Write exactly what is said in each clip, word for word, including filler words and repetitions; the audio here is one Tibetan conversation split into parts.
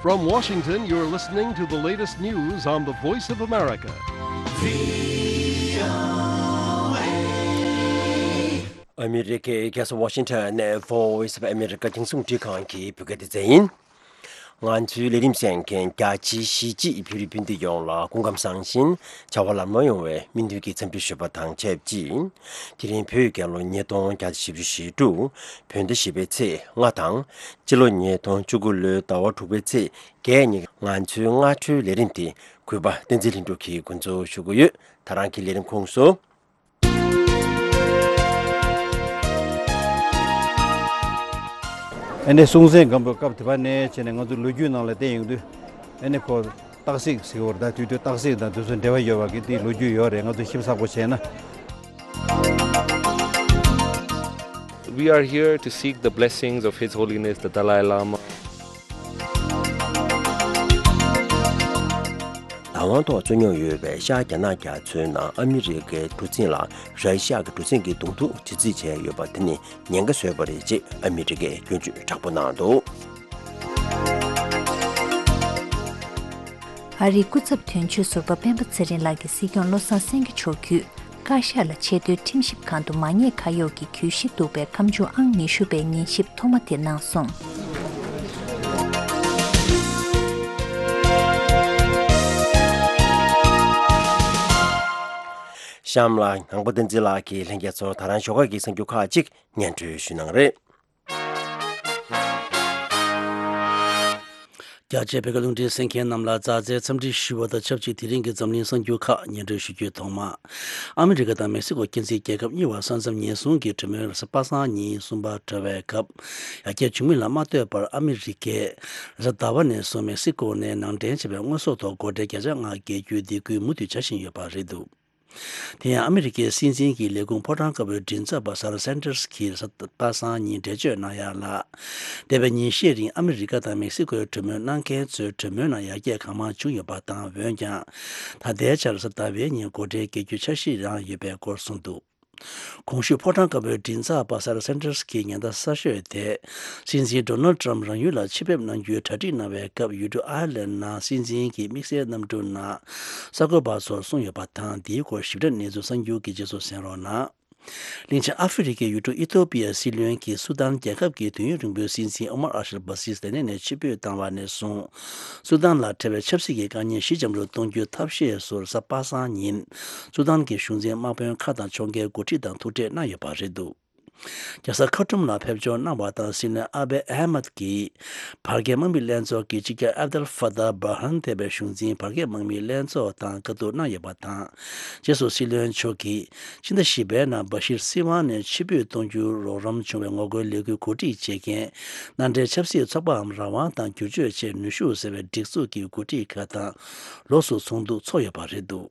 From Washington, you're listening to the latest news on the Voice of America. ཨ་མི་རི་ཀའི་རྒྱལ་ས་ཝ་ཤིང་ཊོན་ནས་Voice of America རྒྱང་སྲིང་རླུང་འཕྲིན་ཁང་གི་བོད་སྐད་སྡེ་ཚན་ཡིན། ང་ཚོའི་ལས་རིམ་གསན་མཁན་རྒྱ་ཆེའི་གཞིས་བྱེས་བོད་རིགས་སྤུན་ཟླ་ཡོངས་ལ་སྐུ་ཁམས་བཟང་ཞིང་བྱ་བ་ལམ་ལྷོང་ཡོང་བའི་སྨོན་འདུན་གྱི་འཚམས་འདྲི་ཞུ་བ་དང་ཆབས་ཅིག་དེ་རིང་བོད་རྒྱལ་ལོ་ཉིས་སྟོང་བརྒྱ་དང་བཞི་བཅུ་ཞེ་དྲུག་བོད་ཟླ་བཞི་པའི་ཚེས་ལྔ་དང་། སྤྱི་ལོ་ཉིས་སྟོང་བཅུ་དགུ་ལོའི་ཟླ་བ་དྲུག་པའི་ཚེས་བརྒྱད་ཉིན་ང་ཚོའི་སྔ་དྲོའི་ལས་རིམ་དེ་གུས་པ་བསྟན་འཛིན་ལྷུན་གྲུབ་ཀྱིས་འགོ་འཛུགས་ཞུ་གི་ཡོད། ད་རང་གི་ལས་རིམ་ཁོངས་སུ། ཨ་ནི་སྲོང་བཙན་སྒམ་པོའི་སྐབས་དེ་བ་ནས་བྱས་ནས་ང་ཚོ་ལོ་རྒྱུས་ནང་ལ་བལྟས་ཡོང་དུས། ཨ་ནི་ཁོ་སྟག་གཟིག་ཟེར་བ་རེད། ད་དུས་དུས་སྟག་གཟིག་དང་དུས་སུ་འབྲེལ་བ་ཡོད་པ་གི་དེའི་ལོ་རྒྱུས་ཡོད་རེད། ང་ཚོ་ཞིབ་ཚགས་པོ་བྱས་ན། We are here to seek the blessings of His Holiness the Dalai Lama. ལ་དབང་ཐོག་རྩོད་རྙོག་ཡོད་པའི་ཤར་རྒྱ་ནག་རྒྱ་མཚོའི་ནང་ཨ་མི་རི་ཀའི་གྲུ་གཟིངས་ལ་ར་ཤི་ཡ་གི་གྲུ་གཟིངས་ཀྱི་གདོང་ཐུག་དྲི་རྩད་བྱས་ཡོད་པ་དེ་ནི་ཉེན་ཁ་བཟོས་པ་རེད་ཅེས་ཨ་མི་རི་ཀས་སྐྱོན་བརྗོད་དྲག་པོ་གནང་འདུག་ཨ་རིའི་སྐུ་ཚབ་དོན་གཅོད་ཟུར་པ་སྤེན་པ་ཚེ་རིང་ལགས་ཀྱིས་སྲིད་སྐྱོང་བློ་བཟང་སེང་གེ་མཆོག་བརྒྱུད། བཀའ་ཤག་ལ་ཆེས་མཐོའི་ཁྲིམས་ཞིབ་ཁང་དུ་མ་ཉེས་ཁ་གཡོགས་ཀྱི་གྱོད་གཞི་འདུག་པའི་ཁ་མཆུ་ཨང་ཉི་ཤུ་པའི་ཉན་ཞིབ་ཐོག་མ་དེ་གནང་སོང་། གཤམ་ལ་ནང་པ་བསྟན་འཛིན་ལགས་ཀྱིས་ལྷན་རྒྱས་ཚོར་ད་རང་ཞོགས་ཀ་གི་གསར་འགྱུར་ཁག་ཅིག་སྙན་སྒྲོན་ཞུ་གནང་རེད། རྒྱ་ཆེའི་བོད་སྐད་རླུང་འཕྲིན་གསན་མཁན་རྣམས་ལ་མཛའ་བརྩེའི་འཚམས་འདྲི་ཞུ་བ་དང་ཆབས་ཅིག་དེ་རིང་གི་འཛམ་གླིང་གསར་འགྱུར་ཁག་སྙན་སྒྲོན་ཞུ་རྒྱུའི་ཐོག་མ། ཨ་མི་རི་ཀ་དང་མེག་སི་ཀོ་མཁྱེན་བརྩེ་རྒྱལ་ཁབ་གཉིས་བར་ས་མཚམས་ཉེན་སྲུང་གི་གྲོས་མོལ་རེས་གཟའ་པ་སངས་ཉིན་གསུམ་པར་གྲོལ་བའི་སྐབས། ཡར་རྒྱས་བྱུང་མིན་ལ་མ་ལྟོས་པར་ཨ་མི་རི་ཀས་རེས་གཟའ་ཟླ་བ་ནས་བཟུང་མེག་སི་ཀོ་ནས་ནང་འདྲེན་བྱས་པའི་དངོས་ཟོག་ཐོག་སྒོ་ཁྲལ་བརྒྱ་ཆ་ལྔ་བཀལ་རྒྱུའི་སྡིགས་སྐུལ་མུ་མཐུད་བྱ་བཞིན་ཡོད་པ་རེད་འདུག་དེ་ཡང་ཨ་མི་རི་ཀའི་སྲིད་འཛིན་གྱི་ལས་ཁུངས་ཕོ་བྲང་དཀར་པོའི་མགྲིན་ཚབ་པ་ས་ར་སན་ཏར་སི་གིས་རེས་གཟའ་པ་སངས་ཉིན་འགྲེལ་བརྗོད་གནང་ཡག་ལ། འདས་པའི་ཉིན་ཤས་རིང་ཨ་མི་རི་ཀ་དང་མེག་སི་ཀོའི་གྲོས་མོལ་གནང་མཁན་ཚོའི་གྲོས་མོལ་ནང་ཡར་རྒྱས་གང་མང་བྱུང་ཡོད་པ་དང་། འོན་ཀྱང་། ད་ལྟའི་ཆར་རེས་གཟའ་ཟླ་བའི་ཉིན་སྒོ་ཁྲལ་བཀལ་རྒྱུའི་འཆར་གཞི་རང་ཡོད་པའི་སྐོར་གསུངས་འདུག་གོང་ཞུས་ཕོ་བྲང་དཀར་པོའི་མགྲིན་ཚབ་པ་ས་ར་སན་ཏར་སི་གིས་ཉེན་བརྡ་གསར་ཤོས་དེ། སྲིད་འཛིན་ཌོ་ནལ་ཏྲམ་རང་ཡུལ་ལ་ཆེད་ཕེབས་གནང་རྒྱུའི་གྲ་སྒྲིག་གནང་བའི་སྐབས། ཡུལ་གྲུ་ཨའི་ལན་ནང་སྲིད་འཛིན་གྱི་དམིགས་བསལ་གནམ་གྲུ་ནང་གསར་འགོད་པ་ཚོར་གསུངས་ཡོད་པ་དང་། འདིའི་སྐོར་ཞིབ་ཕྲ་གནས་ཚུལ་གསར་འགྱུར་གྱི་རྗེས་སུ་གསན་རོགས་གནང་། གླིང་ཆེན་ཨ་ཧྥེ་རི་ཁའི་ཡུལ་གྲུ་ཨི་ཐོ་པི་ཡ་སྲིད་བློན་གྱིས་སུ་དཱན་རྒྱལ་ཁབ་ཀྱི་དུས་ཡུན་རིང་པོའི་སྲིད་འཛིན་ཨོ་མར་ཨལ་ཤར་བྷ་སིར་ལས་གནས་ནས་ཕྱིར་འབུད་བཏང་བ་ནས་བཟུང་། སུ་དཱན་ལ་འཕྲད་པའི་ཆབ་སྲིད་ཀྱི་དཀའ་ངལ་ཞི་འཇམ་རུ་གཏོང་རྒྱུའི་ཐབས་ཤེས་སོར་གཟའ་པ་སངས་ཉིན། སུ་དཱན་གྱི་གཞུང་འཛིན་དམག་དཔོན་ཁག་དང་ཕྱོགས་འགལ་འགོ་ཁྲིད་དང་ཐུག་འཕྲད་གནང་ཡོད་པ་རེད་འདུག་རྒྱལ་ས་ཁར་ཊུམ་ལ་ཕེབས་འབྱོར་གནང་བ་དང་། སྲིད་བློན་ཨ་བྷེ་ཨ་མད་ཀྱིས་བར་བརྒལ་དམག་མི་ལྷན་ཚོགས་ཀྱི་སྤྱི་ཁྱབ་ཨབ་དལ་ཧྥ་ཏཱ་བར་ཧན་ཐེ་བའི་གཞུང་འཛིན་བར་བརྒལ་དམག་མི་ལྷན་ཚོགས་དང་བཀའ་བསྡུར་གནང་ཡོད་པ་དང་། རྗེས་སུ་སྲིད་བློན་མཆོག་གིས་ཕྱི་ཟླ་བཞི་པའི་ནང་བ་ཤིར་སྲིད་དབང་ནས་ཕྱིར་འབུད་གཏོང་རྒྱུར་རོགས་རམ་བྱུང་བའི་ངོ་རྒོལ་ལས་འགུལ་གོ་སྒྲིག་བྱེད་མཁན་མནའ་འབྲེལ་ཆབ་སྲིད་ཚོགས་པའམ་རང་དབང་དང་བསྒྱུར་བཅོས་ཆེད་ནུས་ཤུགས་ཟེར་བའི་སྒྲིག་འཛུགས་ཀྱི་འགོ་ཁྲིད་ཁག་དང་ལོགས་སུ་ཚོགས་འདུ་ཚོགས་ཡོད་པ་རེད་འདུག་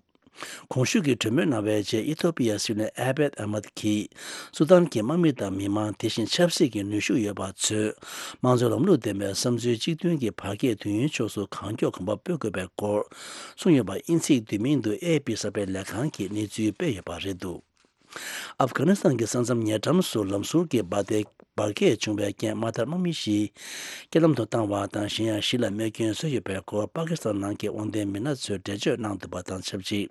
གོང་ཞུས་ཀྱི་གྲོས་མོལ་གནང་བའི་རྗེས། ཨི་ཐོ་པི་ཡ་སྲིད་བློན་ཨ་བྷེད་ཨ་མད་ཀྱིས་སུ་དཱན་གྱི་དམག་མི་དང་མི་མང་། དེ་བཞིན་ཆབ་སྲིད་ཀྱི་ནུས་ཤུགས་ཡོད་པ་ཚོས་དམངས་གཙོའི་ལམ་ལུགས་ལྡན་པའི་བསམ་ཚུལ་གཅིག་མཐུན་གྱི་བར་བརྒལ་དུས་ཡུན་ཕྱོགས་སུ་གང་མགྱོགས་གོམ་པ་སྤོ་དགོས་པའི་སྐོར་གསུངས་ཡོད་པ་དབྱིན་ཚིག་བསྡུས་མིང་དུ་ཨེ་ཨེཕ་པི་གསར་སྤེལ་ལས་ཁང་གིས་གནས་ཚུལ་སྤེལ་ཡོད་པ་རེད་འདུག་ཨབ་གྷ་ནི་སི་ཐན་གྱི་ས་མཚམས་ཉེ་འགྲམ་སུ་ལམ་ཟུར་གྱི་འབར་མདེལ་འབར་གས་བྱུང་བའི་རྐྱེན་དམག་དར་དམག་མི་བཞི་རྐྱེན་ལམ་དུ་བཏང་བ་དང་། གཞན་ཡང་བཞི་ལ་རྨས་སྐྱོན་བཟོས་ཡོད་པའི་སྐོར་པ་ཀི་སི་ཐན་ནང་གི་དབང་ལྡན་མི་སྣ་ཚོས་འགྲེལ་བརྗོད་གནང་འདུག་པ་དང་ཆབས་ཅིག་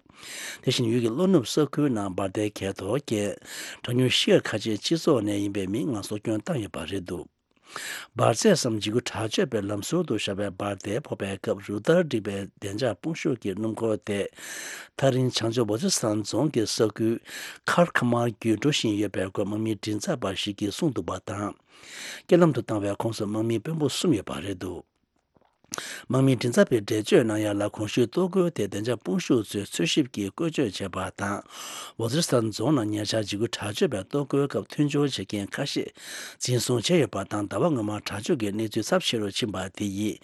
དེ་བཞིན་ཡུལ་གྱི་ལྷོ་ནུབ་ས་ཁུལ་ནང་འབར་མདེལ་གས་གཏོར་རྐྱེན་གྲངས་ཉུང་བཞི་ཡ་ཁ་ཆེ་སྤྱི་ཚོགས་ནས་ཡིན་པའི་མི་ལྔ་སྲོག་སྐྱོན་བཏང་ཡོད་པ་རེད་འདུག་འབར་རྫས་སམ་འཇིགས་སྐུལ་དྲག་སྤྱོད་པའི་ལམ་ཟུར་དུ་བཞག་པའི་འབར་མདེལ་ཕོག་པའི་སྐབས་རུ་སྟར་བསྒྲིགས་པའི་བདེ་འཇགས་དཔུང་ཤུགས་ཀྱི་སྣུམ་འཁོར་དེ། ཐག་རིང་བྱང་ཕྱོགས་ཝ་ཛི་སི་ཐན་རྫོང་གི་ས་ཁུལ་ཁར་ཁ་མར་བརྒྱུད་འགྲོ་བཞིན་ཡོད་པའི་སྐོར་དམག་མི་མགྲིན་ཚབ་པ་ཞིག་གིས་གསུངས་འདུག་པ་དང་། རྐྱེན་ལམ་དུ་བཏང་བའི་ཁོངས་སུ་དམག་མི་དཔོན་པོ་གསུམ་ཡོད་པ་རེད་འདུག་དམག་མི་མགྲིན་ཚབ་པས་འགྲེལ་བརྗོད་གནང་ཡག་ལ། གོང་ཞུས་གཏོར་རྒོལ་དེ་བདེ་འཇགས་དཔུང་ཤུགས་ཚོས་འཚོལ་ཞིབ་ཀྱིས་བཀོལ་སྤྱོད་བྱས་པ་དང་། ཝ་ཛི་རི་སི་ཐན་རྫོང་ནང་ཉེ་ཆར་འཇིགས་སྐུལ་དྲག་སྤྱོད་པའི་གཏོར་རྒོལ་སྐབས་མཐུན་སྦྱོར་བྱེད་མཁན་ཁ་ཤས་འཛིན་བཟུང་བྱས་ཡོད་པ་དང་། ཟླ་བ་སྔོན་མར་དྲག་སྤྱོད་ཀྱི་གནས་ཚུལ་ཚབས་ཆེ་རུ་ཕྱིན་པ་དེ་ཡིས་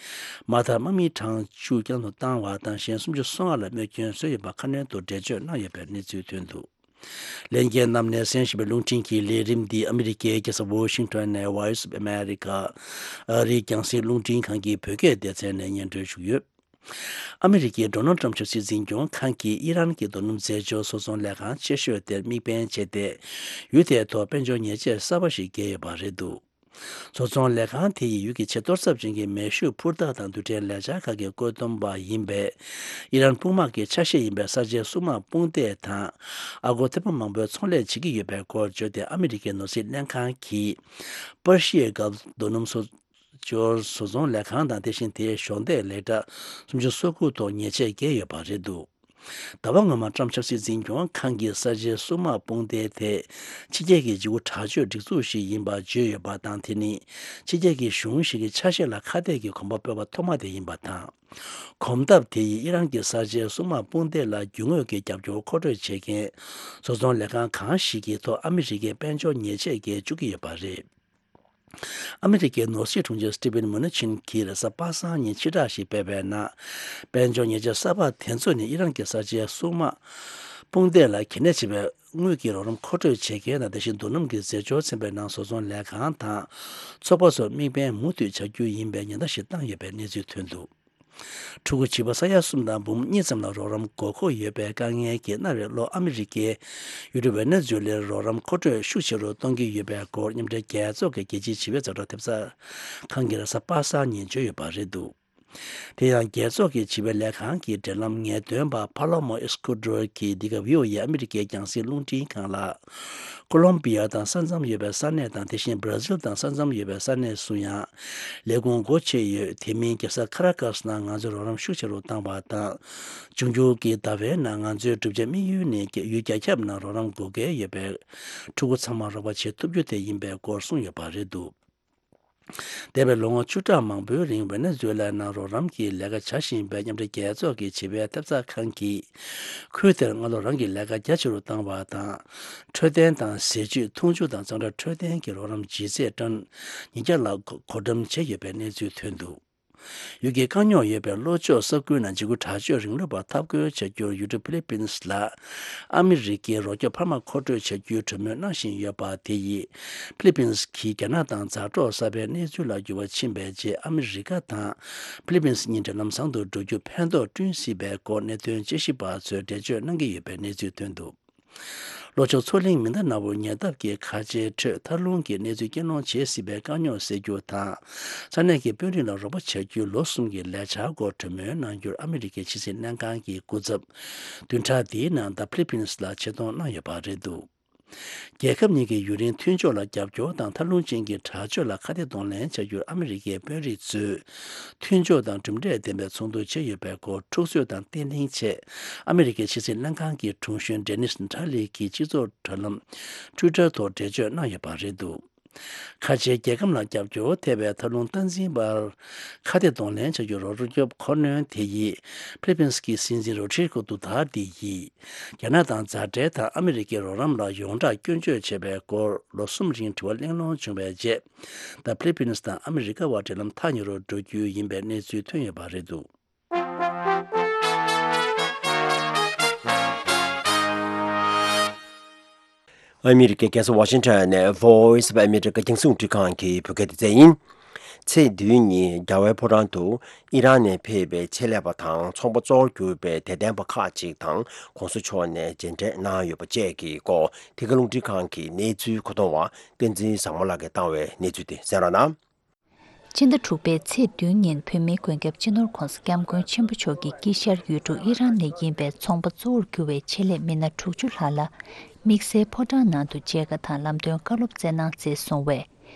དམག་དར་དམག་མི་གྲངས་བཅུ་རྐྱེན་ལམ་དུ་བཏང་བ་དང་། གཞན་སུམ་ཅུ་སོ་ལྔ་ལ་རྨས་སྐྱོན་བཟོས་ཡོད་པ་ཁ་སྣོན་དུ་འགྲེལ་བརྗོད་གནང་ཡོད་པའི་གནས་ཚུལ་ཐོན་འདུག་ལྷན་རྒྱས་རྣམས་ནས་གསན་བཞིན་པའི་རླུང་འཕྲིན་གྱི་ལས་རིམ་འདི་ཨ་མི་རི་ཀའི་རྒྱལ་ས་ཝོ་ཤིང་ཊོན་ནས་Voice of America ཨ་རིའི་རྒྱང་སྲིང་རླུང་འཕྲིན་ཁང་གི་བོད་སྐད་སྡེ་ཚན་ནས་སྙན་སྒྲོན་ཞུས་ཡོད། ཨ་མི་རི་ཀའི་ཌོ་ནལ་ཊམ་ཆབ་སྲིད་འཛིན་སྐྱོང་ཁང་གིས་ཨི་རན་གྱི་རྡོ་སྣུམ་རྫས་སྦྱོར་བཟོ་ཚོང་ལས་ཁང་ཆེ་ཤོས་དེར་དམིགས་འབེན་བྱས་ཏེ། ཡུལ་དེའི་ཐོག་དཔལ་འབྱོར་ཉེས་ཆད་གསར་པ་ཞིག་བཀལ་ཡོད་པ་རེད་འདུག་བཟོ་ཚོང་ལས་ཁང་དེ་ཡིས་ཡུལ་གྱི་ཆེས་གཏོར་ཚབས་ཅན་གྱི་མེ་ཤུགས་འཕུར་མདའ་དང་རྡུལ་ཕྲན་ལས་འཆར་ཁག་གི་བཀོད་འདོམས་པ་ཡིན་པའི་ཨི་རན་དཔུང་དམག་གི་ཆ་ཤས་ཡིན་པའི་གསར་བརྗེའི་སྲུང་དམག་དཔུང་སྡེ་དང་། ཨ་སྒོར་ཐེར་འབུམ་མང་པོའི་ཚོང་ལས་བྱེད་ཀྱི་ཡོད་པའི་སྐོར་བརྗོད་དེ། ཨ་མི་རི་ཀའི་ནོར་སྲིད་ལྷན་ཁང་གིས་པར་ཤི་ཡའི་གྷལ་རྡོ་སྣུམ་བཟོ་སྦྱོར་བཟོ་ཚོང་ལས་ཁང་དང་། དེ་བཞིན་དེའི་གཞོགས་འདེགས་ལས་གྲྭ་སུམ་ཅུ་སོ་དགུ་ཐོག་ཉེས་ཆད་བཀལ་ཡོད་པ་རེད་འདུག་ཟླ་བ་སྔོན་མ་ཀྲམ་ཆབ་སྲིད་འཛིན་སྐྱོང་ཁང་གིས་གསར་བརྗེའི་སྲུང་དམག་དཔུང་སྡེ་དེ་ཕྱི་རྒྱལ་གྱི་འཇིགས་སྐུལ་དྲག་སྤྱོད་སྒྲིག་འཛུགས་ཤིག་ཡིན་པ་བརྗོད་ཡོད་པ་དང་། དེ་ནི་ཕྱི་རྒྱལ་གྱི་གཞུང་ཞིག་གི་ཆ་ཤས་ལ་ཁ་གཏད་ཀྱི་གོམ་པ་སྤོས་པ་ཐོག་མ་དེ་ཡིན་པ་དང་། གོམ་སྟབས་དེ་ཡིས་ཨི་རན་གྱི་གསར་བརྗེའི་སྲུང་དམག་དཔུང་སྡེ་ལ་རྒྱུ་དངོས་ཀྱི་རྒྱབ་སྐྱོར་མཁོ་སྤྲོད་བྱེད་མཁན་བཟོ་ཚོང་ལས་ཁང་གང་ཞིག་གི་ཐོག་ཨ་མི་རི་ཀས་དཔལ་འབྱོར་ཉེས་ཆད་བཀལ་བཅུག་གི་ཡོད་པ་རེད། ཨ་མི་རི་ཀའི་ནོར་སྲིད་དྲུང་ཆེ་སི་ཊི་ཝེན་མུ་ནི་ཆིན་གྱིས་རེས་གཟའ་པ་སངས་ཉིན་ཕྱིར་བསྒྲགས་ཤིག་སྤེལ་བའི་ནང་། དཔལ་འབྱོར་ཉེས་ཆད་གསར་པ་དེ་ཚོ་ནི་ཨི་རན་གྱི་གསར་བརྗེའི་སྲུང་དམག་དཔུང་སྡེ་ལ་གལ་གནད་ཆེ་བའི་དངུལ་གྱི་རོགས་རམ་མཁོ་སྤྲོད་བྱེད་མཁན་དང་། དེ་བཞིན་རྡོ་སྣུམ་གྱི་རྫས་སྦྱོར་ཚན་པའི་ནང་བཟོ་ཚོང་ལས་ཁང་དང་ཚོགས་པ་ཚོར་དམིགས་འབེན་མུ་མཐུད་བྱ་རྒྱུ་ཡིན་པའི་ཉེན་བརྡ་ཞིག་བཏང་ཡོད་པའི་གནས་ཚུལ་ཐོན་འདུག་ཕྲུ་གུ་བྱིས་པ་ས་ཡ་གསུམ་དང་འབུམ་གཉིས་ཙམ་ལ་རོགས་རམ་དགོས་མཁོ་ཡོད་པའི་དཀའ་ངལ་གྱིས་སྔར་བས་ལྷོ་ཨ་མི་རི་ཀའི་ཡུལ་གྲུ་ཝེ་ནེ་ཛུ་ལའི་རོགས་རམ་མཁོ་སྤྲོད་ཤུགས་ཆེ་རུ་གཏོང་གི་ཡོད་པའི་སྐོར་མཉམ་འབྲེལ་རྒྱལ་ཚོགས་ཀྱི་རྒྱལ་སྤྱིའི་བྱིས་པའི་ཛ་དྲག་ཐེབས་རྩ་ཁང་གིས་རེས་གཟའ་པ་སངས་ཉིན་བརྗོད་ཡོད་པ་རེད་འདུག་དེ་ཡང་རྒྱལ་ཚོགས་ཀྱི་བྱིས་པའི་ལས་ཁང་གི་འབྲེལ་ལམ་ངེས་སྟོན་པ་ཕ་ལོ་མོ་ཨེ་སི་ཀུ་ཌོར་གྱིས་འདི་ག་བྷི་ཨོ་ཨེ་ཨ་མི་རི་ཀའི་རྒྱང་སྲིང་རླུང་འཕྲིན་ཁང་ལ། ཀོ་ལོམ་བི་ཡ་དང་ས་མཚམས་ཡོད་པའི་ས་གནས་དང་། དེ་བཞིན་བྷ་ར་ཟིལ་དང་ས་མཚམས་ཡོད་པའི་ས་གནས་སུ་ཡང་ལས་ཁུངས་སྒོ་ཕྱེ་ཡོད། དེ་མིན་རྒྱལ་ས་ཁ་ར་ཀ་སི་ནང་ང་ཚོས་རོགས་རམ་ཤུགས་ཆེ་རུ་བཏང་བ་དང་། འབྱུང་འགྱུར་གྱི་ཟླ་བའི་ནང་ང་ཚོའི་གྲུབ་ཆ་དམིགས་ཡུལ་ནི་ཡུལ་རྒྱ་ཁྱབ་ནང་རོགས་རམ་དགོས་གལ་ཡོད་པའི་ཕྲུ་གུ་ཚང་མ་རོགས་པ་བྱེད་ཐུབ་རྒྱུ་དེ་ཡིན་པའི་སྐོར་གསུངས་ཡོད་པ་རེད་འདུག་འདས་པའི་ལོ་ངོ་བཅུ་ཕྲག་མང་པོའི་རིང་ཝེ་ནེ་ཛུ་ལའི་ནང་རོགས་རམ་གྱི་ལས་ཀ་བྱ་བཞིན་པའི་མཉམ་འབྲེལ་རྒྱལ་ཚོགས་ཀྱི་བྱིས་པའི་ཐེབས་རྩ་ཁང་གིས། ཁུལ་དེར་སྔ་ལོ་རང་གི་ལས་ཀ་རྒྱ་ཆེ་རུ་བཏང་བ་དང་། འཕྲོད་བསྟེན་དང་ཟས་བཅུད་འཐུང་ཆུ་དང་གཙང་སྦྲ་འཕྲོད་བསྟེན་གྱི་རོགས་རམ་ལྗིད་ཚད་ཊོན་ཉིས་བརྒྱ་ལ་བགོ་བགོ་བཀྲམ་བྱས་ཡོད་པའི་གནས་ཚུལ་ཐོན་འདུག་ཡུལ་གྱི་དཀའ་རྙོག་ཡོད་པའི་ལྷོ་ཕྱོགས་ས་ཁུལ་ནང་འཇིགས་སྐུལ་དྲག་སྤྱོད་རིང་ལུགས་པར་འཐབ་རྒོལ་བྱ་རྒྱུར་ཡུལ་གྲུ་ཕི་ལི་པིན་སི་ལ་ཨ་མི་རི་ཀའི་རོགས་སྐྱོབ་འཕར་མ་མཁོ་སྤྲོད་བྱ་རྒྱུའི་གྲོས་མོལ་གནང་བཞིན་ཡོད་པ་དེ་ཡིས། ཕི་ལི་པིན་སི་གིས་རྒྱ་ནག་དང་མཛའ་གྲོགས་གསར་པའི་གནས་ཚུལ་ལ་འགྱུར་བ་ཕྱིན་པའི་རྗེས། ཨ་མི་རི་ཀ་དང་ཕི་ལི་པིན་སི་གཉིས་འབྲེལ་ལམ་བཟང་དུ་འགྲོ་རྒྱུར་ཕན་ཐོགས་བསྐྲུན་སྲིད་པའི་སྐོར་གནད་དོན་དཔྱད་ཞིབ་པ་ཚོས་འགྲེལ་བརྗོད་གནང་གི་ཡོད་པའི་གནས་ཚུལ་ཐོན་འདུག་ལྷོ་ཕྱོགས་མཚོ་གླིང་མི་འདབས་ནག་པོའི་ཉེ་འདབས་ཀྱི་མཁའ་ཆེའི་ཁྲོད་ཐར་རླུང་གིས་གནས་ཚུལ་རྐྱེན་སློང་བྱེད་སྲིད་པའི་དཀའ་རྙོག་སེལ་རྒྱུ་དང་། ས་གནས་ཀྱི་དཔོན་རིགས་ལ་རོགས་པ་བྱ་རྒྱུའི་ལོ་གསུམ་གྱི་ལས་འཆར་སྐོར་གྲོས་མོལ་གནང་རྒྱུར་ཨ་མི་རི་ཀའི་ཕྱི་སྲིད་ལྷན་ཁང་གི་སྐུ་ཚབ་བདུན་ཕྲག་འདིའི་ནང་ད་ཕི་ལི་པིན་སི་ལ་ཆེད་གཏོང་གནང་ཡོད་པ་རེད་འདུག་རྒྱལ་ཁབ་གཉིས་ཀྱི་ཡུན་རིང་མཐུན་ཕྱོགས་ལ་རྒྱབ་སྐྱོར་དང་། ཐར་རླུང་ཅན་གྱི་དྲག་སྤྱོད་ལ་ཁ་གཏད་གདོང་ལེན་བྱ་རྒྱུར་ཨ་མི་རི་ཀའི་དཔོན་རིགས་ཚོས་མཐུན་ཕྱོགས་དང་གྲུབ་འབྲས་ལྡན་པའི་ཚོགས་འདུ་བྱས་ཡོད་པའི་སྐོར་འཁྲུག་རྩོད་དང་བརྟན་ལྷིང་ཆེད་ཨ་མི་རི་ཀའི་ཕྱི་སྲིད་ལྷན་ཁང་གི་དྲུང་གཞོན་ཌེ་ནིས་ཁྲ་ལི་གིས་སྤྱི་ཚོགས་དྲ་ལམ་ཊུའི་ཊར་ཐོག་འགྲེལ་བརྗོད་གནང་ཡོད་པ་རེད་འདུག་ཁ་ཆེའི་རྒྱལ་ཁམས་ལ་རྒྱབ་སྐྱོར་ཐེབས་པའི་ཐར་རླུང་སྟངས་འཛིན་པར་ཁ་གཏད་གདོང་ལེན་བྱ་རྒྱུའི་རོགས་སྐྱོབ་ཁོ་ནོན་དེ་ཡིས་ཕི་ལི་པིན་སི་གི་སྲིད་འཛིན་རོ་ཏྲི་གོ་ཏུ་ཐར་ཏེ་ཡིས། རྒྱ་ནག་དང་མཛའ་འབྲེལ་དང་ཨ་མི་རི་ཀའི་རོགས་རམ་ལ་ཡོངས་གྲགས་སྐྱོན་བརྗོད་བྱས་པའི་སྐོར་ལོ་གསུམ་རིང་དྲི་བ་གླེང་སློང་བྱུང་བའི་རྗེས། ད་ཕི་ལི་པིན་སི་དང་ཨ་མི་རི་ཀ་བར་འབྲེལ་ལམ་ཐག་ཉེ་རུ་འགྲོ་རྒྱུ་ཡིན་པའི་གནས་ཚུལ་ཐོན་ཡོད་པ་རེད་འདུག་ཨ་མི་རི་ཀའི་རྒྱལ་ས་ཝ་ཤིང་ཊོན་ནས་Voice of America རྒྱང་སྲིང་རླུང་འཕྲིན་ཁང་གི་བོད་སྐད་སྡེ་ཚན་ཡིན། ཚེས་བདུན་ཉིན་རྒྱལ་བའི་ཕོ་བྲང་དུ་ཨི་རན་ནས་ཕེབས་པའི་ཆེད་ལས་པ་དང་ཚོང་པ་གཙོ་བོར་གྱུར་པའི་དད་ལྡན་པ་ཁག་ཅིག་དང་གོང་ས་མཆོག་ནས་མཇལ་འཕྲད་གནང་ཡོད་པ་བཅས་ཀྱི་སྐོར་དེ་ག་རླུང་འཕྲིན་ཁང་གི་གནས་ཚུལ་མཁོ་གཏོང་བ་བསྟན་འཛིན་བཟང་མོ་ལགས་ཀྱིས་བཏང་བའི་གནས་ཚུལ་དེ་གསན་རོགས་གནང་། ཕྱི་ཟླ་དྲུག་པའི་ཚེས་བདུན་ཉིན་བོད་མིའི་མགོན་སྐྱབས་སྤྱི་ནོར་༧གོང་ས་༧སྐྱབས་མགོན་ཆེན་པོ་མཆོག་གི་དཀྱིལ་ཤར་ཡུལ་གྲུ་ཨི་རན་ནས་ཡིན་པའི་ཚོང་པ་གཙོ་བོར་གྱུར་བའི་ཆེད་ལས་མི་སྣ་དྲུག་ཅུ་ལྷག་ལ་དམིགས་བསལ་ཕོ་བྲང་ནང་དུ་མཇལ་ཁ་དང་ལམ་སྟོན་བཀའ་སློབ་སྩལ་གནང་མཛད་སོང་བས།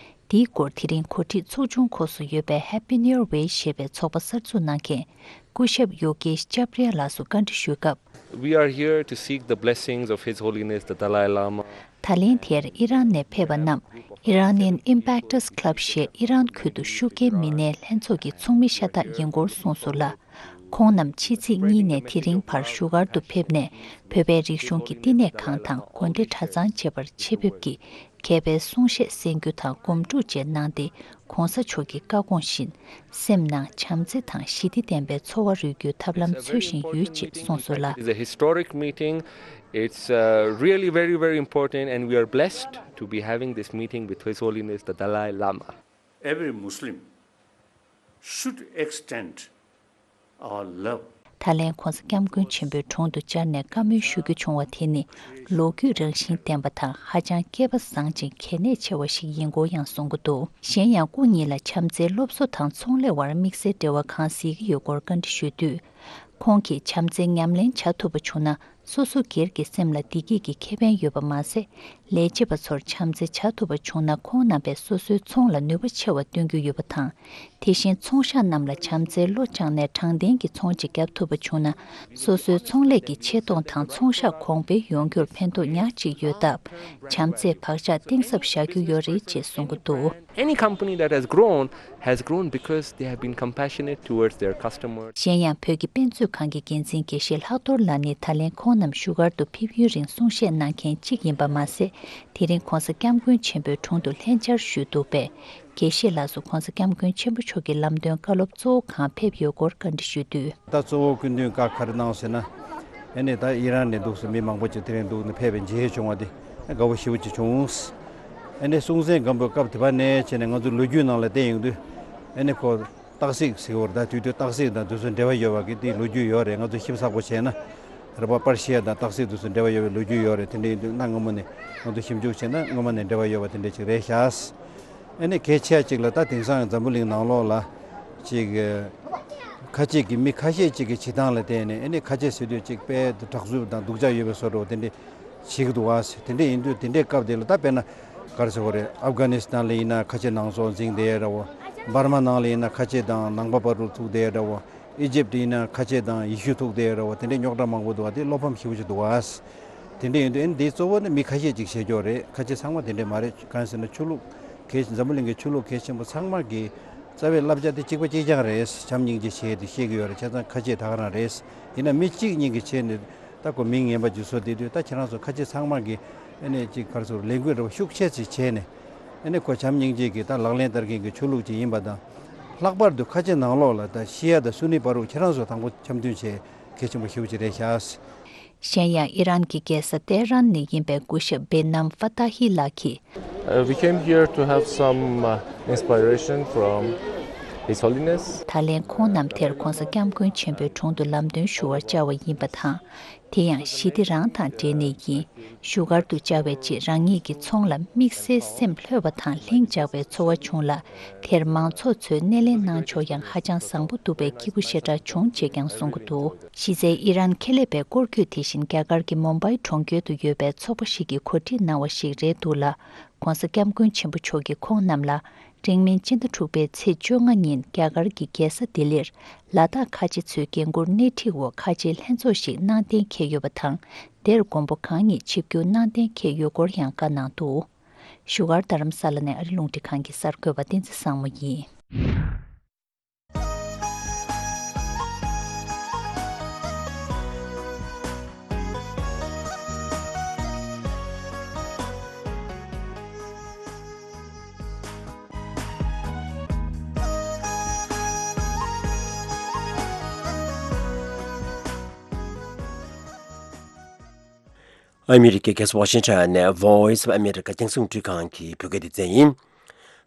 དེའི་སྐོར་དེ་རིང་གོ་སྒྲིག་ཚོགས་ཆུང་ཁོངས་སུ་ཡོད་པའི་Happy New Year Way ཞེས་པའི་ཚོགས་པ་གསར་འཛུགས་གནང་མཁན་སྐུ་ཞབས་ཡོ་གེཤ་ཅབ་རི་ཡ་ལགས་སུ་བཀའ་འདྲི་ཞུས་སྐབས། We are here to seek the blessings of His Holiness the Dalai Lama. ད་ལན་དེར་ཨི་རན་ནས་ཕེབས་པ་རྣམས་Iranian Impactors Club ཞེས་ཨི་རན་ཁུལ་དུ་ཤུགས་རྐྱེན་མི་སྣའི་ལྷན་ཚོགས་ཀྱི་ཚོགས་མི་ཤ་སྟག་ཡིན་སྐོར་གསུངས་སོང་ལ། ཁོང་རྣམས་ཕྱི་ཚེས་གཉིས་ནས་དེ་རིང་བར་བཞུགས་སྒར་དུ་ཕེབས་ནས་བོད་པའི་རིག་གཞུང་གི་བསྟི་གནས་ཁང་དང་དགོན་སྡེ་གྲྭ་ཚང་བཅས་པར་ཆེད་ཕེབས་ཀྱིས་མཁས་པའི་གསུང་བཤད་གསན་རྒྱུ་དང་སྒོམ་སྒྲུབ་བཅས་གནང་སྟེ། གོང་ས་མཆོག་གི་བཀའ་དགོངས་བཞིན་སེམས་ནང་བྱམས་བརྩེ་དང་ཞི་བདེ་ལྡན་པའི་འཚོ་བ་རོལ་རྒྱུའི་ཐབས་ལམ་འཚོལ་བཞིན་ཡོད་ཅེས་གསུངས་སོང་ལ། It's a historic meeting. It's uh, really very, very important, and we are blessed to be having this meeting with His Holiness the Dalai Lama. Every Muslim should extend our love. ད་ལན་༧གོང་ས་༧སྐྱབས་མགོན་ཆེན་པོའི་དྲུང་དུ་བཅར་ནས་བཀའ་མོལ་ཞུ་རྒྱུ་བྱུང་བ་དེ་ནི་ལོ་རྒྱུས་རང་བཞིན་ལྡན་པ་དང་ཧ་ཅང་སྐལ་པ་བཟང་ཅིང་གལ་གནད་ཆེ་བ་ཞིག་ཡིན་སྐོར་ཡང་གསུང་གི་འདུག་གཞན་ཡང་སྐུ་ཉིད་ལ་བྱམས་བརྩེའི་སློབ་གསོ་དང་ཚོང་ལས་དབར་དམིགས་བསལ་འབྲེལ་བ་གང་གཟིགས་ཀྱི་ཡོད་སྐོར་བཀའ་འདྲི་ཞུས་དུས། ཁོང་གིས་བྱམས་བརྩེ་ཉམས་ལེན་བྱ་ཐུབ་པ་བྱུང་ན། སོ་སོ་སྒེར་གྱི་སེམས་ལ་བདེ་སྐྱིད་ཀྱི་ཁེ་ཕན་ཡོད་པ་མ་ཟད། ལས་བྱེད་པ་ཚོར་བྱམས་བརྩེ་བྱ་ཐུབ་པ་བྱུང་ན། ཁོང་རྣམ་པས་སོ་སོའི་ཚོང་ལ་ནུས་པ་ཆེ་བ་སྟོན་རྒྱུ་ཡོད་པ་དང་། དེ་བཞིན་ཚོང་ཤག་རྣམས་ལ་བྱམས་བརྩེའི་བློ་བཅངས་ནས་དྲང་བདེན་གྱི་ཚོང་ཅིག་བརྒྱབ་ཐུབ་པ་བྱུང་ན། སོ་སོའི་ཚོང་ལས་ཀྱི་ཆེ་མཐོང་དང་ཚོང་ཤག་གོང་འཕེལ་ཡོང་རྒྱུར་ཕན་ཐོགས་ཉག་གཅིག་ཡོད་སྟབས། བྱམས་བརྩེས་བག་ཆགས་གཏིང་ཟབ་བཞག་རྒྱུ་ཡོད་རེད་ཅེས་གསུང་གི་འདུག Any company that has grown has grown because they have been compassionate towards their customers. གཞན་ཡང་བོད་ཀྱི་དཔེ་མཛོད་ཁང་གི་འགན་འཛིན་དགེ་བཤེས་ལྷག་རྡོར་ལགས་ནི་ད་ལན་ཁོང་རྣམས་བཞུགས་སྒར་དུ་ཕེབས་ཡུན་རིང་གསུང་བཤད་གནང་མཁན་གཅིག་ཡིན་པ་མ་ཟད། དེ་རིང་༧གོང་ས་༧སྐྱབས་མགོན་ཆེན་པོའི་དྲུང་དུ་ལྷན་བཅར་ཞུས་འདུག་པས། དགེ་བཤེས་ལགས་སུ་༧གོང་ས་༧སྐྱབས་མགོན་ཆེན་པོ་མཆོག་གི་ལམ་སྟོན་བཀའ་སློབ་གཙོ་བོ་གང་ཕེབས་ཡོད་སྐོར་བཀའ་འདྲི་ཞུས་དུས། ད་གཙོ་བོ་སྐུ་མདུན་བཀའ་ག་རེ་གནང་ཟེར་ན། ཨ་ནི་ད་ཨི་རན་ནས་འདུག་སེ་མི་མང་པོ་ཅིག་དེ་རིང་འདུག་ནས་ཕེབས་པའི་མཇལ་བྱུང་བ་དེ་དགའ་པོ་ཞེ་པོ་ཅིག་བྱུང་། ཨ་ནི་སྲོང་བཙན་སྒམ་པོའི་སྐབས་དེ་བ་ནས་བྱས་ནས་ང་ཚོའི་ལོ་རྒྱུས་ནང་ལ་བལྟས་ཡོང་དུས། ཨ་ནི་ཁོ་སྟག་གཟིག་ཟེར་བར་ད་དུས་དུས་སྟག་གཟིག་དང་དུས་ཚོད་འབྲེལ་བ་ཡོད་པ་གི་དེའི་ལོ་རྒྱུས་ཡོད་རེད། ང་ཚོ་ཞིབ་ཚགས་པོ་བྱས་ན། རེད་པ། པར་ཤི་ཡ་དང་སྟག་གཟིག་དུས་ཚོད་འབྲེལ་བ་ཡོད་པའི་ལོ་རྒྱུས་ཡོད་རེད། དེ་འདྲ་ཡིན་དུས་གནའ་སྔ་མོ་ནས་ང་ཚོ་ཞིབ་འཇུག་བྱས་ན་སྔོན་མ་ནས་འབྲེལ་བ་ཡོད་པ་དེ་འདྲ་ཅིག་རེད་ཤག་ཨ་ནི་གལ་ཆེ་ཅིག་ལ་ད་དེང་སང་འཛམ་བུ་གླིང་ནང་ལོགས་ལ་ཅིག་ཁ་ཆེ་གི་མི་ཁ་ཤས་ཅིག་གི་བྱེད་སྟངས་ལ་བརྟེན་ནས། ཨ་ནི་ཁ་ཆེ་ཟེར་དུས་ཅིག་དཔེ་དྲག་རྩུབ་དང་སྡུག་ཅག་ཡོད་པའི་བཟོ་འདྲ་བོ་དེ་འདྲ་བྱེད་ཀྱི་འདུག་བ། དེ་འདྲ་ཡིན་དུས་དེ་འདྲའི་སྐབས་དེ་ལ་ད་དཔེར་ན་ག་རེ་ཟེར་དགོས་རེད། ཨབ་གྷ་ནི་སི་ཐན་ལ་ཡིན་ན་ཁ་ཆེ་ནང་སོག་འཛིང་བསྡད་ཡ་འདྲ་བོ། འབར་མ་ནང་ལ་ཡིན་ན་ཁ་ཆེ་དང་ནང་པ་བར་དུ་ཐུག་བསྡད་ཡ་འདྲ་བོ། ཨི་ཇིབ་ཡིན་ན་ཁ་ཆེ་དང་ཡེ་ཤུ་ཐུག་བསྡད་ཡ་འདྲ་བོ། དེ་འདྲའི་རྙོག་དྲ་མང་པོ་འདུག་བ། དེ་བློ་ཕམ་ཞེ་པོ་ཅིག་འདུག་བ། དེ་འདྲ་ཡིན་དུས་ཨ་ནི་འདི་གཙོ་བོ་ནི་མི་ཁ་ཤས་ཅིག་བྱེད་ཀྱོག་རེད། ཁ་ཆེ་ཚང་མ་དེ་འདྲ་མ་རེད། གང་ཟེར་ན་ཆོས་ལུགས་གལ་ཆེ། འཛམ་བུ་གླིང་གི་ཆོས་ལུགས་གལ་ཆེན་པོ་ཚང་མ་གི་རྩ་བའི་བསླབ་བྱ་དེ་གཅིག་པ་གཅིག་རྐྱང་རེད། བྱམས་སྙིང་རྗེ་བྱེད་དེ་བཤད་ཀྱི་ཡོད་རེད། བྱས་ཙང་ཁ་ཆེ་ད་ག་རང་རེད། ཡིན་ན་མི་གཅིག་གཉིས་ཀྱི་ཆེད་ནས་ད་ཁོ་མིང་ངན་པ་ཅིག་བཟོ་བསྡད་དུས། ད་ཁྱེད་རང་ཚོ་ཁ་ཆེ་ཚང་མ་གི་ཨ་ནི་ཅིག་ག་རེ་ཟེར། ལས་འགུལ་འདྲ་བོ་ཤུགས་ཆེ་ཙིག་བྱས་ནས། ཨ་ནི་ཁོ་བྱམས་སྙིང་རྗེ་གི་ད་ལག་ལེན་བསྟར་མཁན་གྱི་ཆོས་ལུགས་ཅིག་ཡིན་པ་དང་། ལྷག་པར་དུ་ཁ་ཆེ་ནང་ལོགས་ལ་ད་ཤི་ཡ་དང་སུ་ནི་བར་དུ་ཁྱེད་རང་ཚོ་དང་པོ་འཆམ་མཐུན་བྱེད་གལ་ཆེན་པོ་ཞེ་པོ་ཅིག་རེད་ཤག་གཞན་ཡང་ཨི་རན་གྱི་རྒྱལ་ས་ཏེ་ཧྲན་ནས་ཡིན་པའི་སྐུ་ཞབས་བེ་ནམ་ཧྥ་ཏཱ་ཧི་ལགས་ཀྱིས། Uh, we came here to have some uh, inspiration from His Holiness. ད་ལན་ཁོང་རྣམས་དེར་༧གོང་ས་༧སྐྱབས་མགོན་ཆེན་པོའི་དྲུང་དུ་ལམ་སྟོན་ཞུ་བར་བཅར་བ་ཡིན་པ་དང་། དེ་ཡང་ཞི་བདེ་རང་དང་འབྲེལ་ནས་ཡིན། བཞུགས་སྒར་དུ་བཅར་བའི་རྗེས་རང་ཉིད་ཀྱི་ཚོང་ལ་དམིགས་བསལ་སེམས་ལྷོད་པ་དང་ལྷིང་འཇགས་པའི་ཚོར་བ་བྱུང་ལ། དེར་མང་ཚོགས་ཚོས་སྣེ་ལེན་གནང་ཕྱོགས་ཡང་ཧ་ཅང་བཟང་པོ་འདུག་པས་སྐྱིད་པོ་ཞེ་དྲག་བྱུང་ཅེས་ཀྱང་གསུང་གི་འདུག་གཞི་རྩའི་ཨི་རན་ཁེ་ལས་པའི་སྐོར་སྐྱོད་དེ་བཞིན་རྒྱ་གར་གྱི་མུམ་བྷའི་གྲོང་ཁྱེར་དུ་ཡོད་པའི་ཚོགས་པ་ཞིག་གིས་གོ་སྒྲིག་གནང་བ་ཞིག་རེད་འདུག་ལ། ༸གོང་ས་༸སྐྱབས་མགོན་ཆེན་པོ་མཆོག་གིས་ཁོང་རྣམས་ལ། འབྲིང་མིན་སྤྱི་ཟླ་དྲུག་པའི་ཚེས་བཅོ་ལྔ་ཉིན་རྒྱ་གར་གྱི་རྒྱལ་ས་ལྡི་ལིར་ལ་དྭགས་ཁ་ཆེ་ཚོའི་འགན་འཁུར་སྣེ་ཁྲིད་འོག་ཁ་ཆེའི་ལྷན་ཚོགས་ཤིག་གནང་གཏན་འཁེལ་ཡོད་པ་དང་། དེར་མགོན་པོ་གང་ཉིད་ཆིབས་བསྒྱུར་གནང་གཏན་འཁེལ་ཡོད་སྐོར་ཡང་བཀའ་གནང་འདུག་བཞུགས་སྒར་རྡ་རམ་ས་ལ་ནས་ཨ་རི་རླུང་འཕྲིན་ཁང་གི་གསར་འགོད་པ་བསྟན་འཛིན་བཟང་མོ་ཡིན། ཨ་མི་རི་ཀའི་རྒྱལ་ས་ཝ་ཤིང་ཊོན་ནས་Voice of America རྒྱང་སྲིང་འཕྲིན་ཁང་གི་བོད་སྐད་སྡེ་ཚན་ཡིན།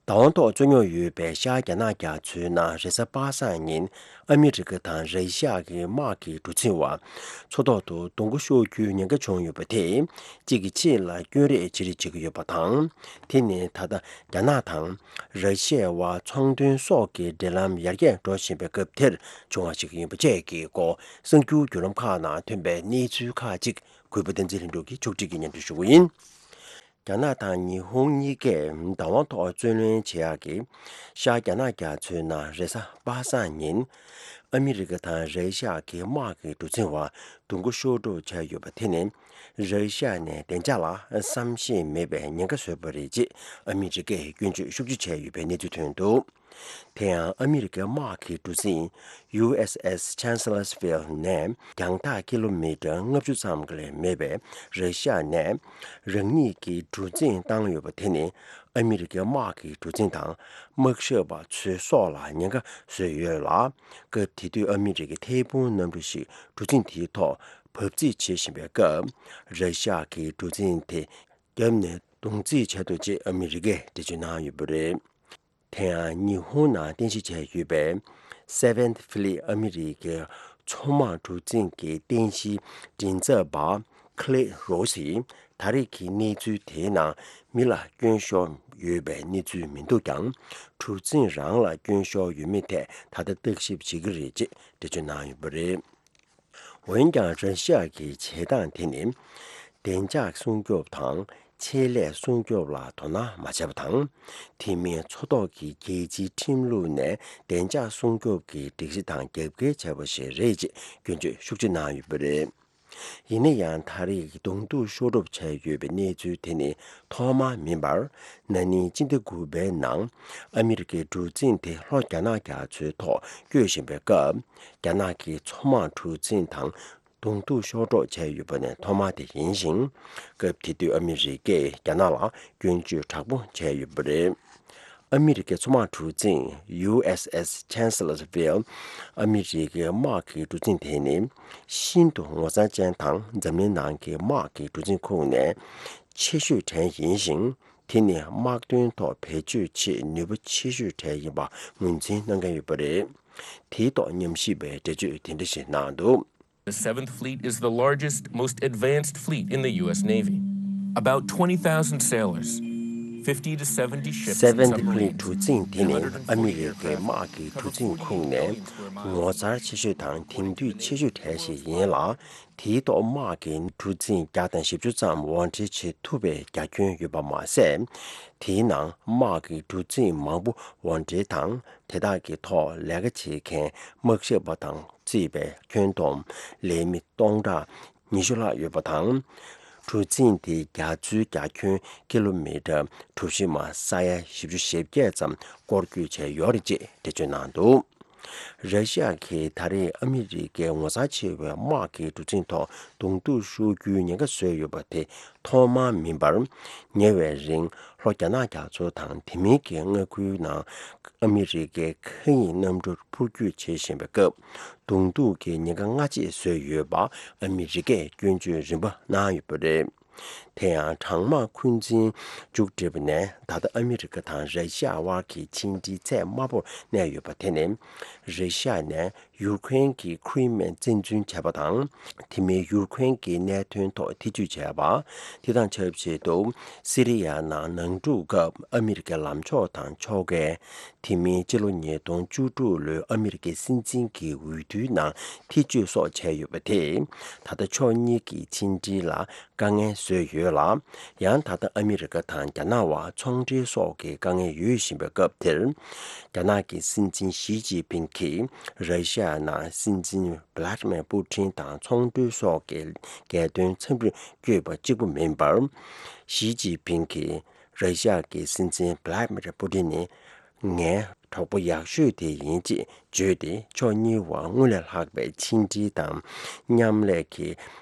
བདག་དབང་ཐོག་རྩོད་རྙོག་ཡོད་པའི་ཤར་རྒྱ་ནག་རྒྱ་མཚོའི་ནང་རེས་གཟའ་པ་སངས་ཉིན་ཨ་མི་རི་ཀ་དང་ར་ཤི་ཡ་གི་དམག་གི་གྲུ་གཟིངས་བར་མཚོ་ཐོག་ཏུ་རྡུང་རྡེག་ཤོར་རྒྱུའི་ཉེན་ཁ་བྱུང་ཡོད་པ་དེ་གཅིག་གིས་གཅིག་ལ་སྐྱོན་རེས་བྱེད་རེས་བྱེད་ཀྱི་ཡོད་པ་དང་། དེ་ནི་ད་ལྟ་རྒྱ་ནག་དང་ར་ཤི་ཡའི་དབར་ཚོང་དོན་སོགས་ཀྱི་འབྲེལ་ལམ་ཡར་རྒྱས་འགྲོ་བཞིན་པའི་སྐབས་དེར་བྱུང་བ་ཞིག་ཡིན་པ་བཅས་ཀྱི་སྐོར་གསར་འགྱུར་བརྒྱུད་ལམ་ཁག་ནང་ཐོན་པའི་གནས་ཚུལ་ཁག་ཅིག་གུས་པ་བསྟན་འཛིན་ལྷུན་གྲུབ་ཀྱིས་ཕྱོགས་སྒྲིག་གིས་སྙན་སྒྲོན་ཞུ་གི་ཡིན། རྒྱ་ནག་དང་ཉི་ཧོང་གཉིས་ཀས་བདག་དབང་ཐོག་རྩོད་ལེན་བྱེད་ཡག་གི་ཤར་རྒྱ་ནག་རྒྱ་མཚོའི་ནང་རེས་གཟའ་པ་སངས་ཉིན་ཨ་མི་རི་ཀ་དང་ར་ཤི་ཡ་གི་དམག་གི་གྲུ་གཟིངས་བར་རྡུང་རྡེག་ཤོར་འགྲོ་བྱས་ཡོད་པ་དེ་ནི་ར་ཤི་ཡ་ནས་བདེ་འཇགས་ལ་བསམ་ཤེས་མེད་པའི་ཉེན་ཁ་བཟོས་པ་རེད་ཅེས་ཨ་མི་རི་ཀས་སྐྱོན་བརྗོད་ཤུགས་ཆེ་བྱས་ཡོད་པའི་གནས་ཚུལ་ཐོན་འདུག་དེ་ཡང་ཨ་མི་རི་ཀའི་དམག་གི་གྲུ་གཟིངས་ཡུ་ཨེས་ཨེས་ཆན་སི་ལར་སི་ཕིལ་ནས་རྒྱང་ཐག་ཀི་ལོ་མི་ཊར་ལྔ་བཅུ་ཙམ་ལས་མེད་པའི་ར་ཤི་ཡ་ནས་རང་ཉིད་ཀྱི་གྲུ་གཟིངས་བཏང་ཡོད་པ་དེ་ནི་ཨ་མི་རི་ཀའི་དམག་གི་གྲུ་གཟིངས་དང་དམག་ཞབས་པ་ཚོའི་སྲོག་ལ་ཉེན་ཁ་བཟོས་ཡོད་ལ། སྐབས་དེ་དུས་ཨ་མི་རི་ཀའི་ཐད་འཕུར་གནམ་གྲུ་ཞིག་གྲུ་གཟིངས་དེའི་ཐོག་བབས་རྩིས་བྱེད་བཞིན་པའི་སྐབས། ར་ཤི་ཡ་གི་གྲུ་གཟིངས་དེ་བརྒྱབ་ནས་རྡུང་རྩིས་བྱས་འདུག་ཅེས་ཨ་མི་རི་ཀས་འགྲེལ་བརྗོད་གནང་ཡོད་པ་རེད། དེ་ཡང་ཉི་ཧོང་ནང་རྟེན་གཞི་བྱས་ཡོད་པའི་Seventh Fleet ཨ་མི་རི་ཀའི་ མཚོ་དམག་གྲུ་གཟིངས་ཀྱི་རྟེན་གཞིའི་མགྲིན་ཚབ་པ་ཁི་ལེ་རོ་སིས་ད་རེས་ཀྱི་གནས་ཚུལ་དེའི་ནང་མི་ལ་སྐྱོན་ཤོར་ཡོད་པའི་གནས་ཚུལ་མི་འདུག་ཀྱང་། གྲུ་གཟིངས་རང་ལ་སྐྱོན་ཤོར་ཡོད་མེད་ཐད་ད་ལྟ་བརྟག་ཞིབ་བྱེད་ཀྱི་རེད་ཅེས་འགྲེལ་བརྗོད་གནང་ཡོད་པ་རེད། འོན་ཀྱང་ར་ཤི་ཡ་གི་བྱེད་སྟངས་དེ་ནི། བདེ་འཇགས་སྲུང་སྐྱོབ་དང་ཆེད་ལས་སྲུང་སྐྱོབ་ལ་དོ་སྣང་མ་བྱས་པ་དང་། དེ་མིན་མཚོ་ཐོག་གི་རྒྱལ་སྤྱིའི་ཁྲིམས་ལུགས་ནས་བདེ་འཇགས་སྲུང་སྐྱོབ་ཀྱི་སྒྲིག་གཞི་དང་རྒྱབ་འགལ་བྱས་པ་ཞིག་རེད་ཅེས་སྐྱོན་བརྗོད་ཤུགས་ཆེ་གནང་ཡོད་པ་རེད། ཡིན་ན་ཡང་ད་རེས་གདོང་ཐུག་ཤོར་གྲབས་བྱས་ཡོད་པའི་གནས་ཚུལ་དེ་ནི་ཐོག་མ་མིན་པར། ན་ནིང་སྤྱི་ཟླ་དགུ་པའི་ནང་ཨ་མི་རི་ཀའི་གྲུ་གཟིངས་དེ་ལྷོ་རྒྱ་ནག་རྒྱ་མཚོའི་ཐོག་སྐྱོད་བཞིན་པའི་སྐབས། རྒྱ་ནག་གི་མཚོ་དམག་གྲུ་གཟིངས་དང་གདོང་ཐུག་ཤོར་གྲབས་བྱས་ཡོད་པ་ནི་ཐོག་མ་དེ་ཡིན་ཞིང་། སྐབས་དེ་དུས་ཨ་མི་རི་ཀས་རྒྱ་ནག་ལ་སྐྱོན་བརྗོད་དྲག་པོ་བྱས་ཡོད་པ་རེད། ཨ་མི་རི་ཀའི་མཚོ་དམག་གྲུ་གཟིངས་ཡུ་ཨེས་ཨེས་ཆན་སི་ལར་ཝིལ། ཨ་མི་རི་ཀའི་དམག་གི་གྲུ་གཟིངས་དེ་ནི་ཤིན་ཏུ་ངོ་མཚར་ཅན་དང་། འཛམ་གླིང་ནང་གི་དམག་གི་གྲུ་གཟིངས་ཁོངས་ནས་ཆེ་ཤོས་གྲས་ཡིན་ཞིང་། དེ་ནི་དམག་དོན་ཐོག་བེད་སྤྱོད་ཆེད་ནུས་པ་ཆེ་ཤོས་གྲས་ཡིན་པ་ངོས་འཛིན་གནང་མཁན་ཡོད་པ་རེད། དེའི་ཐོག་ཉམས་ཞིབ་པས་འགྲེལ་བརྗོད་དེ་འདྲ་ཞིག་གནང་འདུག། The Seventh Fleet is the largest, most advanced fleet in the U S Navy. About twenty thousand sailors, fifty to seventy ships and Seventh Fleet submarines, གྲུ་གཟིངས་དེ་ནི་ཨ་མི་རི་ཀའི་དམག་གི་གྲུ་གཟིངས་ཁོངས་ནས་ངོ་མཚར་ཆེ་ཤོས་དང་དེང་དུས་ཆེ་ཤོས་གྲས་ཤིག་ཡིན་ལ། དེའི་ཐོག་དམག་གི་གྲུ་གཟིངས་བརྒྱ་དང་བཞི་བཅུ་ཙམ་དབོར་འདྲེན་བྱེད་ཐུབ་པའི་རྒྱ་ཁྱོན་ཡོད་པ་མ་ཟད། དེའི་ནང་དམག་གི་གྲུ་གཟིངས་མང་པོ་དབོར་འདྲེན་དང་། དེ་དག་གི་ཐོག་ལས་ཀ་བྱེད་མཁན་དམག་ཞབས་པ་དང་བརྩིས་པའི་ཁྱོན་བསྡོམས་ལས་མི་སྟོང་ཕྲག་ཉི་ཤུ་ལྷག་ཡོད་པ་དང་། གྲུ་གཟིངས་དེའི་རྒྱ་མཚོའི་རྒྱ་ཁྱོན་ཀི་ལོ་མི་ཊར་གྲུ་བཞི་མ་ས་ཡ་བཞི་བཅུ་ཞེ་བརྒྱད་ཙམ་སྐོར་སྐྱོད་བྱས་ཡོད་རེད་ཅེས་འགྲེལ་བརྗོད་གནང་འདུག། ར་ཤི་ཡ་གིས་ད་རེས་ཨ་མི་རི་ཀའི་ངོ་མཚར་ཆེ་བའི་དམག་གི་གྲུ་གཟིངས་ཐོག་གདོང་ཐུག་ཤོར་རྒྱུའི་ཉེན་ཁ་བཟོས་ཡོད་པ་དེ་ཐོག་མ་མིན་པར། ཉེ་བའི་རིང་ལྷོ་རྒྱ་ནག་རྒྱ་མཚོ་དང་དེ་མིན་གྱི་མངའ་ཁུལ་ནང་ཨ་མི་རི་ཀའི་མཁའ་དབྱིངས་གནམ་གྲུར་འཕུར་སྐྱོད་བྱེད་བཞིན་པའི་སྐབས། གདོང་ཐུག་གི་ཉེན་ཁ་སྔ་རྗེས་བཟོས་ཡོད་པ་ཨ་མི་རི་ཀས་སྐྱོན་བརྗོད་རིམ་པ་གནང་ཡོད་པ་རེད། དེ་ཡང་གྲང་དམག་འཁོན་འཛིན་མཇུག་བསྒྲིལ་བ་ནས་ད་ལྟ་ཨ་མི་རི་ཀ་དང་ར་ཤི་ཡ་དབར་གྱི་ཕྱི་འབྲེལ་ཚད་དམའ་པོར་གནས་ཡོད་པ་དེ་ནི། ར་ཤི་ཡ་ནས་ཡུཀ་རེན་གྱི་ཁི་རི་མི་ཡ་བཙན་འཛུལ་བྱས་པ་དང་། དེ་མིན་ཡུཀ་རེན་གྱི་གནད་དོན་ཐོག་ཐེ་ཇུས་བྱས་པ། དེ་དང་ཆབས་ཅིག་ཏུ་སི་རི་ཡ་ནང་ནང་འཁྲུག་སྐབས་ཨ་མི་རི་ཀའི་ལངས་ཕྱོགས་དང་ཕྱོགས་འགལ། དེ་མིན་ཕྱི་ལོ་ཉིས་སྟོང་བཅུ་དྲུག་ལོའི་ཨ་མི་རི་ཀའི་སྲིད་འཛིན་གྱི་འོས་བསྡུའི་ནང་ཐེ་ཇུས་སོགས་བྱས་ཡོད་པ་དེས། ད་ལྟ་ཕྱོགས་གཉིས་ཀྱི་ཕྱི་འབྲེལ་ལ་དཀའ་ངལ་བཟོས་ཡོད་ལ། ཡང་ད་ལྟ་ཨ་མི་རི་ཀ་དང་རྒྱ་ནག་དབར་ཚོང་འབྲེལ་སོགས་ཀྱི་དཀའ་ངལ་ཡོད་བཞིན་པའི་སྐབས་དེར། རྒྱ་ནག་གི་སྲིད་འཛིན་ཞི་ཅིན་ཕིང་གིས་ར་ཤི་ཡ་ནང་སྲིད་འཛིན་བྷི་ལ་ཏི་མེར་པུ་ཏིན་དང་ཚོང་དོན་སོགས་ཀྱི་རྒྱལ་དོན་འཚམས་འདྲིར་བསྐྱོད་པ་གཅིག་པུ་མིན་པར། ཞི་ཅིན་ཕིང་གིས་ར་ཤི་ཡ་གི་སྲིད་འཛིན་བྷི་ལ་ཏི་མེར་པུ་ཏིན་ནི། ངའི་གྲོགས་པོ་ཡག་ཤོས་དེ་ཡིན་ཅེས་བརྗོད་དེ། ཕྱོགས་གཉིས་བར་སྔར་ལས་ལྷག་པའི་ཕྱི་འབྲེལ་དང་མཉམ་ལས་ཀྱི་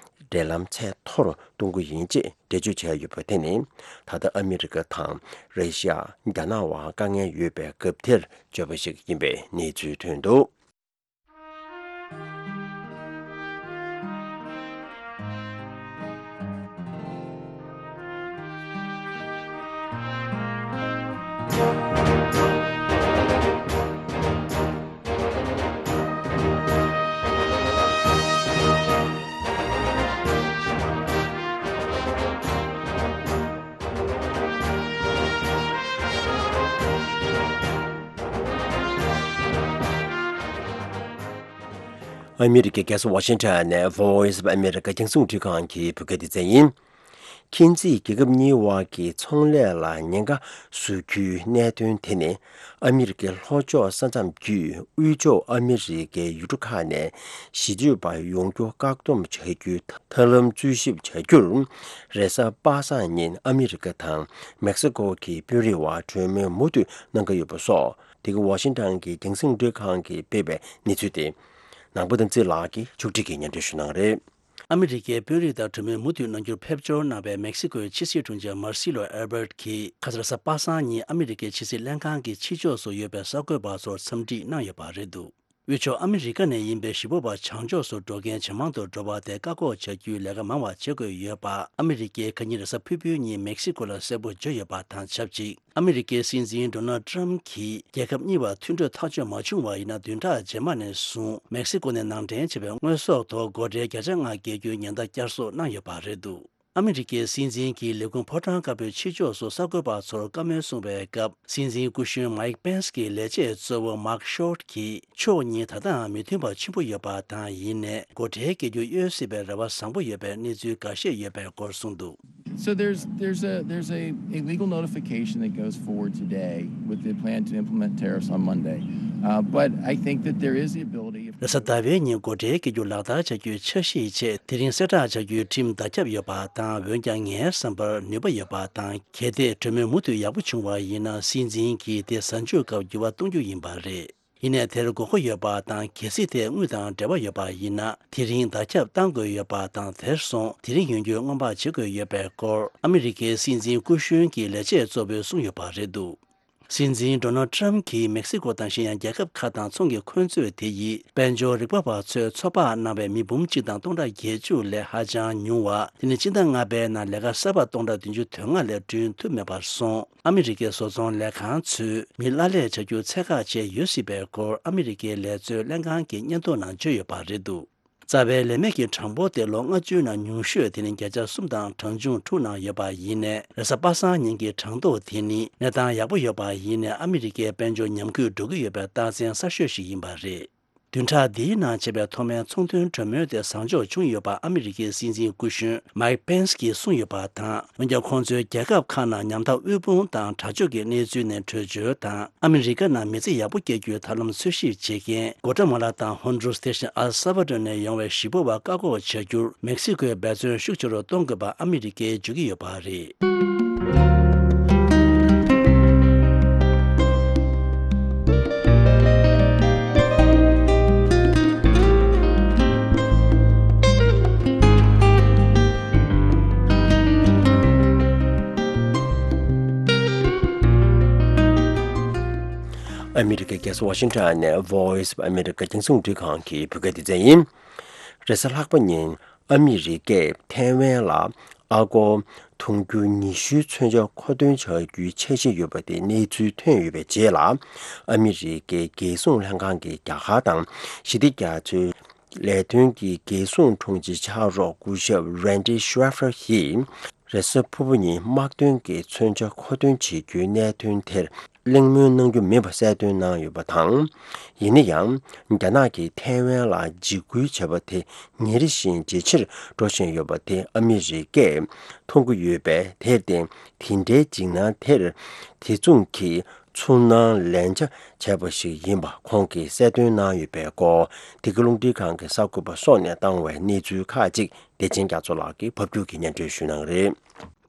འབྲེལ་ལམ་ཚད་མཐོ་རུ་གཏོང་གི་ཡིན་ཅེས་འགྲེལ་བརྗོད་བྱས་ཡོད་པ་དེ་ནི། ད་ལྟ་ཨ་མི་རི་ཀ་དང་ར་ཤི་ཡ། རྒྱ་ནག་དབར་དཀའ་ངལ་ཡོད་པའི་སྐབས་དེར་བརྗོད་པ་ཞིག་ཡིན་པའི་གནས་ཚུལ་ཐོན་འདུག། ཨ་མི་རི་ཀའི་རྒྱལ་ས་ཝ་ཤིང་ཊོན་ནས་Voice of America རྒྱང་སྲིང་རླུང་འཕྲིན་ཁང་གི་བོད་སྐད་སྡེ་ཚན་ཡིན། མཁྱེན་བརྩེས་རྒྱལ་ཁབ་གཉིས་དབར་གྱི་ཚོང་ལས་ལ་ཉེན་ཁ་བཟོ་རྒྱུའི་གནད་དོན་དེ་ནི། ཨ་མི་རི་ཀའི་ལྷོ་ཕྱོགས་ས་མཚམས་བརྒྱུད་དབུས་ཕྱོགས་ཨ་མི་རི་ཀའི་ཡུལ་གྲུ་ཁག་ནས་གཞིས་སྡོད་པ་ཡོང་རྒྱུ་བཀག་སྡོམ་བྱ་རྒྱུའི་ཐབས་ལམ་འཚོལ་ཞིབ་བྱ་རྒྱུར། རེས་གཟའ་པ་སངས་ཉིན་ཨ་མི་རི་ཀ་དང་མེག་སི་ཀོ་གི་དཔོན་རིགས་དབར་གྲོས་མོལ་མུ་མཐུད་གནང་གི་ཡོད་པ་སོགས། འདི་ག་ཝ་ཤིང་ཊོན་གྱི་རྒྱང་སྲིང་རླུང་འཕྲིན་ཁང་གིས་སྤེལ་བའི་གནས་ཚུལ་དེ། ནང་པ་དམ་ཚིག་ལགས་ཀྱིས་ཕྱོགས་སྒྲིག་གིས་སྙན་སྒྲོན་ཞུ་གནང་རེད། ཨ་མི་རི་ཀའི་དཔོན་རིགས་དང་གྲོས་མོལ་མུ་མཐུད་གནང་རྒྱུར་ཕེབས་འབྱོར་གནང་བའི་མེག་སི་ཀོའི་ཕྱི་སྲིད་དྲུང་ཆེ་མར་སི་ལོ་ཨེལ་བྷར་ཊི་གིས་ཁ་སང་རེས་གཟའ་པ་སངས་ཉིན་ཨ་མི་རི་ཀའི་ཕྱི་སྲིད་ལྷན་ཁང་གི་ཕྱི་ཕྱོགས་སུ་ཡོད་པའི་གསར་འགོད་པ་ཚོར་འཚམས་འདྲི་གནང་ཡོད་པ་རེད་འདུག། དབུས་ཕྱོགས་ཨ་མི་རི་ཀ་ནས་ཡིན་པའི་གཞིས་སྤོབས་པ་བྱང་ཕྱོགས་སུ་འགྲོ་མཁན་ཇེ་མང་དུ་འགྲོ་བ་དེ་བཀག་འགོག་བྱ་རྒྱུའི་ལས་ཀ་མང་བ་བྱེད་དགོས་ཡོད་པ། ཨ་མི་རི་ཀའི་ཁ་ཉིན་རེས་གཟའ་ཕུར་བུའི་ཉིན་མེག་སི་ཀོ་ལ་གསལ་པོ་བརྗོད་ཡོད་པ་དང་ཆབས་ཅིག་ཨ་མི་རི་ཀའི་སྲིད་འཛིན་ཌོ་ནལ་ཊམ་གྱིས་རྒྱལ་ཁབ་གཉིས་བར་མཐུན་གྲོས་ཐག་གཅོད་མ་བྱུང་བ་ཡིན་ན། བདུན་ཕྲག་རྗེས་མ་ནས་བཟུང་མེག་སི་ཀོ་ནས་ནང་འདྲེན་བྱས་པའི་དངོས་ཟོག་ཐོག་སྒོ་ཁྲལ་བརྒྱ་ཆ་ལྔ་བཀལ་རྒྱུའི་ཉེན་བརྡ་བསྐྱར་གསོ་གནང་ཡོད་པ་རེད་འདུག་ཨ་མི་རི་ཀའི་སྲིད་འཛིན་གྱིས་ལས་ཁུངས་ཕོ་བྲང་དཀར་པོའི་ཕྱི་ཕྱོགས་སུ་གསར་འགོད་པ་ཚོར་བཀའ་མོལ་གསུངས་པའི་སྐབས། སྲིད་འཛིན་སྐུ་གཞོན་མའིག་པེན་སི་གི་ལས་བྱེད་གཙོ་བོ་མཱག་ཤོར་གྱིས་ཕྱོགས་གཉིས་ད་ལྟའང་མི་མཐུན་པ་ཆེན་པོ་ཡོད་པ་དང་། ཡིན་ནའི་སྒོ་ཁྲལ་བཀལ་རྒྱུ་གཡོལ་སྲིད་པའི་རེ་བ་བཟང་པོ་ཡོད་པའི་གནས་ཚུལ་འགའ་ཤས་ཡོད་པའི་སྐོར་གསུངས་འདུག So there's there's a there's a, a legal notification that goes forward today with the plan to implement tariffs on Monday. Uh, but I think that there is the ability. རེས་གཟའ་ཟླ་བའི་ཉིན་སྒོ་ཁྲལ་བཀལ་རྒྱུ་ལག་བསྟར་བྱ་རྒྱུའི་འཆར་གཞིའི་ཆེད། དེ་རིང་གསལ་བསྒྲགས་བྱ་རྒྱུའི་ཁྲིམས་བརྡ་ཁྱབ་ཡོད་པ་དང་། འོན་ཀྱང་ངའི་བསམ་པར་ནུས་པ་ཡོད་པ་དང་། གལ་ཏེ་གྲོས་མོལ་མུ་མཐུད་ཡག་པོ་བྱུང་བ་ཡིན་ན། སྲིད་འཛིན་གྱིས་དེ་གཟའ་མཇུག་སྐབས་འགྱུར་བ་གཏོང་རྒྱུ་ཡིན་པ་རེད། ཡིན་ནའི་དེར་དགོས་མཁོ་ཡོད་པ་དང་། གལ་སྲིད་དེ་དངུལ་དང་འབྲེལ་བ་ཡོད་པ་ཡིན་ན། དེ་རིང་བརྡ་ཁྱབ་བཏང་དགོས་ཡོད་པ་དང་། དེར་སོང་དེ་རིང་ཡོང་རྒྱུ་སྔོན་དཔག་བྱེད་དགོས་ཡོད་པའི་སྐོར་ཨ་མི་རི་ཀའི་སྲིད་འཛིན་སྐུ་གཞོན་གྱི་ལས་བྱེད་གཙོ་བོས་གསུངས་ཡོད་པ་རེད་འདུག་སྲིད་འཛིན་ཌོ་ནལ་ཊམ་གྱིས་མེག་སི་ཀོ་དང་གཞན་ཡང་རྒྱལ་ཁབ་ཁག་དང་ཚོང་གི་འཁོན་རྩོད་དེ་ཡིས་དཔལ་འབྱོར་རིག་པ་བ་ཚོས་ཚོད་དཔག་གནང་བའི་མི་འབུམ་གཅིག་དང་སྟོང་ཕྲག་བརྒྱད་ཅུ་ལས་ཧ་ཅང་ཉུང་བ། དེ་ནི་སྤྱི་ཟླ་ལྔ་པའི་ནང་ལས་ཀ་གསར་པ་སྟོང་ཕྲག་བདུན་ཅུ་དོན་ལྔ་ལས་བསྐྲུན་ཐུབ་མེད་པར་སོང་། ཨ་མི་རི་ཀའི་བཟོ་ཚོང་ལས་ཁང་ཚོས་མི་གླ་ལས་བྱ་རྒྱུ་ཚད་བཀག་བྱས་ཡོད་སྲིད་པའི་སྐོར་ཨ་མི་རི་ཀའི་ལས་བཟོའི་ལྷན་ཁང་གི་སྙན་ཐོ་ནང་བརྗོད་ཡོད་པ་རེད་འདུག་རྩ་བའི་ལས་མེད་ཀྱི་གྲངས་འབོར་དེ་ལོ་ལྔ་བཅུའི་ནང་ཉུང་ཤོས་དེ་ནི་བརྒྱ་ཆ་གསུམ་དང་གྲངས་ཆུང་དྲུག་ནང་ཡོད་པ་ཡིན་ནའི། རེས་གཟའ་པ་སངས་ཉིན་གྱི་གྲངས་ཐོ་དེ་ནི་གནས་སྟངས་ཡག་པོ་ཡོད་པ་ཡིན་ནའི། ཨ་མི་རི་ཀའི་དཔལ་འབྱོར་ཉམས་རྒུད་འགྲོ་གི་ཡོད་པའི་རྟགས་མཚན་གསར་ཤོས་ཤིག་ཡིན་པ་རེད། བདུན་ཕྲག་འདིའི་ནང་བྱས་པའི་ཐོག་མའི་ཚོང་དོན་གྲོས་མོལ་དེ་བཟང་ཕྱོགས་བྱུང་ཡོད་པ་ཨ་མི་རི་ཀའི་སྲིད་འཛིན་སྐུ་གཞོན་མའིག་པེན་སི་གིས་གསུངས་ཡོད་པ་དང་། འོན་ཀྱང་ཁོང་ཚོའི་རྒྱལ་ཁབ་ཁག་ནང་ཉམ་ཐག་དབུལ་ཕོངས་དང་དྲག་སྤྱོད་ཀྱི་གནས་ཚུལ་ནས་བྲོས་བྱོལ་དང་། ཨ་མི་རི་ཀ་ནང་མི་ཚེ་ཡག་པོ་སྐྱེལ་རྒྱུའི་ཐབས་ལམ་འཚོལ་ཞིབ་བྱེད་མཁན་གོ་ཏ་མ་ལ་དང་ཧོན་ཌུ་རུས་དེ་བཞིན་ཨལ་ས་བ་ཌོར་ནས་ཡོང་བའི་གཞིས་སྤོབས་པ་བཀག་འགོག་བྱ་རྒྱུར་མེག་སི་ཀོས་འབད་བརྩོན་ཤུགས་ཆེ་རུ་གཏོང་དགོས་པ་ཨ་མི་རི་ཀས་བརྗོད་ཀྱི་ཡོད་པ་རེད། ཨ་མི་རི་ཀའི་རྒྱལ་ས་ཝ་ཤིང་ཊོན་ནས་Voice of America རྒྱང་སྲིང་རླུང་འཕྲིན་ཁང་གི་བོད་སྐད་སྡེ་ཚན་ཡིན། རེས་གཟའ་ལྷག་པ་ཉིན་ཨ་མི་རི་ཀས་ཐའེ་ཝན་ལ་ཨ་སྒོར་དུང་ཕྱུར་ཉི་ཤུའི་མཚོན་ཆ་མཁོ་འདོན་བྱ་རྒྱུའི་འཆར་གཞི་ཡོད་པ་དེ་གནས་ཚུལ་ཐོན་ཡོད་པའི་རྗེས་ལ། ཨ་མི་རི་ཀའི་རྒྱལ་སྲུང་ལྷན་ཁང་གི་རྒྱ་གར་དང་ཞི་བདེ་རྒྱ་མཚོའི་ལས་དོན་གྱི་རྒྱལ་སྲུང་དྲུང་ཆེ་ཕྱག་རོགས་སྐུ་ཞབས་Randy Scheffer ཡིས། རེས་གཟའ་ཕུར་བུ་ཉིན་དམག་དོན་གྱི་མཚོན་ཆ་མཁོ་འདོན་བྱེད་རྒྱུའི་གནད་དོན་དེར་གླེང་མོལ་གནང་རྒྱུ་མིན་པ་གསལ་སྟོན་གནང་ཡོད་པ་དང་། ཡིན་ན་ཡང་། རྒྱ་ནག་གིས་ཐའེ་ཝན་ལ་འཇིགས་སྐུལ་བྱས་པ་དེ་ཉིན་རེ་བཞིན་ཇེ་ཆེར་འགྲོ་བཞིན་ཡོད་པ་དེ་ཨ་མི་རི་ཀས་མཐོང་གི་ཡོད་པས། དེར་བརྟེན་དེ་འདྲའི་འཇིགས་སྣང་དེར་དེ་མཚུངས་ཀྱི་ཚུར་སྣང་ལན་ཆ་བྱས་པ་ཞིག་ཡིན་པ་ཁོང་གིས་གསལ་སྟོན་གནང་ཡོད་པའི་སྐོར། འདི་ག་རླུང་འཕྲིན་ཁང་གི་གསར་འགོད་པ་སོགས་ནས་བཏང་བའི་གནས་ཚུལ་ཁག་ཅིག་བདེ་ཆེན་རྒྱ་མཚོ་ལགས་ཀྱིས་ཕབ་སྒྱུར་གྱིས་སྙན་སྒྲོན་ཞུ་གནང་གི་རེད།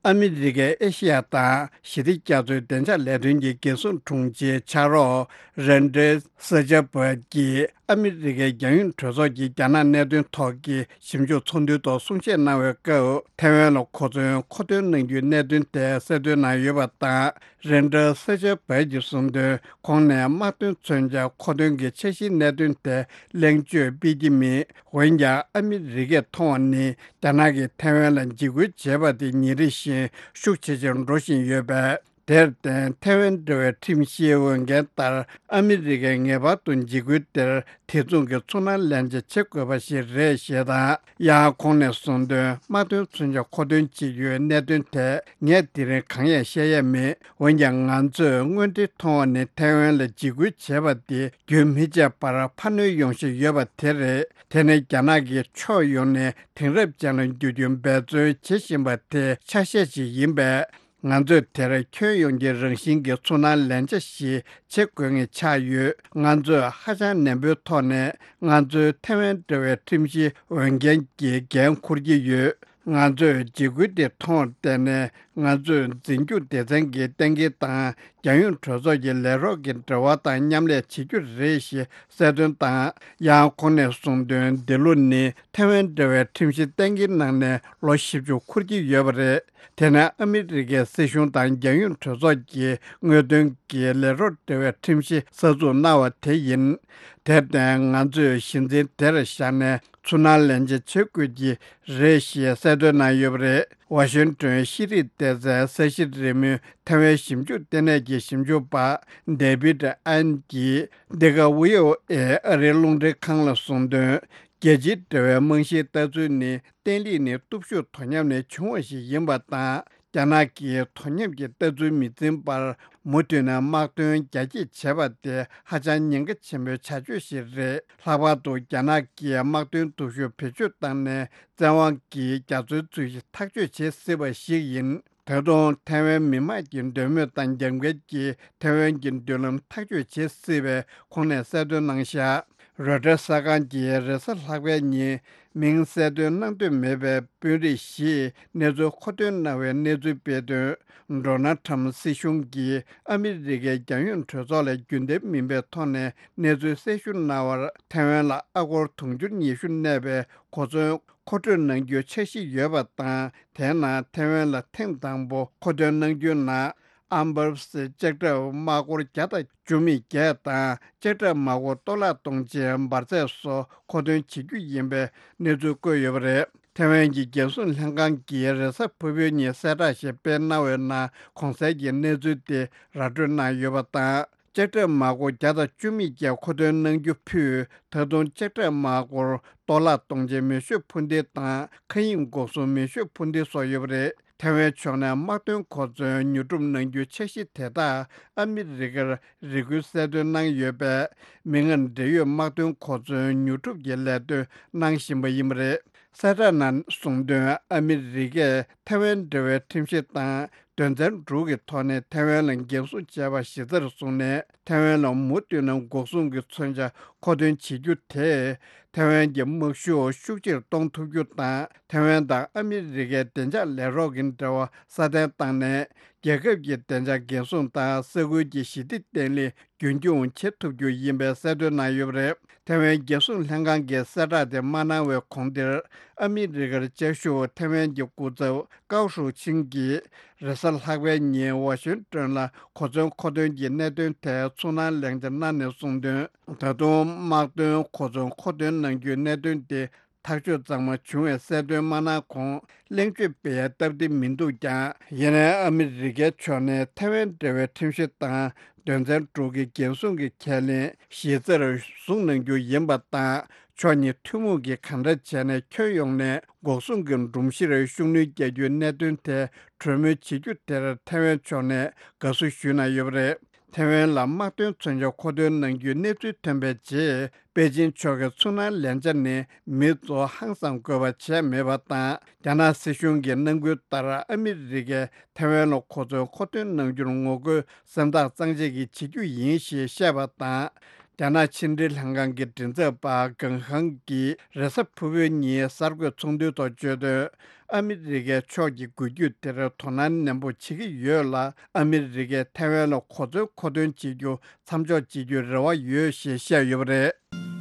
ཨ་མི་རི་ཀའི་ཨེ་ཤི་ཡ་དང་ཞི་བདེ་རྒྱ་མཚོའི་བདེ་འཇགས་ལས་དོན་གྱི་རྒྱལ་སྲུང་དྲུང་ཆེའི་ཕྱག་རོགས་རན་ཏྲེ་ས་ཆ་བ་གྱིས་ཨ་མི་རི་ཀའི་རྒྱལ་ཡོངས་གྲོས་ཚོགས་ཀྱི་རྒྱ་ནག་གནད་དོན་ཐོག་གི་ཞིབ་འཇུག་ཚོགས་འདུའི་ཐོག་གསུང་བཤད་གནང་བའི་སྐབས། ཐའེ་ཝན་ལ་གོ་མཚོན་མཁོ་འདོན་གནང་རྒྱུའི་གནད་དོན་དེ་གསལ་སྟོན་གནང་ཡོད་པ་དང་། རན་ཏྲེ་ས་ཆ་བ་གྱིས་གསུངས་དོན། ཁོང་ནས་དམག་དོན་མཚོན་ཆ་མཁོ་འདོན་གྱི་འཆར་གཞིའི་གནད་དོན་དེ་གླེང་བརྗོད་སྤེལ་གྱི་མེད། འོན་ཀྱང་ཨ་མི་རི་ཀས་མཐོང་བ་ནི། རྒྱ་ནག་གིས་ཐའེ་ཝན་ལ་འཇིགས་སྐུལ་བྱས་པ་དེ་ཉིན་རེ་བཞིན་ཤུགས་ཇེ་ཆེར་འགྲོ་བཞིན་ཡོད་པས། དེར་བརྟེན་ཐའེ་ཝན་འབྲེལ་བའི་ཁྲིམས་བཞིའི་འོས་འགན་ལྟར། ཨ་མི་རི་ཀས་ངེས་པར་དུ་འཇིགས་སྐུལ་དེར་དེ་མཚུངས་ཀྱི་ཚུར་སྣང་ལན་ཆ་བྱེད་དགོས་པ་ཞིག་རེད་ཞེས་དང་། ཡང་ཁོང་ནས་གསུངས་དོན། དམག་དོན་མཚོན་ཆ་མཁོ་འདོན་བྱེད་རྒྱུའི་གནད་དོན་དེ་ངས་དེ་རིང་གང་ཡང་བཤད་ཡས་མེད། འོན་ཀྱང་ང་ཚོས་དངོས་འབྲེལ་མཐོང་བ་ནི། ཐའེ་ཝན་ལ་འཇིགས་སྐུལ་བྱས་པ་དེ་རྒྱུན་མི་ཆད་པར་འཕར་སྣོན་ཡོང་བཞིན་ཡོད་པ་དེ་རེད། དེ་ནི་རྒྱ་ནག་གིས་ཕྱོགས་ཡོངས་ནས་དེང་རབས་ཅན་ལ་འགྱུར་རྒྱུའི་འབད་བརྩོན་བྱེད་བཞིན་པ་དེ་ཆ་ཤས་ཤིག་ཡིན་པས། ང་ཚོས་དེར་ཁྱོན་ཡོངས་ཀྱི་རང་བཞིན་གྱི་ཚུར་སྣང་ལན་ཆ་ཞིག་བྱེད་དགོས་ངེས་ཆགས་ཡོད། ང་ཚོས་ཧ་ཅང་ནན་པོའི་ཐོག་ནས་ང་ཚོའི་ཐའེ་ཝན་འབྲེལ་བའི་ཁྲིམས་གཞིའི་འོས་འགན་གྱི་འགན་འཁུར་གྱི་ཡོད། ང་ཚོས་འཇིགས་སྐུལ་དེ་མཐོང་བརྟེན་ནས། ང་ཚོས་འཛིན་སྐྱོང་སྡེ་ཚན་གྱི་གཏན་འཁེལ་དང་། རྒྱལ་ཡོངས་གྲོས་ཚོགས་ཀྱི་ལས་རོགས་ཀྱི་འབྲེལ་བ་དང་མཉམ་ལས་བྱེད་རྒྱུ་རེད་ཞེས་གསལ་སྟོན་དང་། ཡང་ཁོང་ནས་གསུངས་དོན། འདི་ལོ་ནི་ཐའེ་ཝན་འབྲེལ་བའི་ཁྲིམས་གཞི་གཏན་འཁེལ་གནང་ནས་ལོ་བཞི་བཅུ་འཁོར་གྱི་ཡོད་པ་རེད། དེ་ནས་ཨ་མི་རི་ཀའི་སྲིད་གཞུང་དང་རྒྱལ་ཡོངས་གྲོས་ཚོགས་ཀྱིས་དངོས་དོན་གྱི་ལས་རོགས་འབྲེལ་བའི་ཁྲིམས་གཞི་གསར་འཛུགས་གནང་བ་དེ་ཡིན། དེར་བརྟེན། ང་ཚོས་གཞི་འཛིན་དེར་བཞག་ནས་ཚུར་སྣང་ལན་འཇགས་བྱེད་དགོས་ཀྱི་རེད་ཞེས་གསལ་སྟོན་གནང་ཡོད་པ་རེད། ཝ་ཤིང་ཏོན་ཤེས་རིག་སྡེ་ཚན་ས་གཞི་རེས་མོས་ཐའེ་ཝན་ཞིབ་འཇུག་ལྟེ་གནས་ཀྱི་ཞིབ་འཇུག་པ་ཌེ་བིད་ཨན་གྱིས། འདི་ག་བྷི་ཨོ་ཨེ་ཨ་རིའི་རླུང་འཕྲིན་ཁང་ལ་གསུངས་དོན། རྒྱལ་སྤྱིའི་འབྲེལ་བའི་རྨང་གཞིའི་ལྟ་ཚུལ་ནི། བརྟན་ལྷིང་ནི་སྟོབས་ཤུགས་དོ་མཉམ་ནས་བྱུང་བ་ཞིག་ཡིན་པ་དང་། རྒྱ་ནག་གིས་དོ་མཉམ་གྱི་ལྟ་ཚུལ་མི་འཛིན་པར། མུ་མཐུད་ནས་དམག་དོན་རྒྱ་སྐྱེད་བྱེད་པ་དེ་ཧ་ཅང་ཉེན་ཁ་ཆེན་པོའི་བྱ་སྤྱོད་ཞིག་རེད། ལྷག་པར་དུ་རྒྱ་ནག་གིས་དམག་དོན་སྟོབས་ཤུགས་བེད་སྤྱོད་བཏང་ནས། བཙན་དབང་གིས་རྒྱ་མཚོའི་རྩོད་གཞི་ཐག་གཅོད་བྱེད་སྲིད་པ་ཞིག་ཡིན། ད་དུང་ཐའེ་ཝན་མི་དམངས་ཀྱི་འདོད་མོས་དང་འགལ་འགལ་གྱིས་ཐའེ་ཝན་གྱི་མདུན་ལམ་ཐག་གཅོད་བྱེད་སྲིད་པའི་ཁོང་ནས་གསལ་སྟོན་གནང་བཞག་རོའི་ཊར་གསར་ཁང་གིས་རེས་གཟའ་ལྷག་པའི་ཉིན་མིང་གསལ་སྟོན་གནང་འདོད་མེད་པའི་དཔོན་རིགས་ཤིག་གནས་ཚུལ་མཁོ་འདོན་གནང་བའི་གནས་ཚུལ་སྤེལ་དོན། ཌོ་ནལ་ཊམ་སྲིད་གཞུང་གིས་ཨ་མི་རི་ཀའི་རྒྱལ་ཡོངས་གྲོས་ཚོགས་ལ་རྒྱུན་ལྡན་མིན་པའི་ཐོག་ནས་གནས་ཚུལ་གསལ་ཞུ་གནང་བར། ཐའེ་ཝན་ལ་ཨ་སྒོར་དུང་ཕྱུར་ཉི་ཤུ་གནས་པའི་གོ་མཚོན་མཁོ་སྤྲོད་གནང་རྒྱུའི་འཆར་གཞི་ཡོད་པ་དང་། དེའི་ནང་ཐའེ་ཝན་ལ་ཐེངས་དང་པོ་མཁོ་འདོན་གནང་རྒྱུའི་ནང་། ཨམ་བར་སི་ལྕགས་ཁྲབ་དམག་སྒོར་བརྒྱ་དང་བཅུ་མེད་བརྒྱད་དང་། ལྕགས་ཁྲབ་དམག་སྒོར་སྟོང་ལྷག་གཏོང་ཆེད་འབར་རྫས་སོགས་མཁོ་འདོན་བྱེད་རྒྱུ་ཡིན་པའི་གནས་ཚུལ་བཀོད་ཡོད་པ་རེད། ཐའེ་ཝན་གྱི་རྒྱལ་སྲུང་ལྷན་ཁང་གིས་རེས་གཟའ་ཕུར་བུའི་ཉིན་གསལ་བསྒྲགས་ཤིག་སྤེལ་གནང་བའི་ནང་། གོང་གསལ་གྱི་གནས་ཚུལ་དེ་ར་སྤྲོད་གནང་ཡོད་པ་དང་། ལྕགས་ཁྲབ་དམག་སྒོར་བརྒྱ་དང་བཅུ་མེད་བརྒྱད་མཁོ་འདོན་གནང་རྒྱུ་ཕུད། ད་དུང་ལྕགས་ཁྲབ་དམག་སྒོར་སྟོང་ལྷག་གཏོང་ཆེད་མེ་ཤོད་འཕུར་མདེལ་དང་། མཁའ་དབྱིངས་འགོག་སྲུང་མེ་ཤོད་འཕུར་མདེལ་སོགས་ཡོད་པ་རེད། ཐའེ་ཝན་ཕྱོགས་ནས་དམག་དོན་གོ་མཚོན་ཉོ་སྒྲུབ་གནང་རྒྱུའི་འཆར་གཞི་དེ་དག་ཨ་མི་རི་ཀར་རེ་སྐུལ་གསལ་སྟོན་གནང་ཡོད་པས། མིག་སྔར་འབྲེལ་ཡོད་དམག་དོན་གོ་མཚོན་ཉོ་སྒྲུབ་ཀྱི་ལས་དོན་གནང་བཞིན་པ་ཡིན་པ་རེད། གསལ་བསྒྲགས་ནང་གསུངས་དོན། ཨ་མི་རི་ཀས་ཐའེ་ཝན་འབྲེལ་བའི་ཁྲིམས་གཞི་དང་དོན་ཚན་དྲུག་གི་ཐོག་ནས་ཐའེ་ཝན་ལ་འགན་སྲུང་བྱས་པ་གཞི་རྩར་བཟུང་ནས། ཐའེ་ཝན་ལ་མུ་མཐུད་ནས་འགོག་སྲུང་གི་མཚོན་ཆ་མཁོ་འདོན་བྱེད་རྒྱུ་དེས། ཐའེ་ཝན་གྱི་དམག་ཤུགས་ཤུགས་ཆེར་གཏོང་ཐུབ་རྒྱུ་དང་། ཐའེ་ཝན་དང་ཨ་མི་རི་ཀའི་བདེ་འཇགས་ལས་རོགས་ཀྱི་འབྲེལ་བ་སྲ་བརྟན་བཏང་ནས། རྒྱལ་ཁབ་ཀྱི་བདེ་འཇགས་འགན་སྲུང་དང་ས་ཁུལ་གྱི་ཞི་བདེ་བརྟན་ལྷིང་རྒྱུན་འཁྱོངས་བྱེད་ཐུབ་རྒྱུ་ཡིན་པའི་གསལ་སྟོན་གནང་ཡོད་པ་རེད། ཐའེ་ཝན་རྒྱལ་སྲུང་ལྷན་ཁང་གིས་གསལ་བསྒྲགས་དེ་མ་གནང་བའི་གོང་དེར། ཨ་མི་རི་ཀར་བཅའ་བཞུགས་ཐའེ་ཝན་གྱི་སྐུ་ཚབ་ཀའོ་ཧྲུའུ་ཆིང་གིས་རེས་གཟའ་ལྷག་པའི་ཉིན་ཝ་ཤིང་ཏོན་ལ་གོ་མཚོན་མཁོ་འདོན་གྱི་གནད་དོན་ཐད་ཚུར་སྣང་ལན་འཇགས་གནང་ནས་གསུངས་དོན། ད་དུང་དམག་དོན་གོ་མཚོན་མཁོ་འདོན་གནང་རྒྱུའི་གནད་དོན་དེ། ཐག་གཅོད་གཙང་མ་བྱུང་བའི་གསལ་སྟོན་མ་གནང་གོང་། གླེང་བརྗོད་སྤེལ་ཡའི་སྟབས་བདེ་མི་འདུག་ཀྱང་། ཡིན་ནའི་ཨ་མི་རི་ཀའི་ཕྱོགས་ནས་ཐའེ་ཝན་འབྲེལ་བའི་ཁྲིམས་གཞི་དང་དོན་ཚན་དྲུག་གི་འགན་སྲུང་གི་ཁས་ལེན་གཞི་རྩར་བཟུང་གནང་རྒྱུ་ཡིན་པ་དང་། ཕྱོགས་གཉིས་ཐུན་མོང་གིས་གང་འདྲ་བྱས་ནས་ཁྱོན་ཡོངས་ནས་འགོག་སྲུང་གི་སྒྲོམ་གཞིར་ཤུགས་སྣོན་རྒྱག་རྒྱུའི་གནད་དོན་ཐད་གྲོས་མོལ་བྱེད་རྒྱུ་དེར་ཐའེ་ཝན་ཕྱོགས་ནས་དགའ་བསུ་ཞུས་གནང་ཡོད་པ་རེད། ཐའེ་ཝན་ལ་དམག་དོན་མཚོན་ཆ་མཁོ་འདོན་གནང་རྒྱུའི་གནས་ཚུལ་ཐོན་པའི་རྗེས། པེ་ཅིན་ཕྱོགས་ཀྱི་ཚུར་སྣང་ལན་ཆ་ནི་མི་ཚོ་ཧང་སངས་དགོས་པ་བྱས་མེད་པ་དང་། རྒྱ་ནག་སྲིད་གཞུང་གི་གནང་སྐུལ་ལྟར་ཨ་མི་རི་ཀས་ཐའེ་ཝན་ལ་གོ་མཚོན་མཁོ་འདོན་གནང་རྒྱུར་ངོ་རྒོལ་སེམས་ཐག་གཙང་བཅད་ཀྱིས་བྱེད་རྒྱུ་ཡིན་ཞེས་བཤད་པ་དང་། རྒྱ་ནག་ཕྱི་འབྲེལ་ལྷན་ཁང་གི་མགྲིན་ཚབ་པ་ཀེང་ཧང་གིས་རེས་གཟའ་ཕུར་བུའི་ཉིན་གསར་འགོད་ཚོགས་འདུའི་ཐོག་བརྗོད་དོན། ཨ་མི་རི་ཀའི་ཕྱོགས་ཀྱིས་འགུལ་སྐྱོད་དེར་དོ་སྣང་ནན་པོ་བྱེད་ཀྱི་ཡོད་ལ། ཨ་མི་རི་ཀས་ཐའེ་ཝན་ལ་གོ་མཚོན་མཁོ་འདོན་བྱེད་རྒྱུ་མཚམས་འཇོག་བྱེད་རྒྱུའི་རེ་བ་ཡོད་ཞེས་བཤད་ཡོད་པ་རེད།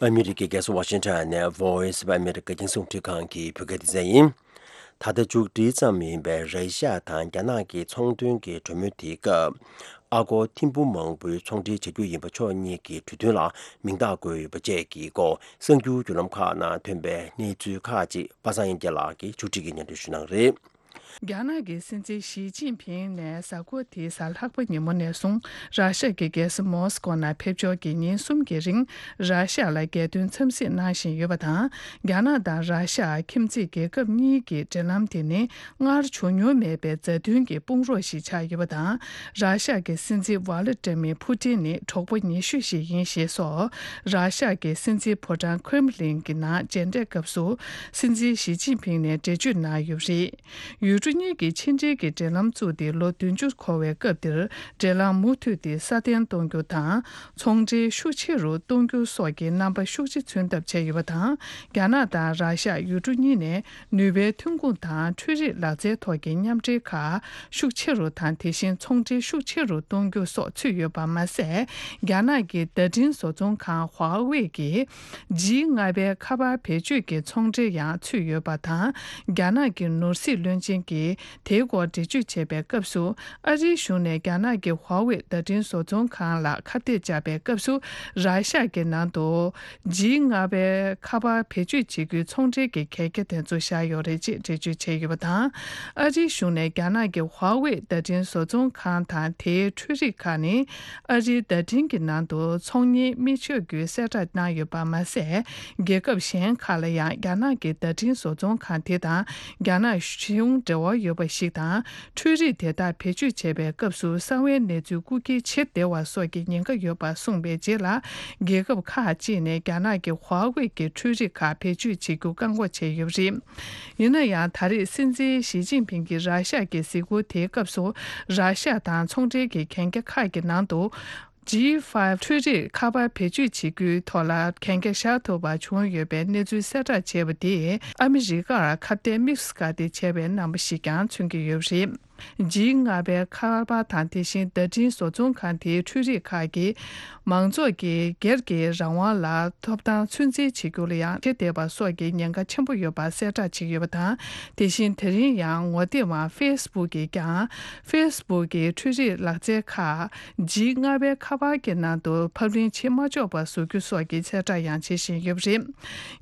ཨ་མི་རི་ཀའི་རྒྱལ་ས་ཝ་ཤིང་ཊོན་ནས་Voice of America རྒྱང་སྲིང་རླུང་འཕྲིན་ཁང་གི་བོད་སྐད་སྡེ་ཚན་ཡིན། ད་ལྟ་མཇུག་སྒྲིལ་ཙམ་ཡིན་པའི་ར་ཤི་ཡ་དང་རྒྱ་ནག་གི་ཚོང་དོན་གྱི་གྲོས་མོལ་དེའི་སྐབས། ཨ་སྒོར་ཐེར་འབུམ་མང་པོའི་ཚོང་འབྲེལ་བྱ་རྒྱུ་ཡིན་པ་ཕྱོགས་གཉིས་ཀྱི་གྲོས་མཐུན་ལ་མིང་རྟགས་བཀོད་ཡོད་པ་བཅས་ཀྱི་སྐོར་གསར་འགྱུར་བརྒྱུད་ལམ་ཁག་ནང་ཐོན་པའི་གནས་ཚུལ་ཁག་ཅིག་པ་སངས་དབྱངས་སྐྱིད་ལགས་ཀྱིས་མཇུག་སྒྲིལ་གྱིས་སྙན་སྒྲོན་ཞུ་གནང་གི་རེད། རྒྱ་ནག་གི་སྲིད་འཛིན་ཞི་ཅིན་ཕིང་ནས་གཟའ་འཁོར་འདིའི་གཟའ་ལྷག་པ་ཉིན་མོ་ནས་བཟུང་ར་ཤ་གི་རྒྱལ་ས་མོ་སི་ཀོ་ནང་ཕེབས་འབྱོར་གྱིས་ཉིན་གསུམ་གྱི་རིང་ར་ཤ་ལ་རྒྱལ་དོན་འཚམས་གཟིགས་གནང་བཞིན་ཡོད་པ་དང་། རྒྱ་ནག་དང་ར་ཤ་ཁྱིམ་མཚེས་རྒྱལ་ཁབ་གཉིས་ཀྱི་འབྲེལ་ལམ་དེ་ནི་སྔར་བྱུང་མྱོང་མེད་པའི་མཛའ་མཐུན་གྱི་དཔུང་རོགས་ཤིག་ཆགས་ཡོད་པ་དང་། ར་ཤ་གི་སྲིད་འཛིན་ཝ་ལི་ཏྲ་མི་ཕུ་ཏིན་ནི་གྲོགས་པོ་ཉེ་ཤོས་ཤིག་ཡིན་ཞེས་སོགས། ར་ཤ་གི་སྲིད་འཛིན་ཕོ་བྲང་ཁྲེམ་ལིན་གྱི་ནང་མཇལ་འཕྲད་སྐབས་སུ་སྲིད་འཛིན་ཞི་ཅིན་ཕིང་ནས་འགྲེལ་བརྗོད་གནང་ཡོད་པ་རེད། ཡུལ་གྲུ་གཉིས་ཀྱིས་ཕྱི་འབྲེལ་གྱི་འབྲེལ་ལམ་བཙུགས་ཏེ་ལོ་བདུན་ཅུ་འཁོར་བའི་སྐབས་འདིར། འབྲེལ་ལམ་མུ་མཐུད་དེ་སྲ་བརྟན་གཏོང་རྒྱུ་དང་། ཚོང་འབྲེལ་ཤུགས་ཆེ་རུ་གཏོང་རྒྱུ་སོགས་ཀྱི་རྣམ་པ་ཤུགས་ཆེ་མཚོན་ཐབས་བྱས་ཡོད་པ་དང་། རྒྱ་ནག་དང་ར་ཤ་ཡུལ་གྲུ་གཉིས་ནས་ནུས་པའི་ཐོན་ཁུངས་དང་འཕྲུལ་རིག་ལག་རྩལ་ཐོག་གི་མཉམ་འབྲེལ་ཁག་ཤུགས་ཆེ་རུ་དང་། དེ་བཞིན་ཚོང་འབྲེལ་ཤུགས་ཆེ་རུ་གཏོང་རྒྱུ་སོགས་ཚུད་ཡོད་པ་མ་ཟད། རྒྱ་ནག་གི་བརྡ་འཕྲིན་བཟོ་ཚོང་ཁང་ཧྭ་ཝེ་གིས། ཇི་ལྔ་པའི་ཁ་པར་བེད་སྤྱོད་ཀྱི་ཚོང་འབྲེལ་ཡང་ཚུད་ཡོད་པ་དང་། རྒྱ་ནག་གི་ནོར་སྲིད་བློན་ཆེན་གྱིས་དེའི་སྐོར་འགྲེལ་བརྗོད་བྱས་པའི་སྐབས་སུ། ཨ་རིའི་གཞུང་ནས་རྒྱ་ནག་གི་ཧྭ་ཝེ་བརྡ་འཕྲིན་བཟོ་ཚོང་ཁང་ལ་ཁ་གཏད་བཅག་པའི་སྐབས་སུ། ར་ཤ་གི་ནང་དུ་ཇི་ལྔ་པའི་ཁ་པར་བེད་སྤྱོད་བྱེད་རྒྱུའི་ཚོང་འབྲེལ་གྱི་གན་རྒྱ་དེ་ཚོ་བཞག་ཡོད་རེད་ཅེས་འགྲེལ་བརྗོད་བྱས་ཡོད་པ་དང་། ཨ་རིའི་གཞུང་ནས་རྒྱ་ནག་གི་ཧྭ་ཝེ་བརྡ་འཕྲིན་བཟོ་ཚོང་ཁང་དང་དེའི་འཕྲུལ་རིག་ཁག་ནི། ཨ་རིའི་བརྡ་འཕྲིན་གྱི་ནང་དུ་ཚོང་གཉེར་མི་ཆོག་རྒྱུའི་གསལ་བསྒྲགས་གནང་ཡོད་པ་མ་ཟད། རྒྱལ་ཁབ་གཞན་ཁག་ལ་ཡང་རྒྱ་ནག་གི་བརྡ་འཕྲིན་བཟོ་ཚོང་ཁང་དེ་དང་རྒྱ་ནག་གཞུང་འབྲེལ་བ་ཡོད་པ་ཞིག་དང་། འཕྲུལ་རིག་དེ་དག་བེད་སྤྱོད་བྱས་པའི་སྐབས་སུ་གསང་བའི་གནས་ཚུལ་རྐུ་འཁྱེར་བྱེད་བདེ་བ་སོགས་ཀྱི་ཉེན་ཁ་ཡོད་པ་གསུངས་པའི་རྗེས་ལ། རྒྱལ་ཁབ་ཁག་ཅིག་ནས་རྒྱ་ནག་གི་ཧྭ་ཝེ་གི་འཕྲུལ་རིག་ཁག་བེད་སྤྱོད་བྱེད་རྒྱུ་བཀག་འགོག་བྱས་ཡོད་པ་རེད། ཡིན་ན་ཡང་། ད་རེས་སྲིད་འཛིན་ཞི་ཅིན་ཕིང་གིས་ར་ཤ་གི་གཟིགས་སྐོར་དེའི་སྐབས་སུ། ར་ཤ་དང་ཚོང་འབྲེལ་གྱི་གན་རྒྱ་ཁག་གི་ནང་དུ། ཇི་ཕའི་ཝི་འཕྲུལ་རིག་ཁ་པར་བེད་སྤྱོད་བྱེད་རྒྱུའི་ཐོག་ལ་གན་རྒྱ་བཞག་ཐུབ་པ་བྱུང་ཡོད་པའི་གནས་ཚུལ་གསལ་བསྒྲགས་བྱས་པ་དེས། ཨ་མི་རི་ཀར་ཁ་གཏད་དམིགས་སུ་བཀར་ཏེ་བྱས་པའི་རྣམ་པ་ཞིག་ཀྱང་མཚོན་གྱི་ཡོད་པ་རེད། ཇི་ལྔ་པའི་ཁ་པར་དང་། དེ་བཞིན་བརྡ་འཕྲིན་བཟོ་ཚོང་ཁང་དེའི་འཕྲུལ་རིག་ཁག་གིས། མང་ཚོགས་ཀྱི་སྒེར་གྱི་རང་དབང་ལ་ཐོབ་ཐང་ཚོད་འཛིན་བྱེད་རྒྱུ་ལ་ཡང་བྱེད་བདེ་བ་སོགས་ཀྱི་ཉེན་ཁ་ཆེན་པོ་ཡོད་པ་གསལ་བསྒྲགས་བྱས་ཡོད་པ་དང་། དེ་བཞིན་དེ་རིང་ཡང་ངོ་དེབ་དབང་ཧྥེ་སི་བུག་གིས་ཀྱང་། ཧྥེ་སི་བུག་གི་འཕྲུལ་རིག་ལག་རྩལ་ཁག་ཇི་ལྔ་པའི་ཁ་པར་གྱི་ནང་དུ་ཕབ་ལེན་བྱེད་མ་ཆོག་པ་བཟོ་རྒྱུ་སོགས་ཀྱི་གསལ་བསྒྲགས་ཡང་བྱེད་བཞིན་ཡོད་པ་རེད།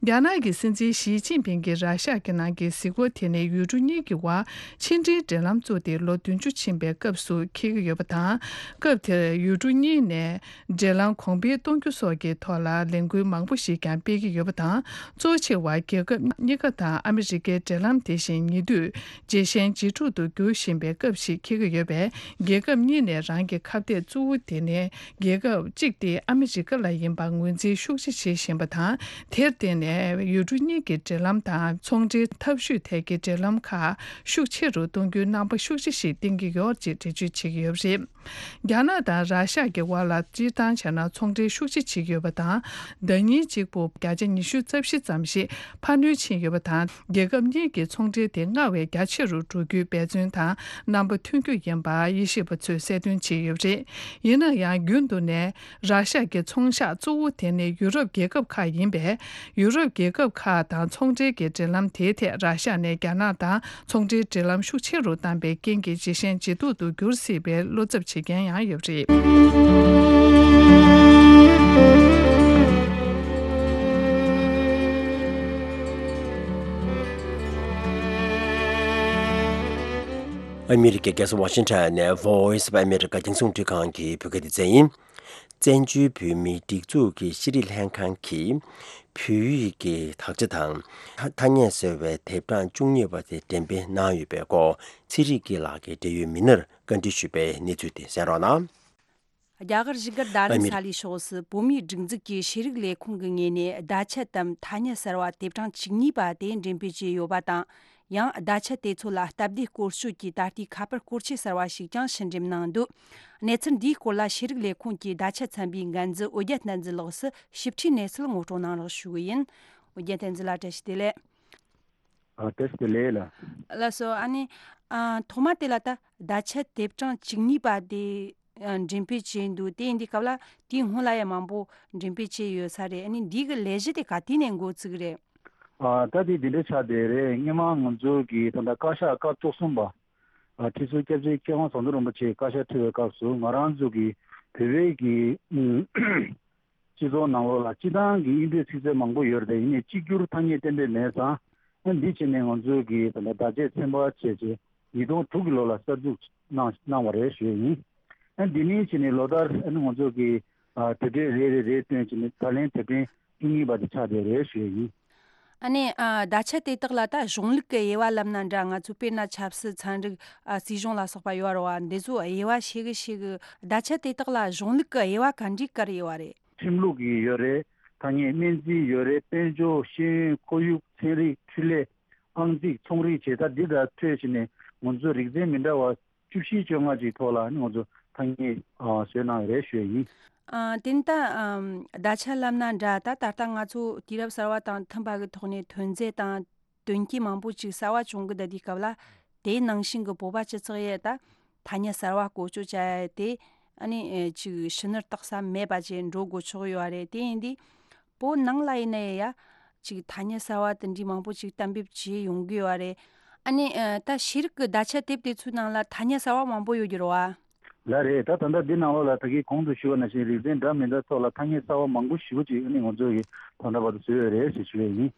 རྒྱ་ནག་གི་སྲིད་འཛིན་ཞི་ཅིན་ཕིང་གིས་ར་ཤ་གི་ནང་གི་གཟིགས་སྐོར་དེ་ནི་ཡུལ་གྲུ་གཉིས་ཀྱི་དབར་ཕྱི་འབྲེལ་འབྲེལ་ལམ་བཙུགས་ཏེ་ལོ་བདུན་ཅུ་ཕྱིན་པའི་སྐབས་སུ་འཁེལ་གྱི་ཡོད་པ་དང་། སྐབས་དེར་ཡུལ་གྲུ་གཉིས་ནས་འབྲེལ་ལམ་གོང་འཕེལ་གཏོང་རྒྱུ་སོགས་ཀྱི་ཐོག་ལ་ལས་འགུལ་མང་པོ་ཞིག་ཀྱང་སྤེལ་གྱི་ཡོད་པ་དང་། གཙོ་ཆེ་བ་རྒྱལ་ཁབ་གཉིས་ཀ་དང་ཨ་མི་རི་ཀའི་འབྲེལ་ལམ་དེ་བཞིན་ཉེ་དུས་ཇེ་ཞན་ཇེ་སྡུག་ཏུ་འགྱུར་བཞིན་པའི་སྐབས་ཤིག་འཁེལ་གྱི་ཡོད་པས། རྒྱལ་ཁབ་གཉིས་ནས་རང་གི་ཁ་གཏད་གཙོ་བོ་དེ་ནི་རྒྱལ་ཁབ་གཅིག་སྟེ་ཨ་མི་རི་ཀ་ལ་ཡིན་པ་ངོས་འཛིན་ཤུགས་ཆེ་བྱེད་བཞིན་པ་དང་། དེར་བརྟེན་ནས་ཡུལ་གྲུ་གཉིས་ཀྱི་འབྲེལ་ལམ་དང་ཚོང་འབྲེལ་འཐབ་ཇུས་ཐད་ཀྱི་འབྲེལ་ལམ་ཁག་ཤུགས་ཆེ་རུ་གཏོང་རྒྱུའི་རྣམ་པ་ཤུགས་ཆེ་ཞིག་བསྟན་གྱི་ཡོད་ཅེས་འགྲེལ་བརྗོད་བྱེད་ཀྱི་ཡོད་པ་རེད། རྒྱ་ནག་དང་ར་ཤ་གི་དབར་ལ་སྤྱིར་བཏང་བྱས་ན་ཚོང་འབྲེལ་ཤུགས་ཆེ་བྱེད་ཀྱི་ཡོད་པ་དང་། ཟླ་ཉིན་གཅིག་པུ་བརྒྱ་ཆ་ཉི་ཤུ་རྩ་བཞི་ཙམ་ཞིག་འཕར་སྣོན་ཕྱིན་ཡོད་པ་དང་། རྒྱལ་ཁབ་གཉིས་ཀྱི་ཚོང་འབྲེལ་དེ་སྔར་བས་རྒྱ་ཆེ་རུ་འགྲོ་རྒྱུའི་འབད་བརྩོན་དང་རྣམ་པ་ཐོན་རྒྱུ་ཡིན་པ་དབྱེ་ཞིབ་པ་ཚོས་གསལ་སྟོན་བྱས་ཡོད་པ་རེད། ཡིན་ན་ཡང་། རྒྱུན་དུ་ནས་ར་ཤ་གི་ཚོང་ཤག་གཙོ་བོ་དེ་ནི་ཡུ་རོབ་རྒྱལ་ཁབ་ཁག་ཡིན་པས། ཡུ་རོབ་རྒྱལ་ཁབ་ཁག་དང་ཚོང་འབྲེལ་གྱི་འབྲེལ་ལམ་དེའི་ཐད་ར་ཤ་ནས་རྒྱ་ནག་དང་ཚོང་འབྲེལ་འབྲེལ་ལམ་ཤུགས་ཆེ་རུ་བཏང་པའི་རྐྱེན་གྱིས་ཇེ་ཞན་ཇེ་སྡུག་ཏུ་འགྱུར་སྲིད་པའི་བློ་འཚབ་བྱེད་མཁན་ཡང་ཡོད་པ་རེད། ཨ་མི་རི་ཀའི་རྒྱལ་ས་ཝ་ཤིང་ཊོན་ནས་Voice of America རྒྱང་སྲིང་རླུང་འཕྲིན་ཁང་གི་བོད་སྐད་སྡེ་ཚན་ཡིན། བཙན་བྱོལ་བོད་མིའི་སྒྲིག་འཛུགས་ཀྱི་ཤེས་རིག་ལྷན་ཁང་གིས་བོད་ཡིག་གི་དག་ཆ་དང་ཐ་སྙད་ཟེར་བའི་དེབ་གྲངས་བཅུ་གཉིས་པ་དེ་འགྲེམས་སྤེལ་གནང་ཡོད་པའི་སྐོར་ཚེ་རིང་སྐྱིད་ལགས་ཀྱིས་འབྲེལ་ཡོད་མི་སྣར་བཀའ་འདྲི་ཞུས་པའི་གནས་ཚུལ་དེ་གསན་རོགས་གནང་། རྒྱ་གར་བཞུགས་སྒར་རྡ་རམ་ས་ལའི་ཕྱོགས་སུ་བོད་མིའི་སྒྲིག་འཛུགས་ཀྱི་ཤེས་རིག་ལས་ཁུངས་ཀྱི་ངོས་ནས་བརྡ་ཆད་དམ་ཐ་སྙད་གསར་བ་དེབ་གྲངས་བཅུ་གཉིས་པ་དེ་འགྲེམས་སྤེལ་བྱས་ཡོད་པ་དང་། ཡང་བརྡ་ཆད་དེ་ཚོ་ལ་སྟབས་བདེ་སྐོར་སྐྱོད་ཀྱི་ད་ལྟའི་ཁ་པར་སྐོར་ཆས་གསར་བ་ཞིག་ཀྱང་ཕྱིར་འགྲེམས་གནང་འདུག་གནས་ཚུལ་འདིའི་སྐོར་ལ་ཤེས་རིག་ལས་ཁུངས་ཀྱི་བརྡ་ཆད་ཚན་པའི་འགན་འཛིན་འོད་རྒྱལ་བསྟན་འཛིན་ལགས་སུ་ཞིབ་ཕྲའི་གནས་ཚུལ་ངོ་སྤྲོད་གནང་རོགས་ཞུ་གི་ཡིན། འོད་རྒྱལ་བསྟན་འཛིན་ལགས། བཀྲ་ཤིས་བདེ་ལེགས། ཨ། བཀྲ་ཤིས་བདེ་ལེགས་ལགས། ལགས་སོ། ཨ་ནི། ཨ། ཐོག་མ་དེ་ལ་ད་བརྡ་ཆད་དེབ་གྲངས་བཅུ་གཉིས་པ་དེ། ཨ། འགྲེམས་སྤེལ་བྱས་འདུག་དེ་ཡིན་དུས་སྐབས་ལ་དེའི་སྔོན་ལ་ཡང་མང་པོ་འགྲེམས་སྤེལ་བྱས་ཡོད་ས་རེད། ཨ་ནི་འདི་གི་ལས་གཞི་དེ་ག་དུས་ནས་འགོ་བཙུགས་རེད། ཨ། ད་དེ་འདི་འདྲ་ཆགས་བསྡད་རེད། སྔོན་མ་ང་ཚོ་གི་ད་ལྟ་བཀའ་ཤག་སྐབས་བཅུ་གསུམ་པ། ཨ། ཁྲི་ཟུར་སྐྱབས་རྗེ་མཁས་དབང་ཟམ་གདོང་རིན་པོ་ཆེ་བཀའ་ཤག་ཁྲི་བའི་སྐབས་སུ་ང་རང་ཚོ་གི་བོད་པའི་གི་སྤྱི་ཚོགས་ནང་ལོགས་ལ་སྤྱི་བཏང་གི་དབྱིན་སྐད་ཚིག་མཛོད་མང་པོ་ཡོད་རེད། ཡིན་ནའི་གཅིག་གྱུར་ཐ་སྙད་གཏན་འབེབས་མེད་ཙང་། ཨ། འདི་བྱས་ནས་ང་ཚོས་ཀྱི་ད་ལྟ་བརྡ་ཆད་ཚན་པ་བྱས་རྗེས་ ཉིས་སྟོང་དྲུག་གི་ལོ་ལ་གསར་འཛུགས་གནང་གནང་བ་རེད་ཞུ་ཡས་ཡིན། ཨ་འདི་ནས་བྱས་ནས་ལོ་ལྟར་ཨ་ནི་ང་ཚོ་གི་ཨ་དེབ་ཕྲེང་རེ་རེ་རེ་བཏོན་བྱས་ནས་ད་ལན་དེབ་ཕྲེང་བཅུ་གཉིས་པ་དེ་ཆགས་བསྡད་རེད་ཞུ་ཡས་ཡིན། ཨ་ནི་ཨ་བརྡ་ཆད་དེ་དག་ལ་ད་གཞུང་ལུགས་ཀྱི་དབྱེ་བ་ལབ་ན་འདྲ། ང་ཚོ་དཔེར་ན་ཆབ་སྲིད་ཚན་རིག་ཨ་སྲིད་གཞུང་ལ་སོགས་པ་ཡོད་རེད་བ། འདི་ཚོ་དབྱེ་བ་ཤེས་གི་ཤེས་གི། བརྡ་ཆད་དེ་དག་ལ་གཞུང་ལུགས་ཀྱི་དབྱེ་བ་ག་འདྲའི་བཀར་ཡོད་བ་རེད། ཁྲིམས་ལུགས་ཀྱི་ཡོད་རེད། ཐ་སྙད་སྨན་རྩིས་ཡོད་རེད། དཔལ་འབྱོར། ཤེས་ཡོན། ཁོར་ཡུག། ཚན་རིག། འཕྲུལ་ལས། ཨང་རྩིས། ཚོང་རིག་བྱས། ད་འདི་དག་འཕྲོས་བྱས་ནས་ང་ཚོ་རིག་ཚན་མི་འདྲ་བ་བཅུ་བཞི་བཅོ་ལྔ་ཅིག་ཐོག་ལ་ནི་ང་ཚོ་ཐ་སྙད་ཨ་བཟོས་གནང་ཡོད་རེད་ཞུ་ཡ་ཡིན། ཨ་དེ་ནི་ད་ཨམ་བརྡ་ཆད་ལབ་ན་འདྲ། ད་ད་ལྟ་ང་ཚོ་དུས་རབས་གསར་བ་དང་མཐུན་པ་གི་ཐོག་ནས་ཐོན་རྫས་དང་དོན་རྐྱེན་མང་པོ་ཅིག་གསར་བ་བྱུང་གི་བསྡད་དུས་སྐབས་ལ། དེའི་ནང་བཞིན་གྱི་བོད་པ་སྤྱི་ཚོགས་ཡས་ད་ཐ་སྙད་གསར་བ་བཀོལ་སྤྱོད་བྱ་ཡ་དེ་ཨ་ནི་ཨེ་ཅིག་ཕྱི་ནུར་བཏགས་ས་མེད་པ་ཅིག་འགྲོ་དགོས་ཆོག་ཡོད་རེད། དེ་ཡིན་དུས་བོད་ནང་ལ་ཡིན་ན་ཡ་ཅིག་ཐ་སྙད་གསར་བ་དེ་འདྲའི་མང་པོ་ཅིག་གཏན་འབེབས་བྱས་ཡོང་གི་ཡོད་རེད། ཨ་ནི་ཨེ་ད་ཤེས་རིག་གི་བརྡ་ཆད་དེབ་དེ་ཚོའི་ནང་ལ་ཐ་སྙད་གསར་བ་མང་པོ་ཡོད་ཀྱི་རེད་བ། ལགས་རེད། ད་ད་ལྟ་འདི་ནང་ལོགས་ལ་ད་གིན་གོང་དུ་ཞུས་པ་ནང་བཞིན་རིག་ཚན་འདྲ་མི་འདྲ་ཐོག་ལ་ཐ་སྙད་གསར་བ་མང་པོ་ཞེ་པོ་ཅིག་ཨ་ནི་ང་ཚོ་གིས་ད་ལྟ་བར་དུ་བཟོས་ཡོད་རེད་ཞེས་ཞུ་ཡས་ཡིན།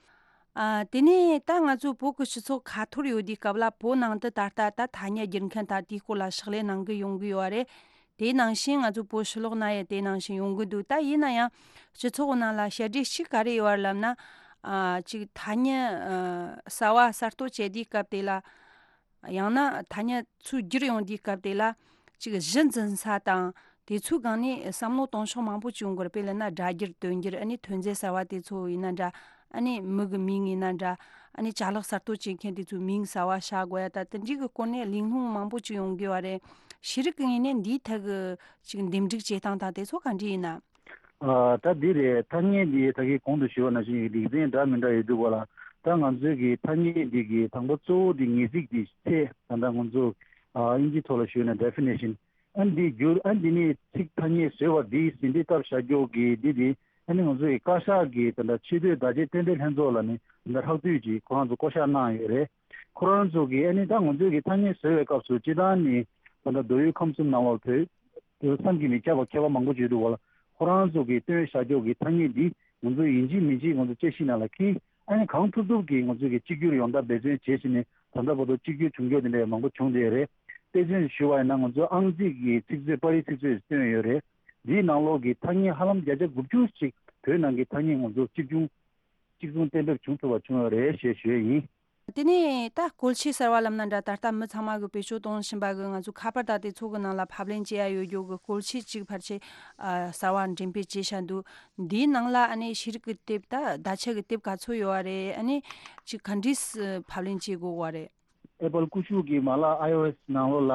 ཨ་དེ་ནས་ད་ང་ཚོ་བོད་ཀྱི་སྤྱི་ཚོགས་ཁ་ཐོར་ཡོད་དུས་སྐབས་ལ་བོད་ནང་དུ་ད་ལྟ་ད་ཐ་སྙད་སྒྱུར་མཁན་དང་དེའི་སྐོར་ལ་ཕྱག་ལས་གནང་གི་ཡོང་གི་ཡོད་རེད། དེ་ནང་བཞིན་ང་ཚོ་བོད་ཕྱི་ལོགས་ན་ཡང་དེ་ནང་བཞིན་ཡོང་གི་འདུག་ད་ཡིན་ན་ཡང་སྤྱི་ཚོགས་ནང་ལ་བཤད་སྒྲོས་གཅིག་ག་རེ་ཡོད་རེད་ལབ་ན། ཨ་ཅིག་ཐ་སྙད་ཨ་གསར་བ་གསར་གཏོད་བྱེད་དུས་སྐབས་དེ་ལ། ཡང་ན་ཐ་སྙད་ཚུར་བསྒྱུར་ཡོང་དུས་སྐབས་དེ་ལ་ཅིག་གཞི་འཛིན་ས་དང་དེ་ཚོའི་སྒང་ནས་བསམ་བློ་གཏོང་ཕྱོགས་མང་པོ་ཅིག་ཡོང་གི་རེད། དཔེར་ན་སྒྲ་བསྒྱུར་དོན་བསྒྱུར། ཨ་ནི་ཐོན་རྫས་གསར་བ་དེ་ཚོ་ཡིན་ན་འདྲ། ཨ་ནི་མི་གི་མིང་ཡིན་ན་འདྲ། ཨ་ནི་ཅ་ལག་གསར་གཏོད་བྱེད་མཁན་དེ་ཚོའི་མིང་གསར་བ་བཞག་དགོས་ཡ། ད་དེ་འདྲའི་གི་སྐོར་ནས་གླེང་སློང་མང་པོ་ཅིག་ཡོང་གི་ཡོད་རེད། ཤེས་རིག་གི་ངོས་ནས་འདིའི་ཐད་གི་ཅིག་འདེམས་སྒྲུག་བྱེད་སྟངས་དང་དེ་ཚོ་ག་འདྲ་ཡིན་ན། ཨ་ད་འདི་རེད། ཐ་སྙད་འདི་ད་གིན་གོང་དུ་ཞུས་པ་ནང་བཞིན་རིག་ཚན་འདྲ་མི་འདྲ་ཡོད་འདུག་ག་ལ། ད་ང་ཚོའི་གི་ཐ་སྙད་འདི་གི་དང་པོ་གཙོ་བོ་འདི་ངེས་ཚིག་འདི་ཚད་ད་ལྟ་ང་ཚོ་ཨ་དབྱིན་ཇིའི་ཐོག་ལ་ཞུས་ན་ཌེ་ཕི་ནེ་ཤན། ཨ་འདི་བསྒྱུར། ཨ་འདི་ནས་ཚིག་ཐ་སྙད་བཟོས་པ་འདི་ཟིན་བྲིས་བཏབ་བཞག་རྒྱུ་གི་འདི་འདི་ཨ་ནི་ང་ཚོའི་གི་བཀའ་ཤག་གི་ད་ལྟ་ཆེས་མཐོའི་བརྡ་ཆད་རྟེན་འབྲེལ་ལྷན་ཚོགས་ལ་ནི་ད་ལྟ་ཧྲག་བསྡུས་ཀྱིས་ཁོ་རང་ཚོ་བསྐོ་བཞག་གནང་ཡོད་རེད། ཁོ་རང་ཚོ་གི་ཨ་ནི་ད་ང་ཚོའི་གི་ཐ་སྙད་བཟོ་བའི་སྐབས་སུ་སྤྱིར་བཏང་ནི་ད་ལྟ་མདོ་དབུས་ཁམས་གསུམ་ནང་ལོགས་བོད་བསམ་གྱིས་མི་ཁྱབ་པ་མཁས་པ་མང་པོ་ཅིག་འདུག་ག་ལ། ཁོ་རང་ཚོ་གིས་བཏོན་བཞག་རྒྱུ་གི་ཐ་སྙད་འདི་ང་ཚོ་ཡིན་གཅིག་མིན་གཅིག་ང་ཚོ་དཔྱད་གཞི་ནང་ལ་འཁྱེར། ཨ་ནི་གང་ཐུབ་ཐུབ་ཀྱིས་ང་ཚོ་གིས་གཅིག་གྱུར་ཡོང་ཐབས་འབད་བརྩོན་བྱེད་བཞིན་ནས་ད་ལྟ་བར་དུ་གཅིག་གྱུར་བྱུང་རྒྱུ་དེ་འདྲ་མང་པོ་བྱུང་བསྡད་ཡོད་རེད། དཔེ་མཚོན་ཞུ་བ་ཡིན་ན་ང་ཚོ་ཨང་རྩིས་ཀྱི་ཚིག་མཛོད། པར་རིས་ཚིག་མཛོད་བཏོན་ཡོད་རེད། འདིའི་ནང་ལོགས་ཀྱི་ཐ་སྙད་ཧ་ལམ་བརྒྱ་ཆ་དགུ་བཅུ་ཅིག་བོད་ནང་གི་ཐ་སྙད་ང་ཚོ་གཅིག་མཚུངས་གཅིག་མཚུངས་གཏན་འབེབས་བྱུང་ཐུབ་པ་བྱུང་ཡོད་རེད་ཞེས་ཞུ་ཡས་ཡིན། དེ་ནས་ད་བཀོལ་ཆས་གསར་བ་ལབ་ན་འདྲ། ད་ལྟ་མི་ཚང་མ་གིས་བེད་སྤྱོད་གཏོང་བཞིན་པ་གི་ང་ཚོ་ཁ་པར་དང་དེ་ཚོ་གི་ནང་ལ་ཕབ་ལེན་བྱེད་ཡ་ཡོད་རྒྱུ་གི་བཀོལ་ཆས་གཅིག་ཕལ་ཆེར་ཨ་གསར་བ་འགྲེམས་སྤེལ་བྱས་བཞག་འདུག་འདིའི་ནང་ལ་ཨ་ནི་ཤེས་རིག་གི་དེབ། ད་བརྡ་ཆད་ཀྱི་དེབ་ག་ཚོད་ཡོད་བ་རེད། ཨ་ནི་ཅིག་ག་འདྲས་སུ་ཕབ་ལེན་བྱེད་དགོས་བ་རེད། ཨེ་པལ་ཀུ་ཤུ་གི་མ་ལག་ཨའི་ཨོ་ཨེས་ནང་ལོགས་ལ།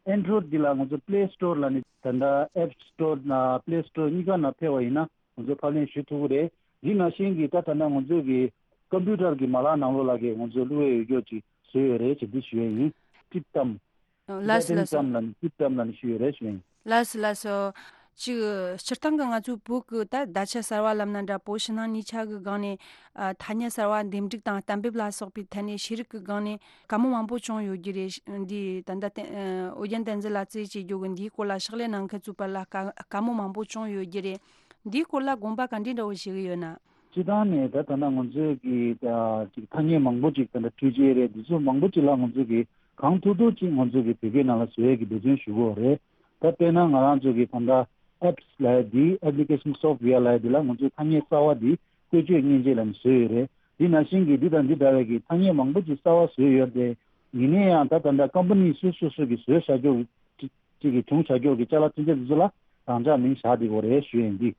ཨེན་ཌོ་རོ་ཡིཌ་འདི་ལ་ང་ཚོ་པླེ་སི་ཊོར་ལ་ནི་ད་ལྟ་ཨེབ་སི་ཊོར་ན་པླེ་སི་ཊོར་གཉིས་ཀ་ནང་ཕེབས་པ་ཡིན་ན་ང་ཚོ་ཕབ་ལེན་ཞུ་ཐུབ་ཀྱི་རེད། འདི་ནང་བཞིན་གྱི་ད་ད་ལྟ་ང་ཚོའི་གི་ཀམ་པུ་ཊར་གྱི་མ་ལག་ནང་ལོགས་ལ་གི་ང་ཚོ་བླུག་ཡས་ཡོད་རྒྱུ་ཅིག་བཟོས་ཡོད་རེད་ཅེས་འདི་ཞུ་ཡས་ཡིན། ཊིབ་ཊམ། ལགས་སོ་ལགས་སོ། ཊིབ་ཊམ་ལ་ནི་ཊིབ་ཊམ་ལ་ནི་ཞུ་ཡོད་རེད་ཞུ་ཡས་ཡིན། ལགས་སོ་ལགས་སོ། ཅིག་སྤྱིར་བཏང་གི་ང་ཚོའི་བོད་ཀྱི་ད་བརྡ་ཆད་གསར་བ་ལབ་ན་འདྲ། བོད་ཕྱི་ནང་གཉིས་ཆ་གི་སྒང་ནས་ཨ་ཐ་སྙད་གསར་བ་འདེམས་སྒྲུག་དང་གཏན་འབེབས་ལ་སོགས་པའི་ཐད་ནས་ཤེས་རིག་གི་སྒང་ནས་བཀའ་མོལ་མང་པོ་བྱུང་ཡོད་ཀྱི་རེད། འདི་ད་ལྟ་བསྟན་ཨོ་རྒྱན་བསྟན་འཛིན་ལགས་རྩིས་བྱེད་རྒྱུ་གི་འདིའི་སྐོར་ལ་ཕྱག་ལས་གནང་མཁན་ཚོའི་བར་ལ་བཀའ་བཀའ་མོལ་མང་པོ་བྱུང་ཡོད་ཀྱི་རེད། འདིའི་སྐོར་ལ་དགོངས་པ་ག་འདྲའི་འདྲ་བོ་བཞེས་ཀྱི་ཡོད་ན། སྤྱིར་བཏང་ནས་ད་ད་ལྟ་ང་ཚོས་ཀྱི་ད་ཅིག་ཐ་སྙད་མང་པོ་ཅིག་ད་ལྟ་འཕྲུལ་ཆས་རེད། འདི་ཚོ་མང་པོ་ཅིག་ལ་ང་ཚོས་ཀྱི་གང་ཐུབ་ཐུབ་ཅིག་ང་ཚོས་ཀྱི་བོད་སྐད་ནང་ལ་བཟོ་ཡས་ཀྱི་འབད་བརྩོན་ཞུ་གི་ཡོད་རེད། ད་དཔེར་ན་ང་རང་ཚོ་གི་ད་ལྟ་ཨེབ་སི་ལབ་ཡ་འདི། ཨེབ་ལི་ཀེ་ཤན་སོབ་ཝེར་ལབ་ཡ་འདི་ལ་ང་ཚོས་ཐ་སྙད་གསར་བ་འདི་བཀོལ་སྤྱོད་མཉེན་ཆས་ལ་ནི་བཟོས་ཡོད་རེད། འདི་ནང་བཞིན་གྱི་འདི་དང་འདི་འདྲ་བའི་གི་ཐ་སྙད་མང་པོ་ཅིག་གསར་བ་བཟོས་ཡོད་རེད། ཡིན་ན་ཡང་ད་ད་ལྟ་ཀམ་པ་ནི་སོ་སོ་སོ་གི་བཟོས་བཞག་རྒྱུ་གི་ཅིག་གི་བྱུང་བཞག་རྒྱུ་གི་ཅ་ལག་ཚུན་ཆད་འདི་ཚོ་ལ་རང་འཇགས་མིང་བཞག་བསྡད་ཡོད་རེད་ཞུ་ཡིན། འདི་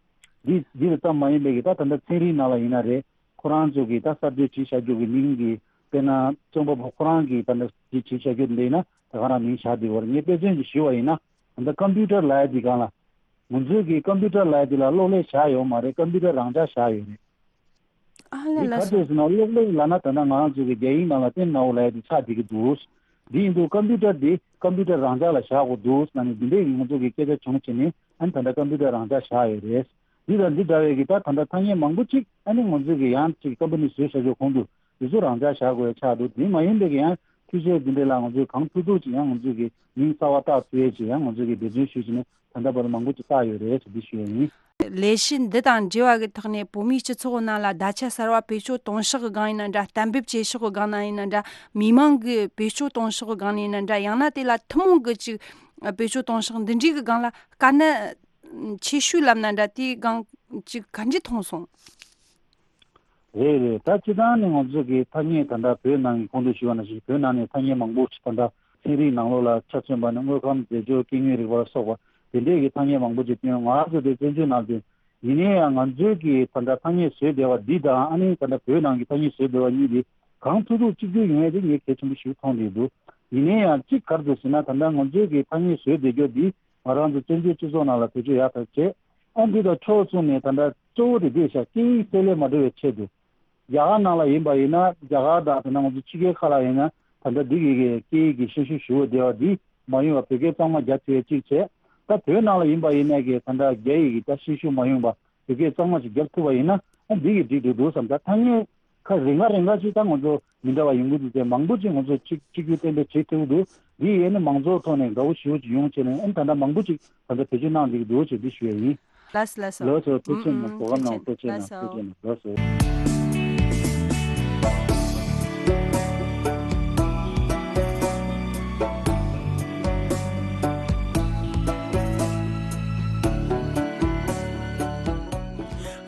འདི་འདི་ལ་ཙམ་མ་ཡིན་པའི་གི་ད་ད་ལྟ་ཚན་རིག་ནང་ལ་ཡིན་ན་རེད། ཁོ་རང་ཚོ་གི་ད་གསར་གཏོད་བྱས་བཞག་རྒྱུ་གི་མིང་གི་དཔེར་ན་རྩོམ་པ་པོ་ཁོ་རང་གི་ད་ལྟ་འདི་བྱས་བཞག་རྒྱུ་འདི་ཡིན་ན་ད་ག་རང་མིང་བཞག་བསྡད་ཡོད་རེད། ངས་དཔེ་མཚོན་ཅིག་ཞུས་པ་ཡིན་ན། ད་ལྟ་ཀམ་པུ་ཊར་ལབ་ཡ་འདི་སྒང་ལ་ང་ཚོའི་གི་ཀམ་པུ་ཊར་ལབ་ཡ་འདི་ལ་གློག་ཀླད་བཞག་ཡོད་མ་རེད། ཀམ་པུ་ཊར་རང་འཇགས་བཞག་ཡོད་རེད། ཨ་ལས། འདི་ལགས་ག་སོ། དུས་སུ་ན་གློག་ཀླད་ལབ་ན་ད་ལྟ་ང་རང་ཚོ་གི་རྒྱ་ཡིག་ནང་ལ་ཏེན་ནའོ་ལབ་ཡ་འདི་ཆགས་བསྡད་ཀྱི་འདུག་འདི་ཡིན་དུས་ཀམ་པུ་ཊར་འདི་ཀམ་པུ་ཊར་རང་འཇགས་ལ་བཞག་དགོས་འདུག་ལབ་ནས་འདི་འདྲའི་ང་ཚོ་གི་སྐད་ཆ་བྱུང་བྱས་ནས་ཨ་ནི་ད་ལྟ་ཀམ་པུ་ཊར་རང་འཇགས་བཞག་ཡོད་རེད། འདི་དང་འདི་འདྲ་བའི་གི་ད་ད་ལྟ་ཐ་སྙད་མང་པོ་ཅིག་ཨ་ནི་ང་ཚོ་གི་ཡང་ཅིག་ཀམ་པ་ནི་བཟོས་བཞག་རྒྱུ་གོང་དུ་འདི་ཚོ་རང་འཇགས་བཞག་དགོས་ཡ་ཆགས་འདུག་འདི་མ་ཡིན་པའི་གི་ཡང་འཕྲུལ་ཆས་འདི་འདྲ་ལ་ང་ཚོས་གང་ཐུབ་ཐུབ་ཅིག་ཡང་ང་ཚོ་གི་མིང་གསར་བ་བཏགས་ཐུབ་ཡ་ཅིག་ཡང་ང་ཚོ་གི་འབད་བརྩོན་ཞུས་བྱས་ནས། ད་ལྟ་བར་མང་པོ་ཅིག་བཏགས་ཡོད་རེད་ཟེར་འདི་ཞུ་ཡ་ཡིན། ལས་གཞི་འདི་དང་འབྲེལ་བ་གི་ཐོག་ནས་བོད་མིའི་སྤྱི་ཚོགས་ནང་ལ་བརྡ་ཆད་གསར་བ་བེད་སྤྱོད་གཏོང་ཕྱོགས་ཀྱི་སྒང་ཡིན་ན་འདྲ། གཏན་འབེབས་བྱེད་ཕྱོགས་ཀྱི་སྒང་ན་ཡིན་ན་འདྲ། མི་མང་གི་བེད་སྤྱོད་གཏོང་ཕྱོགས་ཀྱི་སྒང་ནས་ཡིན་ན་འདྲ། ཡང་ན་དེ་ལ་ཐུན་མོང་གི་ཅིག་བེད་སྤྱོད་གཏོང་ཕྱོགས་འདི་འདྲའི་གི་སྒང་ལ་དཀའ་གནད་ཆེ་ཤོས་ལབ་ན་འདྲ། དེའི་སྒང་ཅིག་ག་འདྲ་མཐོང་སོང་། རེད་རེད། ད་སྤྱིར་བཏང་ནས་ང་ཚོ་གི་ཐ་སྙད་ད་ལྟ་བོད་ནང་གི་གོང་དུ་ཞུས་པ་ནང་བཞིན་བོད་ནང་ནས་ཐ་སྙད་མང་པོ་ཞིག་ད་ལྟ་ཚན་རིག་ནང་ལོགས་ལ་ཆ་མཚོན་པ་ནི་དངོས་ཁམས་རྫས་སྦྱོར་སྐྱེ་དངོས་རིག་པ་ལ་སོགས་པ་དེ་འདྲས་ཀྱི་ཐ་སྙད་མང་པོ་ཅིག་བཏོན། ང་ཚོ་དེ་བཙན་བྱོལ་ནང་བཏོན། ཡིན་ནའི་ཡང་ང་ཚོའི་གི་ད་ལྟ་ཐ་སྙད་བཟོས་བསྡད་པ་འདི་དང་ཨ་ནི་ད་ལྟ་བོད་ནང་གི་ཐ་སྙད་བཟོས་བསྡད་པ་གཉིས་དེ་གང་ཐུབ་ཐུབ་གཅིག་གྱུར་ཡོང་ཡ་དེ་ངས་གལ་ཆེན་པོ་ཞིག་མཐོང་བསྡད་འདུག་ཡིན་ནའི་ཡང་གཅིག་ག་རེ་འདུག་ཟེར་ན། ད་ལྟ་ང་ཚོའི་གི་ཐ་སྙད་བཟོས་བསྡད་རྒྱུ་འདི་ང་རང་ཚོ་བཙན་བྱོལ་སྤྱི་ཚོགས་ནང་ལ་བེད་སྤྱོད་ཡག་ཐག་བྱས། ཨ་འདི་དང་ཕྱོགས་མཚུངས་ནས་ད་ལྟ་གཙོ་བོ་དེ་འདི་ཤག་སྐད་ཡིག་གསལ་ལེ་མ་འགྲོ་བའི་ཆེད་དུ། རྒྱ་གར་ནང་ལ་ཡིན་པ་ཡིན་ན་རྒྱ་གར་དང་ད་ལྟ་ང་ཚོ་ཕྱི་རྒྱལ་ཁག་ལ་ཡིན་ན་ད་ལྟ་འདི་གི་གི་སྐད་ཡིག་གི་ཤན་ཤུགས་ཞུ་བ་བདེ་བ་འདི་མ་ཡོང་བ་བོད་སྐད་གཙང་མ་རྒྱབ་ཐུབ་ཡ་གཅིག་བྱས། ད་བོད་ནང་ལ་ཡིན་པ་ཡིན་ན་གི་ད་ལྟ་རྒྱ་ཡིག་གི་ད་ཤན་ཤུགས་མ་ཡོང་བ་བོད་སྐད་གཙང་མ་ཞིག་རྒྱབ་ཐུབ་པ་ཡིན་ན་ཨ་འདི་གི་འགྲིག་འགྲོ་འདུག་བསམ། ད་ཐ་སྙད་ཁ་རིང་ག་རིང་ག་ཅིག་ད་ང་ཚོ་མི་འདྲ་བ་ཡོང་གི་འདུག་སྟེ། མང་པོ་ཅིག་ང་ཚོ་གཅིག་གཅིག་གྱུར་གཏན་འབེབས་བྱེད་ཐུབ་འདུག་འདི་ཡིན་ན་མང་ཚོགས་ཐོག་ནས་དགའ་བོ་ཞེ་པོ་ཅིག་ཡོང་བྱས་ནས་ཨ་ད་ལྟ་མང་པོ་ཅིག་ད་ལྟ་བེད་སྤྱོད་གནང་བསྡད་ཀྱི་འདུག་ཅེས་འདི་ཞུ་ཡ་ཡིན། ལགས་སོ་ལགས་སོ། ལགས་སོ། ཐུགས་རྗེ་གནང་། ཨུམ། གོ་སྐབས་གནང་། ཐུགས་རྗེ་ཆེ། ཐུགས་རྗེ་གནང་། ལགས་སོ། ཐུགས་རྗེ་གནང་། ལགས་སོ།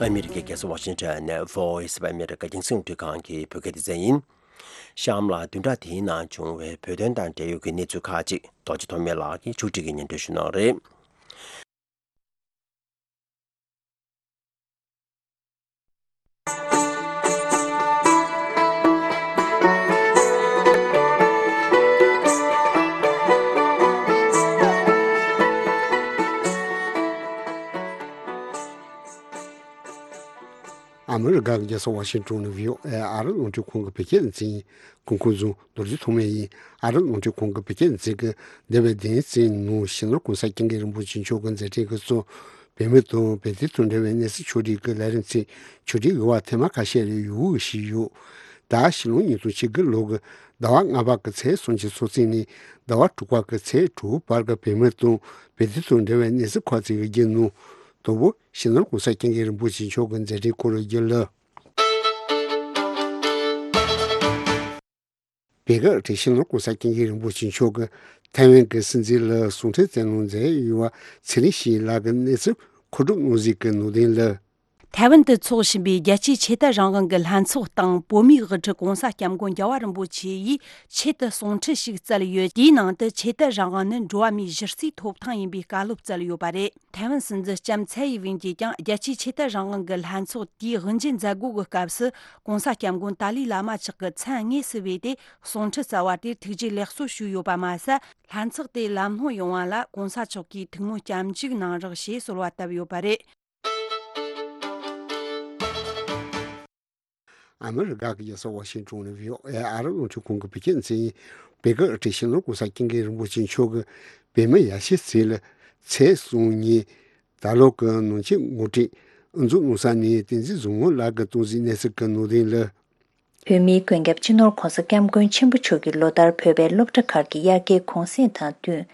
ཨ་མི་རི་ཀའི་རྒྱལ་ས་ཝ་ཤིང་ཊོན་ནས་Voice of America་རྒྱང་སྲིང་རླུང་འཕྲིན་ཁང་གི་བོད་སྐད་སྡེ་ཚན་ཡིན། གཤམ་ལ་བདུན་ཕྲག་དེའི་ནང་བྱུང་བའི་བོད་དོན་དང་འབྲེལ་ཡོད་ཀྱི་གནས་ཚུལ་ཁག་ཅིག་རྡོ་རྗེ་ཐོགས་མེད་ལགས་ཀྱིས་ཕྱོགས་སྒྲིག་གིས་སྙན་སྒྲོན་ཞུ་གནང་རེད། ཨ་མི་རི་ཀ་གི་རྒྱལ་ས་ཝ་ཤིང་ཊོན་ནས་བྷི་ཨོ་ཨེ་ཨ་རི་རླུང་འཕྲིན་ཁང་གི་བོད་སྐད་སྡེ་ཚན་ཡིན། གོང་འཁོད་བཟུང་རྡོ་རྗེ་ཐོགས་མེད་ཡིན། ཨ་རི་རླུང་འཕྲིན་ཁང་གི་བོད་སྐད་སྡེ་ཚན་གྱིས་འདས་པའི་བདུན་ཕྲག་ནང་སྤྱི་ནོར་གོང་ས་སྐྱབས་མགོན་རིན་པོ་ཆེ་མཆོག་གི་མཛད་འཕྲིན་གྱི་གཙོ། བོད་མི་དང་བོད་དོན་དང་འབྲེལ་བའི་གནས་ཚུལ་ཕྱོགས་སྒྲིག་གི་ལས་རིམ་ཚད་ཕྱོགས་སྒྲིག་གི་བར་ཐེངས་མ་ཁ་ཤས་རེ་ཡོང་བཞིན་ཡོད། ད་ཕྱི་ལོ་ཉིས་སྟོང་ཉི་ཤུ་རྩ་དགུ་ལོ་གི་ཟླ་བ་ལྔ་པ་གི་ཚེས་སུམ་ཅུ་སོ་གཅིག་ནས་ཟླ་བ་དྲུག་པ་གི་ཚེས་དྲུག་བར་གྱི་བོད་མི་དང་བོད་དོན་དང་འབྲེལ་བའི་གནས་ཚུལ་ཁག་ཅིག་གི་རྒྱུད་ནང་དང་པོ་སྤྱི་ནོར་གོང་ས་སྐྱབས་མགོན་རིན་པོ་ཆེ་མཆོག་གི་མཛད་འཕྲིན་སྐོར་རྒྱུད་ལ། བོད་ཀྱི་སྤྱི་ནོར་གོང་ས་སྐྱབས་མགོན་རིན་པོ་ཆེ་མཆོག་གིས་ཐའེ་ཝན་གྱི་སྲིད་འཛིན་ལ་གསུང་འཕྲིན་བསྩལ་གནང་མཛད་ཡོད་པ་ཚེ་རིང་ཞིང་ལགས་ཀྱིས་གནས་ཚུལ་མཁོ་སྒྲུབ་གནང་གཟིགས་ཀྱི་ནང་དོན་ལ། ཐའེ་ཝན་དུ་འཚོགས་བཞིན་པའི་རྒྱལ་སྤྱིའི་ཆོས་དད་རང་དབང་གི་ལྷན་ཚོགས་སྟེང་བོད་མིའི་དབུ་ཁྲིད་གོང་ས་སྐྱབས་མགོན་རྒྱལ་བ་རིན་པོ་ཆེ་ཡིས་ཆེད་དུ་གསུང་འཕྲིན་ཞིག་བསྩལ་ཡོད། དེའི་ནང་དུ་ཆོས་དད་རང་དབང་ནི་འགྲོ་བ་མིའི་གཞི་རྩའི་ཐོབ་ཐང་ཡིན་པའི་བཀའ་སློབ་བསྩལ་ཡོད་པ་རེད། ཐའེ་ཝན་སྲིད་འཛིན་ལྕམ་ཚའེ་ཡི་ཝེན་གྱིས་ཀྱང་རྒྱལ་སྤྱིའི་ཆོས་དད་རང་དབང་གི་ལྷན་ཚོགས་དེའི་དབུ་འབྱེད་མཛད་སྒོ་གི་སྐབས་སུ་གོང་ས་སྐྱབས་མགོན་ཏཱ་ལའི་བླ་མ་མཆོག་གི་མཚན་དངོས་སུ་བོས་ཏེ་གསུང་འཕྲིན་བསྩལ་བ་དེར་ཐུགས་རྗེ་ལེགས་གསོ་ཞུས་ཡོད་པ་མ་ཟད། ལྷན་ཚོགས་དེ་ལམ་ལྷོང་ཡོང་བ་ལ་གོང་ས་མཆོག་གིས་ཐུགས་སྨོན་སྐྱབས་འཇུག་གནང་རོགས་ཞེས་གསོལ་བ་བཏབ་ཡོད་པ་རེད། ཨ་མི་རི་ཀ་གི་རྒྱལ་ས་ཝ་ཤིང་ཊོན་ནས་བྷི་ཨོ་ཨེ་ཨ་རི་རླུང་འཕྲིན་ཁང་གི་བོད་སྐད་སྡེ་ཚན་ཡིན། བོད་ཀྱི་སྤྱི་ནོར་གོང་ས་སྐྱབས་མགོན་རིན་པོ་ཆེ་མཆོག་གིས་བོད་མི་ཡར་ཞུའི་ཚུལ་ལ་ཚེས་གསུམ་ཉིན་ད་ལོ་གི་ནང་ཆེན་ངོ་སྤྲོད་དབུ་འཛུགས་གནང་ས་ནས་བསྟན་འཛིན་བཟང་མོ་ལགས་ཀྱིས་གཏམ་གཟིགས་གནས་ཚུལ་གྱི་ནང་དོན་ལ། བོད་མིའི་མགོན་སྐྱབས་སྤྱི་ནོར་གོང་ས་སྐྱབས་མགོན་ཆེན་པོ་མཆོག་གིས་ལོ་ལྟར་བོད་པའི་སློབ་གྲྭ་ཁག་གི་དབྱར་ཁའི་གུང་སེང་དང་བསྟུན།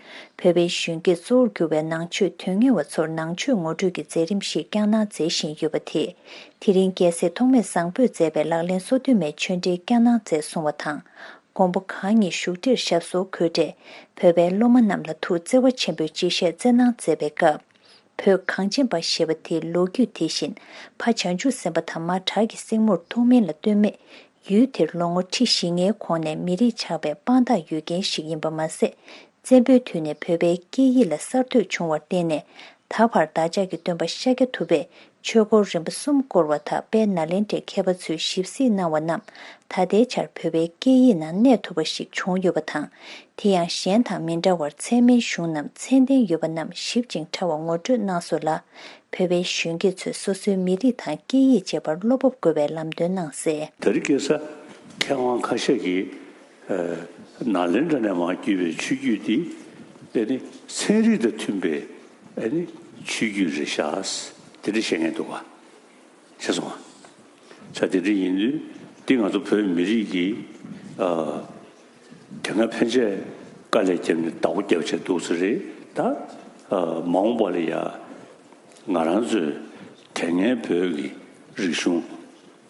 བོད་པའི་གཞོན་སྐྱེས་གཙོ་བོར་གྱུར་པའི་ནང་ཆོས་དོན་གཉེར་བ་ཚོར་ནང་ཆོས་ངོ་སྤྲོད་ཀྱི་མཛད་རིམ་ཞིག་བསྐྱངས་གནང་མཛད་བཞིན་ཡོད་པ་དེས། དེ་རིང་རྒྱལ་སྲས་ཐོགས་མེད་བཟང་པོས་མཛད་པའི་ལག་ལེན་སོ་བདུན་མའི་ཆོས་འབྲེལ་བསྐྱངས་གནང་མཛད་སོང་བ་དང་། མགོན་པོ་གང་ཉིད་བཞུགས་ཁྲིར་ཞབས་སོར་འཁོད་འཕྲལ། བོད་པའི་སློབ་མ་རྣམས་ལ་ཐུགས་བརྩེ་བ་ཆེན་པོས་གཅེས་བཞེས་སྩལ་གནང་མཛད་པའི་སྐབས། བོད་གངས་ཅན་པ་ཞེས་པ་དེའི་ལོ་རྒྱུས་དེ་བཞིན་ཕ་བྱང་ཆུབ་སེམས་དཔའ་དང་མ་བྲག་གི་སྲིང་མོར་ཐུགས་སྨོན་ལ་བཏོན་མེད། ཡུལ་དེར་ལོ་ངོ་ཁྲི་བཞི་ལྔའི་གོང་ནས་མི་རིགས་ཆགས་པའི་དཔང་རྟགས་ཡོད་མཁན་ཞིག་ཡིན་པ་མ་ཟད། བཙན་པོའི་དུས་ནས་བོད་པའི་སྐད་ཡིག་ལ་གསར་གཏོད་བྱུང་བར་བརྟེན་ནས་ད་བར་བདག་ཅག་གི་སྟོན་པ་ཤཱཀྱ་ཐུབ་པས་ཆོས་སྐོར་རིམ་པ་གསུམ་བསྐོར་བ་དང་དཔལ་ནཱ་ལེནྡྲའི་མཁས་པ་ཚོས་ཞིབ་གཟིགས་གནང་བ་རྣམས་ད་ལྟའི་ཆར་བོད་པའི་སྐད་ཡིག་ནང་གནས་ཐུབ་པ་ཞིག་བྱུང་ཡོད་པ་དང་། དེ་ཡང་གཞན་དང་མི་འདྲ་བར་ཚད་མའི་གཞུང་རྣམས་ཚད་ལྡན་ཡོད་པ་རྣམས་ཞིབ་ཅིང་ཕྲ་བར་ངོ་སྤྲོད་གནང་སོང་ལ། བོད་པའི་གཞོན་སྐྱེས་ཚོས་སོ་སོའི་མི་རིགས་དང་སྐད་ཡིག་བཅས་པར་བློ་སྤོབས་དགོས་པའི་ལམ་སྟོན་གནང་གསལ། ད་རེས་ཁ་སང་མཁས་དབང་ཁ་ཤས་ཀྱིས་ནཱ་ལེནྡྲ་ནས་མར་བརྒྱུད་པའི་ཆོས་བརྒྱུད་འདི་ཨ་ནི་ཚན་རིག་དང་མཐུན་པའི་ཨ་ནི་ཆོས་བརྒྱུད་རེད་ཤག་དེ་འདྲ་བཤད་མཁན་འདུག་ག་ཤེས་སོང་ང་། ས་དེ་འདྲ་ཡིན་དུས་འདི་ང་ཚོ་བོད་མི་རིགས་ཀྱི་ཨ་དེ་སྔ་ཕན་ཆད་དཀའ་ལས་བརྒྱབ་ནས་བདག་པོ་རྒྱབ་བྱས་འདུག་ས་རེད་ད། མ་འོངས་པ་ལ་ཡ་ང་རང་ཚོའི་དེ་སྔའི་བོད་ཀྱི་རིག་གཞུང་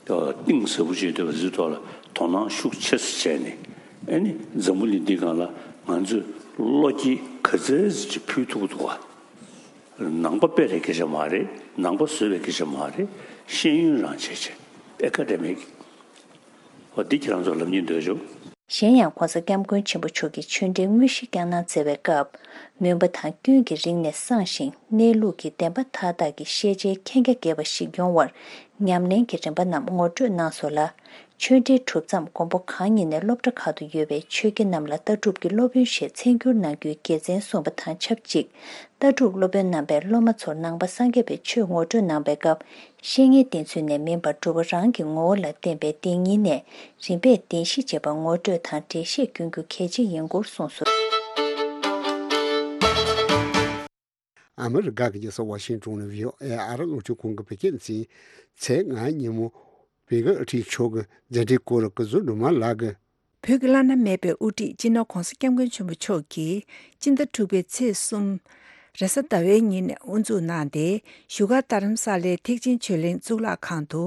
གཏིང་ཟབ་པོ་ཅིག་ཐོག་ལ་དོ་སྣང་ཤུགས་ཆེ་ཙམ་བྱས་ནས། ཨ་ནི་འཛམ་བུ་གླིང་འདི་སྒང་ལ་ང་ཚོས་བློ་སྐྱེད་ག་ཚད་ཅིག་ཕུལ་ཐུབ་ཀྱི་འདུག་ག་ནང་པ་སྤེལ་རེས་སྐད་ཆ་མ་རེད། ནང་པ་བཟོས་པའི་སྐད་ཆ་མ་རེད། ཤེས་ཡོན་རང་བྱས་བྱས་ཨེ་ཀ་ཌེ་མིག་འོ་འདི་ཁྱེད་རང་ཚོ་ལབ་སྙིང་འདོད་བྱུང་། གཞན་ཡང་༸གོང་ས་༸སྐྱབས་མགོན་ཆེན་པོ་མཆོག་གིས་ཆོས་འབྲེལ་དངོས་གཞི་བསྐྱངས་གནང་མཛད་པའི་སྐབས། མུན་པ་དང་སྐྱོན་གྱིས་རིང་ནས་སངས་ཤིང་གནས་ལུགས་ཀྱི་བདེན་པ་མཐའ་དག་གི་ཤེས་བྱའི་མཁྱེན་རྒྱ་རྒྱས་པ་ཞིག་ཡོང་བར་ཉམས་ལེན་གྱི་རིམ་པ་རྣམས་ངོ་སྤྲོད་གནང་སོང་ལ། ཆོས་འབྲེལ་གྲུབ་མཚམས་མགོན་པོ་གང་ཉིད་ནས་སློབ་གྲྭ་ཁག་ཏུ་ཡོད་པའི་ཆོས་དགེ་རྣམས་ལ་ལྟ་གྲུབ་ཀྱི་སློབ་དཔོན་ཞེས་མཚན་བསྒྱུར་གནང་རྒྱུའི་དགེ་མཚན་གསུངས་པ་དང་ཆབས་ཅིག་ལྟ་གྲུབ་སློབ་དཔོན་རྣམ་པས་སློབ་མ་ཚོར་ནང་པ་སངས་རྒྱས་པའི་ཆོས་ངོ་སྤྲོད་གནང་བའི་སྐབས། བཤེས་གཉེན་བསྟེན་ཚུལ་ནས་མིན་པར་སྒྲུབ་པ་རང་གི་ངོ་བོ་ལ་བརྟེན་པའི་བདེན་གཉིས་ནས་རིམ་པས་བདེན་བཞི་ཅེས་པ་ངོ་སྤྲོད་དང་འགྲེལ་བཤད་བསྐྱོན་རྒྱུ་གལ་ཆེ་ཡིན་སྐོར་གསུངས་སོ། ཨ་མི་རི་ཀ་གི་རྒྱལ་ས་ཝ་ཤིང་ཏོན་ནས་བྷི་ཨོ་ཨེ་ཨ་རི་རླུང་འཕྲིན་ཁང་གི་བོད་སྐད་སྡེ་ཚན། ཚེས་ལྔ་ཉིན་མོ་བྷི་ག་ཨ་ཁྲིད་མཆོག་གི་མཛད་འཕྲིན་སྐོར་ལ་སྐུ་གཟུགས་སྒྲོལ་མ་ལགས་ཀྱིས། བོད་ཀྱི་བླ་ན་མེད་པའི་དབུ་ཁྲིད་སྤྱི་ནོར་༸གོང་ས་༸སྐྱབས་མགོན་ཆེན་པོ་མཆོག་གིས་སྤྱི་ཟླ་དྲུག་པའི་ཚེས་གསུམ། རེས་གཟའ་ཟླ་བའི་ཉིན་དབུ་འཛུགས་གནང་སྟེ། བཞུགས་སྒར་རྡ་རམ་ས་ལའི་ཐེག་ཆེན་ཆོས་གླིང་གཙུག་ལག་ཁང་དུ་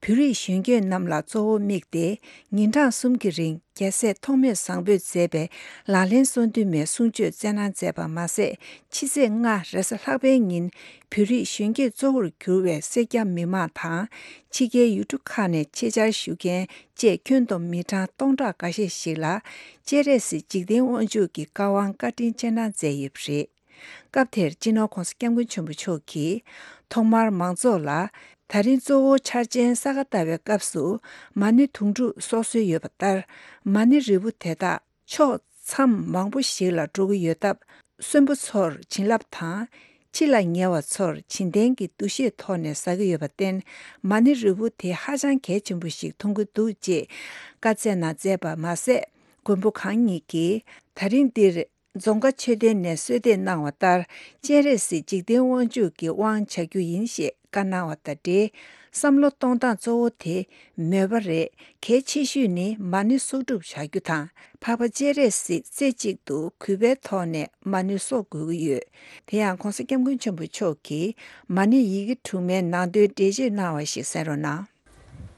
བོད་རིགས་གཞོན་སྐྱེས་རྣམས་ལ་གཙོ་བོ་དམིགས་ཏེ། ཉིན་གྲངས་གསུམ་གྱི་རིང་རྒྱལ་སྲས་ཐོགས་མེད་བཟང་པོས་མཛད་པའི་ལག་ལེན་གསུང་འདུན་མའི་གསུང་ཆོས་སྩལ་གནང་མཛད་པ་མ་ཟད། ཕྱི་ཚེས་ལྔ་རེས་གཟའ་ལྷག་པའི་ཉིན་བོད་རིགས་གཞོན་སྐྱེས་གཙོ་བོར་གྱུར་བའི་སེར་སྐྱ་མི་མང་དང་། ཕྱི་རྒྱལ་ཡུལ་གྲུ་ཁག་ནས་ཆེད་བཅར་ཞུ་མཁན་བཅས་ཁྱོན་བསྡོམས་མི་གྲངས་སྟོང་ཕྲག་འགའ་ཤས་ཤིག་ལ་སྤྱན་རས་གཟིགས་འཇིག་རྟེན་དབང་ཕྱུག་གི་བཀའ་དབང་བཀའ་དྲིན་སྤྱན་དྲངས་མཛད་ཡོད་པ་རེད། སྐབས་དེར་སྤྱི་ནོར་༸གོང་ས་༸སྐྱབས་མགོན་ཆེན་པོ་མཆོག་གིས་ཐོག་མར་མང་ཚོགས་ལ་ད་རིང་གཙོ་བོ་འཆར་ཅན་ས་ག་ཟླ་བའི་སྐབས་སུ་མ་ཎི་དུང་སྒྲུབ་སྲོག་སྲོལ་ཡོད་པ་ལྟར། མ་ཎི་རིལ་བུ་དེ་དག་ཕྱོགས་མཚམས་མང་པོ་ཞིག་ལ་འགྲོ་གི་ཡོད་སྟབས། གསོན་པོ་ཚོར་བྱིན་རླབས་དང་། ཕྱི་ལ་ཉལ་བ་ཚོར་བྱིན་ལྡན་གྱི་འདུ་ཤེས་ཐོག་ནས་ཟ་གི་ཡོད་པར་བརྟེན། མ་ཎི་རིལ་བུ་དེ་ཧ་ཅང་གལ་ཆེན་པོ་ཞིག་མཐོང་གི་འདུག་ཅེས་བཀའ་སྩལ་གནང་མཛད་པ་མ་ཟད། མགོན་པོ་གང་ཉིད་ཀྱིས་ད་རིང་འདིར་རྫོང་དགའ་མཆོད་རྟེན་ནས་གསོལ་འདེབས་གནང་བ་ལྟར། སྤྱན་རས་གཟིགས་འཇིག་རྟེན་དབང་ཕྱུག་གི་དབང་བྱ་རྒྱུ་ཡིན་ཞེས་བཀའ་གནང་བ་དང་འབྲེལ། བསམ་བློ་གཏོང་སྟངས་གཙོ་བོ་དེ་མོས་པ་རེད། གལ་ཆེ་ཤོས་ནི་མ་ཎི་གསོག་སྒྲུབ་བྱ་རྒྱུ་དང་། འཕགས་པ་སྤྱན་རས་གཟིགས་རྩེ་གཅིག་ཏུ་གུས་པའི་ཐོག་ནས་མ་ཎི་གསོག་དགོས་ཀྱི་ཡོད། དེ་ཡང་༸གོང་ས་༸སྐྱབས་མགོན་ཆེན་པོ་མཆོག་གིས་མ་ཎི་ཡི་གེ་དྲུག་མའི་ནང་དོན་འགྲེལ་བརྗོད་གནང་བ་ཞིག་གསན་རོགས་གནང་།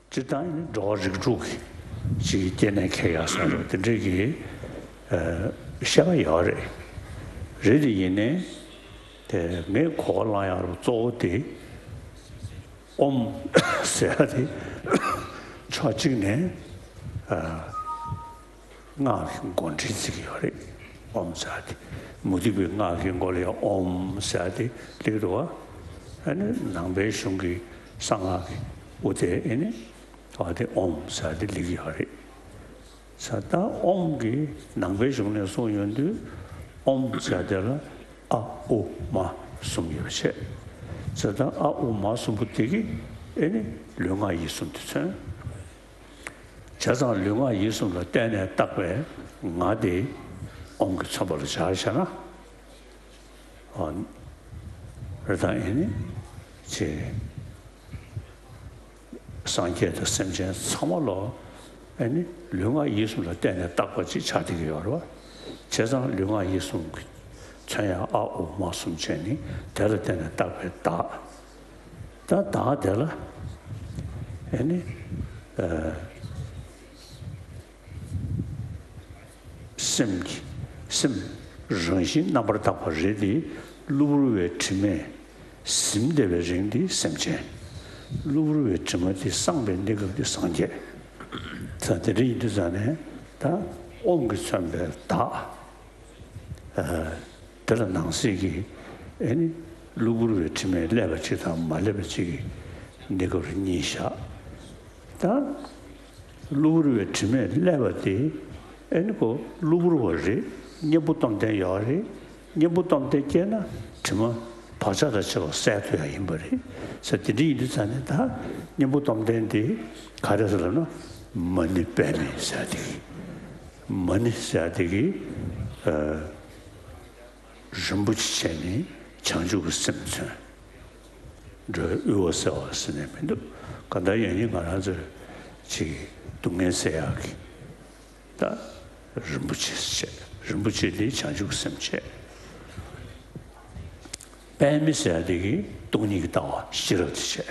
སྤྱིར་བཏང་ཡིན་ན་འགྲོ་བ་རིགས་དྲུག་གི་ཅིག་སྐྱེ་གནས་ཁེལ་ཡག་སོགས་རོགས་དེ་འདྲས་ཀྱི་ཨ་བཤད་པ་ཡོད་རེད། རེད་དེ་ཡིན་ནའི་དེ་ངས་གོ་བ་བླངས་ཡག་རུ་གཙོ་བོ་དེ་ཨོམ་ཟེར་ཡག་དེ་ཕྱོགས་གཅིག་ནས་ཨ་སྔགས་ཀྱི་མགོ་འདྲེན་བྱེད་ཀྱི་ཡོད་རེད། ཨོམ་ཟེར་ཡག་དེ་མུ་སྟེགས་པའི་སྔགས་ཀྱི་མགོ་ལ་ཡང་ཨོམ་ཟེར་ཡག་དེ་སླེབས་འདུག་བ། ཨ་ནི་ནང་པའི་གཞུང་གི་གསང་སྔགས་ཀྱི་དབུ་དེ་ཨེ་ནི་ཨ་དེ་ཨོམ་ཟེར་ཡག་དེ་སླེབས་ཀྱི་ཡོད་རེད། ས་ད་ཨོམ་གྱི་ནང་པའི་གཞུང་ནས་གསུངས་ཡོང་དུས་ཨོམ་ཟེར་དེ་ལ་ཨ་ཨུ་མ་གསུམ་ཡོད་པ་བྱས། ས་ད་ཨ་ཨུ་མ་གསུམ་པོ་དེ་གིས་ཨེ་ནི་ལུས་ངག་ཡིད་གསུམ་དེ་མཚོན། བྱས་ཙང་ལུས་ངག་ཡིད་གསུམ་ལ་བརྟེན་ནས་བཏགས་པའི་ངག་དེ་ཨོམ་གྱིས་མཚོན་པ་ལ་བྱ་བྱས་ན། ཨ་རེད་ད་ཨེ་ནི་ཅེས། སངས་རྒྱས་དང་སེམས་ཅན་ཚང་མ་ལོ། ཨེ་ནི་ལུས་ངག་ཡིད་གསུམ་ལ་བརྟེན་ནས་བཏགས་པ་ཅིག་ཆགས་བསྡད་ཀྱི་ཡོད་རེད་བ། བྱས་ཙང་ལུས་ངག་ཡིད་གསུམ་གྱི་མཚོན་ཡག་ཨ་ཨུ་མ་གསུམ་བྱས་ནི་དེ་ལ་བརྟེན་ནས་བཏགས་པའི་བདག་ད་བདག་དེ་ལ་ཨེ་ནི་ཨ་སེམས་ཀྱི་སེམས་རང་བཞིན་རྣམ་པར་དག་པ་རེད་དེ། གློ་བུར་བའི་དྲི་མས་ཟིན་བསྡད་པའི་རིགས་འདི་སེམས་ཅན། གློ་བུར་བའི་དྲི་མ་འདི་སངས་པའི་གནས་སྐབས་འདི་སངས་རྒྱས། ད་དེ་འདྲ་ཡིན་དུས་ཙང་ནས་ད་ཨོམ་གྱིས་མཚོན་པའི་བདག་ཨ་དེ་ལ་ནང་གསེས་ཀྱི་ཨེ་ནི་གློ་བུར་བའི་དྲི་མས་བསླད་པ་གཅིག་དང་མ་བསླད་པ་གཅིག་གི་གནས་སྐབས་རེ་གཉིས་བཞག་ད་གློ་བུར་བའི་དྲི་མས་བསླད་པ་དེ་ཨེ་ནི་ཁོ་གློ་བུར་བ་རེད། གཉེན་པོ་སྟོབས་ལྡན་ཡོད་རེད། གཉེན་པོ་སྟོབས་ལྡན་སྐྱེས་ན་དྲི་མ་བག་ཆགས་དང་བཅས་པ་བསལ་ཐུབ་ཡག་ཡིན་པ་རེད་ཟེར། དེ་འདྲ་ཡིན་དུས་ཙང་ནས་ད་གཉེན་པོ་སྟོབས་ལྡན་དེ་ག་རེ་ཟེར་ལབ་ན་མ་ཎི་པདྨེ་ཟེར་དེ་གི་མ་ཎི་ཟེར་དེ་གི་ཨ་རིན་པོ་ཆེ་བྱས་ནས་བྱང་ཆུབ་ཀྱི་སེམས་མཚོན། འགྲོ་བའི་དབུལ་བ་སེལ་བ་ཟེར་ནས་མི་འདུག་གང་ལྟར་ཡང་ཡིན་ང་རང་ཚོའི་ཅིག་སྡུག་བསྔལ་སེལ་ཡག་གི་ད་རིན་པོ་ཆེ་བྱས། རིན་པོ་ཆེ་འདི་བྱང་ཆུབ་ཀྱི་སེམས་བྱས། པདྨ་ཟེར་ཡ་དེ་གིས་སྟོང་ཉིད་ཀྱི་ལྟ་བ་ཤེས་རབ་དེ་བྱས།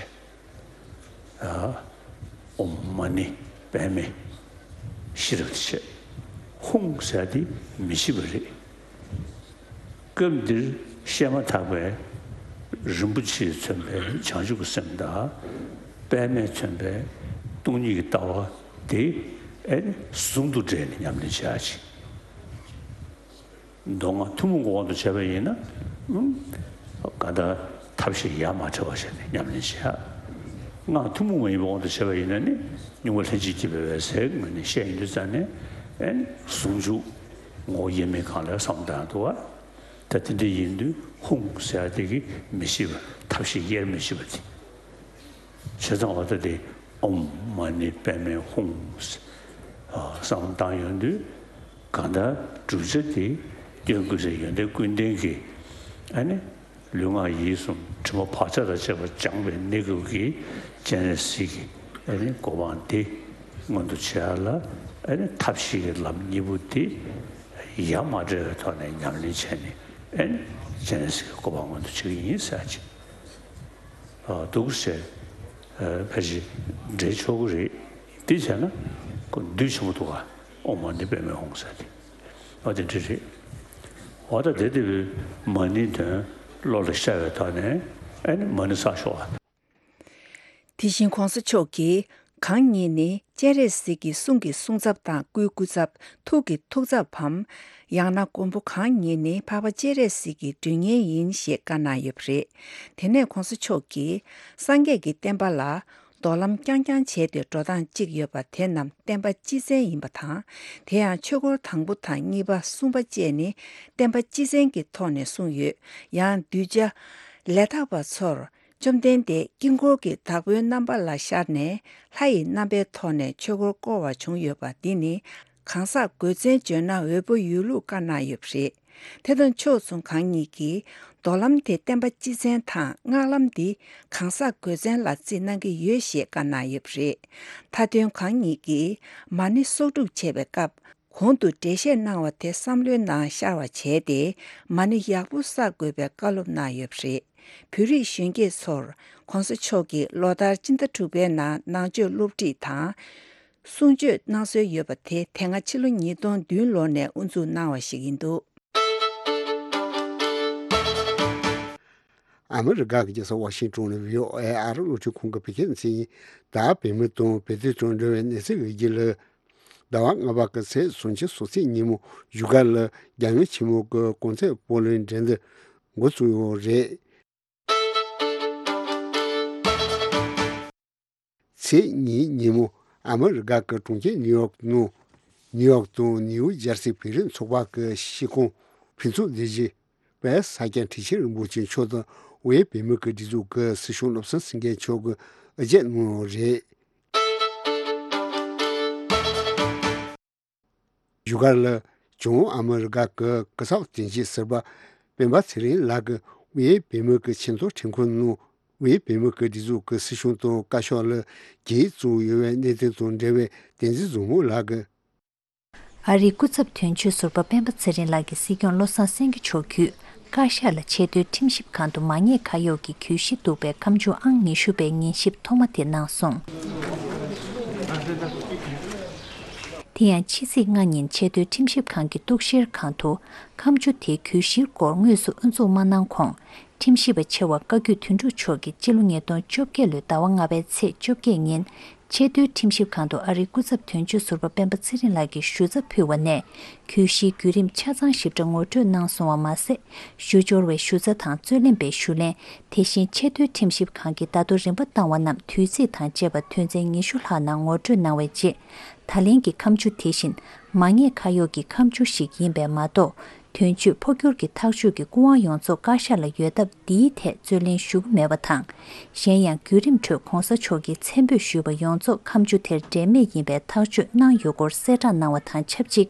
ཨོཾ་མ་ཎི་པདྨེ་ཤེས་རབ་དེ་བྱས། ཧཱུྃ་ཟེར་ཡ་དེ་མི་ཤེས་པ་རེད། སྐབས་འདིར་བཤད་མ་ཐག་པའི་རིན་པོ་ཆེས་མཚོན་པའི་བྱང་ཆུབ་ཀྱི་སེམས་དང་། པདྨས་མཚོན་པའི་སྟོང་ཉིད་ཀྱི་ལྟ་བ་དེ་ཨེ་ནི་ཟུང་དུ་འབྲེལ་ནས་ཉམས་ལེན་བྱ་ཡ་ཅིག་མདོ་སྔགས་ཐུན་མོང་གི་དབང་དུ་བྱས་པ་ཡིན་ན། ཨུམ། གང་ལྟར་ཐབས་ཤེས་ཡ་མ་བྲལ་བ་བྱས་ནས་ཉམས་ལེན་བྱེད་ཡ། སྔགས་ཐུན་མོང་མ་ཡིན་པའི་དབང་དུ་བྱས་པ་ཡིན་ན་ནི། གཉུག་མ་ལྷན་ཅིག་སྐྱེས་པའི་འོད་ཟེར་ངོས་ནས་བཤད་ཡོང་དུས་ཙང་ནས། ཨེ་ནི་ཟུང་འཇུག་ངོ་བོ་དབྱེར་མེད་གང་ལ་བསམ་བཏང་འདུག་བ། ད་དེ་འདྲ་ཡིན་དུས་ཧཱུྃ་ཟེར་ཡ་དེ་གིས་མི་ཤེས་པ། ཐབས་ཤེས་དབྱེར་མི་ཤེས་པ་དེ། བྱས་ཙང་འོ་ད་དེ་ཨོཾ་མ་ཎི་པདྨེ་ཧཱུྃ་བསམ་བཏང་ཡོང་དུས། གང་ལྟར་བསྒྲུབ་བྱ་དེ་སྐྱོན་ཀུན་ཟད་ཡོན་ཏན་ཀུན་ལྡན་གྱི། ཨ་ནི་ལུས་ངག་ཡིད་གསུམ་དྲི་མ་བག་ཆགས་དང་བཅས་པ་སྦྱངས་པའི་གནས་སྐབས་ཀྱི་སྤྱན་རས་གཟིགས་ཀྱི་ཨ་ནི་གོ་འཕང་དེ་མངོན་དུ་བྱེད་ཡ་ལ། ཨ་ནི་ཐབས་ཤེས་ཀྱི་ལམ་གཉིས་པོ་དེ་ཡ་མ་བྲལ་བའི་ཐོག་ནས་ཉམས་ལེན་བྱས་ནས། ཨ་ནི་སྤྱན་རས་གཟིགས་ཀྱི་གོ་འཕང་མངོན་དུ་བྱེད་ཀྱི་ཡིན་ཟེར་ཅིག་འདུག་ཟེར། ཕལ་ཆེར་འགྲེལ་ཆོག་གི་རེད། དེ་བྱས་ན་ཁོ་འདུས་ཆེན་པོ་འདུག་ག་ཨོཾ་མ་ཎི་པདྨེ་ཧཱུྃ་ཟེར་ཏེ། འོ་དེ་འདྲ་རེད། འོ་ད་དེ་དེ་བས་མ་ཎིའི་དོན་བློ་ལ་ཤར་བའི་ཐོག་ནས། ཨ་ནི་མ་ཎི་བསགས་ཤོག་ཨ། དེ་བཞིན་གོང་ས་མཆོག་གིས་གང་ཉིད་ནི་སྤྱན་རས་གཟིགས་ཀྱི་གསུང་གི་གསུང་ཚབ་དང་སྐུའི་སྐུ་ཚབ། ཐུགས་ཀྱི་ཐུགས་ཚབ་བམ། ཡང་ན་མགོན་པོ་གང་ཉིད་ནི་འཕགས་པ་སྤྱན་རས་གཟིགས་ཀྱི་མགྲོན་གཉེར་ཡིན་ཞེས་བཀའ་གནང་ཡོད་པ་རེད། དེ་ནས་གོང་ས་མཆོག་གིས་སངས་རྒྱས་ཀྱི་བསྟན་པ་ལ་རྡོར་ལམ་རྐྱང་རྐྱང་བྱས་ཏེ་འགྲོ་སྟངས་གཅིག་ཡོད་པ་དེ་རྣམས་བསྟན་པ་སྤྱི་མཚན་ཡིན་པ་དང་། དེ་ཡང་ཆོས་འཁོར་དང་པོ་དང་གཉིས་པ་གསུམ་པ་བཅས་ནི་བསྟན་པ་སྤྱི་མཚན་གྱི་ཐོག་ནས་གསུངས་ཡོད། ཡང་གདུལ་བྱ་ལས་དག་པ་ཚོར་བཅོམ་ལྡན་འདས་དཀྱིལ་འཁོར་གྱི་བདག་པོའི་རྣམ་པ་ལ་ཤར་ནས་ལྷ་ཡི་རྣམ་པའི་ཐོག་ནས་ཆོས་འཁོར་བསྐོར་བ་བྱུང་ཡོད་པ་འདི་ནི། གང་ཟག་དགོས་མཚན་བརྗོད་ན་འོས་པོ་ཡོད་ལུགས་བཀའ་གནང་ཡོད་པ་རེད། དེ་དང་ཕྱོགས་མཚུངས་གང་ཉིད་ཀྱིས་རྡོར་ལམ་དེ་བསྟན་པ་སྤྱི་མཚན་དང་སྔགས་ལམ་འདི་གང་ཟག་དགོས་མཚན་ལ་བརྩིས་གནང་གི་ཡོད་ཞེས་བཀའ་གནང་ཡོད་པ་རེད། མཐའ་དོན་གང་ཉིད་ཀྱིས་མ་ཎི་གསོག་སྒྲུབ་བྱེད་པའི་སྐབས། གོང་དུ་འགྲེལ་བཤད་གནང་བ་དེ་བསམ་བློའི་ནང་ཤར་བ་བྱས་ཏེ། མ་ཎི་ཡག་པོ་བསགས་དགོས་པའི་བཀའ་སློབ་གནང་ཡོད་པ་རེད། བོད་རིགས་གཞོན་སྐྱེས་ཚོར་གོང་ས་མཆོག་གིས་ལོ་ལྟར་སྤྱི་ཟླ་དྲུག་པའི་ནང་ནང་ཆོས་སློབ་ཁྲིད་དང་གསུང་ཆོས་གནང་སྲོལ་ཡོད་པ་དེ་དེ་སྔ་ཕྱི་ལོ་ཉིས་སྟོང་བདུན་ལོ་ནས་དབུ་འཛུགས་གནང་བ་ཞིག་ཡིན་འདུག་ཨ་མི་རི་ཀ་གི་རྒྱལ་ས་ཝ་ཤིང་ཏོན་ནས་བྷི་ཨོ་ཨེ་ཨ་རི་གློག་འཕྲིན་ཁང་གི་བོད་སྐད་སྡེ་ཚན་ཡིན། ད་བོད་མི་དང་བོད་དོན་དང་འབྲེལ་བའི་གནས་ཚུལ་ཡོད་རྒྱུ་ལ། ཟླ་བ་ལྔ་པ་གི་ཚེས་སུམ་ཅུ་སོ་གཅིག་ཉིན་མོ་བཞུགས་སྒར་ལ་རྒྱལ་ཡོངས་ཆེན་མོ་གི་གོང་ཚད་སྤོ་ལོའི་འགྲན་བསྡུར་འགོ་བཙུགས་ཡོད་རེད། ཚེས་གཉིས་ཉིན་མོ་ཨ་མི་རི་ཀ་གི་གྲོང་ཁྱེར་ནིའུ་ཡོག་ནང་ནིའུ་ཡོག་དང་ནིའུ་ཇར་སི་བོད་རིགས་ཚོགས་པ་གི་སྐྱིད་ཁང་ཕུན་ཚོགས་སྡེ་བཞི་པའི་ས་སྐྱ་ཁྲི་ཆེན་རིན་པོ་ཆེ་མཆོག་དང་དབུས་བོད་མི་གི་སྒྲིག་འཛུགས་ཀྱི་སྲིད་སྐྱོང་བློ་བཟང་སེང་གེ་མཆོག་གིས་ཨ་ཅེ་གནང་ཡོད་རེད། བཞུགས་སྒར་ལ་བྱང་ཨ་མི་རི་ཀ་གི་སྐུ་ཚབ་དོན་གཅོད་ཟུར་པ་སྤེན་པ་ཚེ་རིང་ལགས་ཀྱིས་དབུས་བོད་མི་གི་ཆེས་མཐོའི་ཁྲིམས་ཁང་ནང་དབུས་བོད་མི་གི་སྒྲིག་འཛུགས་ཀྱི་སྲིད་སྐྱོང་དང་བཀའ་ཤག་ལ་གྱིས་བཙུགས་ཡོད་པའི་གནད་དོན་དང་འབྲེལ་བའི་བསྟན་འཛིན་བཟང་མོ་ལགས་ཀྱིས། ཨ་རིའི་སྐུ་ཚབ་དོན་གཅོད་ཟུར་པ་སྤེན་པ་ཚེ་རིང་ལགས་ཀྱིས་སྲིད་སྐྱོང་བློ་བཟང་སེང་གེ་མཆོག་བརྒྱུད། བཀའ་ཤག་ལ་ཆེས་མཐོའི་ཁྲིམས་ཞིབ་ཁང་དུ་མ་ཉེས་ཁ་གཡོགས་ཀྱི་གྱོད་གཞི་གཏུགས་པའི་ཁ་མཆུ་ཨང་ཉི་ཤུ་པའི་ཉན་ཞིབ་ཐོག་མ་དེ་གནང་སོང་། དེ་ཡང་ཕྱི་ཚེས་ལྔ་ཉིན་ཆེས་མཐོའི་ཁྲིམས་ཞིབ་ཁང་གི་གཏུག་བཤེར་ཁང་དུ་ཁ་མཆུ་དེའི་གྱོད་གཞིའི་སྐོར་དངོས་སུ་དབུ་འཛུགས་མ་གནང་གོང་། ཁྲིམས་ཞིབ་པ་ཆེ་བ་བཀའ་བརྒྱུད་དོན་གྲུབ་མཆོག་གིས་སྤྱི་ལོ་ཉིས་སྟོང་བཅོ་བརྒྱད་ལོའི་ཟླ་བ་ལྔ་པའི་ཚེས་བཅོ་བརྒྱད་ཉིན། ཆེས་མཐོའི་ཁྲིམས་ཞིབ་ཁང་དུ་ཨ་རིའི་སྐུ་ཚབ་དོན་གཅོད་ཟུར་པ་སྤེན་པ་ཚེ་རིང་ལགས་ཀྱིས་ཞུ་ཚབ་ཕུལ་བ་ནས། གྱོད་གཞིའི་བརྒྱུད་རིམ་ཆ་ཚང་ཞིབ་ཕྲ་ངོ་སྤྲོད་གནང་སོང་བ་མ་ཟད། ཞུ་སྦྱོར་བའི་ཞུ་ཚབ་དང་རྩོད་ལེན་པའི་ཞུ་ལན། དེ་བཞིན་ཆེས་མཐོའི་ཁྲིམས་ཞིབ་ཁང་གིས་ད་དུང་རིམ་པ་བཏང་བ་རྣམས་དུས་ཚིགས་དང་བཅས་པ་དོན་ཚན་ཉི་ཤུ་ལྷག་ནང་ངོ་སྤྲོད་གནང་བའི་རྗེས། ད་ལན་གྱི་ཁ་མཆུ་དེ་བཞིན་མ་ཉེས་ཁ་གཡོགས་ཀྱི་ཁ་མཆུ་ཞིག་ཡིན་པས་མ་གཏོགས། དོན་གཅོད་འཕོ་འགྱུར་གྱི་ཐག་གཅོད་ཀྱི་སྐུ་དབང་ཡོངས་རྫོགས་བཀའ་ཤག་ལ་ཡོད་སྟབས། འདིའི་ཐད་རྩོད་ལེན་ཞུ་གི་མེད་པ་དང་། གཞན་ཡང་བརྒྱུད་རིམ་ཁྲོད་གོང་ས་མཆོག་གིས་མཚན་འབོད་ཞུས་པ་ཡོངས་རྫོགས་ཁ་མཆུ་དེར་འབྲེལ་མེད་ཡིན་པའི་ཐག་གཅོད་གནང་ཡོད་སྐོར་གསལ་བསྒྲགས་གནང་བ་དང་ཆབས་ཅིག་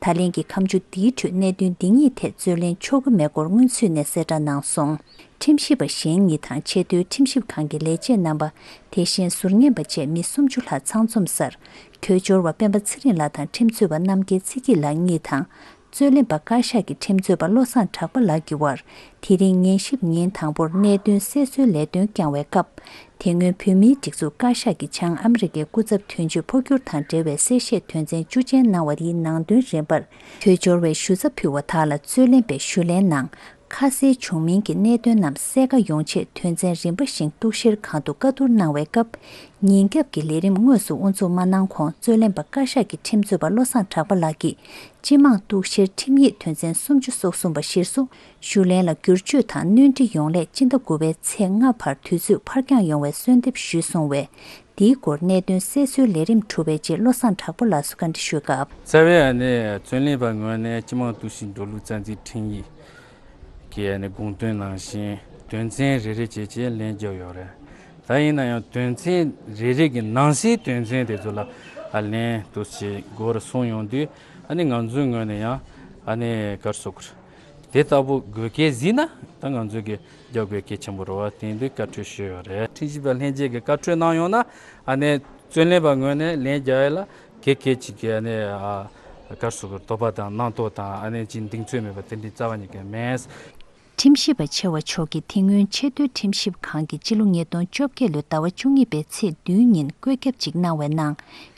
ད་ལན་གྱི་ཁ་མཆུ་འདིའི་ཁྲོད་གནད་དོན་འདི་གཉིས་ཐད་རྩོད་ལེན་ཆོག་གི་མེད་སྐོར་སྔོན་ཚུད་ནས་གསལ་བསྒྲགས་གནང་སོང་། ཁྲིམས་ཞིབ་པ་གཞན་གཉིས་དང་ཆེས་མཐོའི་ཁྲིམས་ཞིབ་ཁང་གི་ལས་བྱེད་རྣམ་པ། དེ་བཞིན་ཟུར་ཉན་པ་བཅས་མི་སུམ་ཅུ་ལྷག་ཚང་འཛོམས་སར། གྱོད་སྦྱོར་བ་སྤེན་པ་ཚེ་རིང་ལགས་དང་ཁྲིམས་རྩོད་པ་རྣམ་རྒྱལ་ཚེ་སྐྱིད་ལགས་གཉིས་དང་། རྩོད་ལེན་པ་བཀའ་ཤག་གི་ཁྲིམས་རྩོད་པ་བློ་བཟང་གྲགས་པ་ལགས་ཀྱི་དབར། དེ་རིང་ཉན་ཞིབ་ཉིན་དང་པོར་གནད་དོན་གསལ་བཟོའི་ལས་དོན་བསྐྱངས་བའི་སྐབས། དེ་སྔོན་བོད་མིའི་སྒྲིག་འཛུགས་བཀའ་ཤག་གི་བྱང་ཨ་མི་རི་ཀའི་སྐུ་ཚབ་དོན་གཅོད་འཕོ་འགྱུར་དང་འབྲེལ་བའི་གསལ་བཤད་དོན་ཚན་བཅུ་ཅན་གནང་བ་དེའི་ནང་དོན་རིམ་པར། དོལ་འབྱོར་བའི་ཞུ་ཚབ་ཕུལ་བ་དག་ལ་རྩོད་ལེན་པས་ཞུ་ལན་ནང་། ཁ་གསལ་བྱུང་མིན་གྱི་གནད་དོན་རྣམས་གསལ་ཁ་ཡོང་ཆེད་དོན་ཚན་རིམ་པ་བཞིན་གཏུག་བཤེར་གང་ཐུབ་བཀའ་བསྡུར་གནང་བའི་སྐབས། ཉིན་རྒྱབ་ཀྱི་ལས་རིམ་དངོས་སུ་དབུ་འཛུགས་མ་གནང་གོང་རྩོད་ལེན་པ་བཀའ་ཤག་གི་ཁྲིམས་རྩོད་པ་བློ་བཟང་གྲགས་པ་ལགས་ཀྱིས། སྤྱི་དམངས་གཏུག་བཤེར་ཁྲིམས་ཡིག་དོན་ཚན་སུམ་ཅུ་སོ་གསུམ་པ་གཞིར་བཟུང་། ཞུ་ལན་ལ་བསྒྱུར་བཅོས་དང་སྣོན་འཕྲི་ཡོང་སླད་སྤྱི་ཟླ་དགུ་པའི་ཚེས་ལྔ་བར་དུས་ཚོད་ཕར་འགྱངས་ཡོང་བའི་གསོལ་འདེབས་ཞུས་སོང་བས། འདིའི་སྐོར་གནད་དོན་གསལ་བཟོའི་ལས་རིམ་གྲུབ་པའི་རྗེས་བློ་བཟང་གྲགས་པ་ལགས་སུ་བཀའ་འདྲི་ཞུས་སྐབས། རྩ་བའི་ཨ་ནི་རྩོད་ལེན་པ་ངོས་ནས་སྤྱི་དམངས་གཏུག་བཤེར་འགྲོ་ལུགས་རྩ་འཛིན་ཁྲིམས་ཡིག་གི་ཨ་ནི་དགོངས་དོན་ནང་བཞིན་དོན་ཚན་རེ་རེ་བྱས་བྱས་ལན་བརྒྱབ་ཡོད་རེད། ད་ཡིན་ན་ཡང་དོན་ཚན་རེ་རེ་གི་ནང་གསེས་དོན་ཚན་དེ་ཚོ་ལ་ཨ་ལན་དུ་ཞིག་དགོས་རེད་གསུངས་ཡོང་དུས། ཨ་ནི་ང་ཚོའི་ངོས་ནས་ཡང་ཨ་ནི་ག་རེ་ཟེར་དགོས་རེད། དེ་ལྟ་བུ་དགོས་གལ་གཟིགས་ན་ད་ང་ཚོས་ཀྱི་རྒྱབ་དགོས་གལ་ཆེན་པོ་རེད་བ། དེ་འདི་བཀའ་འཁྲོལ་ཞུས་ཡོད་རེད། ཁྲིམས་ཞིབ་པ་ལྷན་རྒྱས་ཀྱིས་བཀའ་འཁྲོལ་གནང་ཡོང་ན། ཨ་ནི་རྩོད་ལེན་པ་ངོས་ནས་ལན་རྒྱག་ཡ་ལ་གལ་གལ་ཅིག་གི་ཨ་ནི་ཨ་ག་རེ་ཟེར་དགོས་རེད། དོགས་པ་དང་རྣམ་རྟོག་དང་ཨ་ནི་ཅིག་གདེང་ཚོད་མེད་པ་དེ་འདྲའི་རྩ་བ་ཉིད་ཀྱི་མེད། ཁྲིམས་ཞིབ་པ་ཆེ་བ་མཆོག་གིས་དེ་སྔོན་ཆེས་མཐོའི་ཁྲིམས་ཞིབ་ཁང་གིས་སྤྱི་ལོ་ཉིས་སྟོང་བཅོ་བརྒྱད་ལོའི་ཟླ་བ་བཅུ་གཉིས་པའི་ཚེས་བདུན་ཉིན་བཀོད་ཁྱབ་ཅིག་གནང་བའི་ནང་།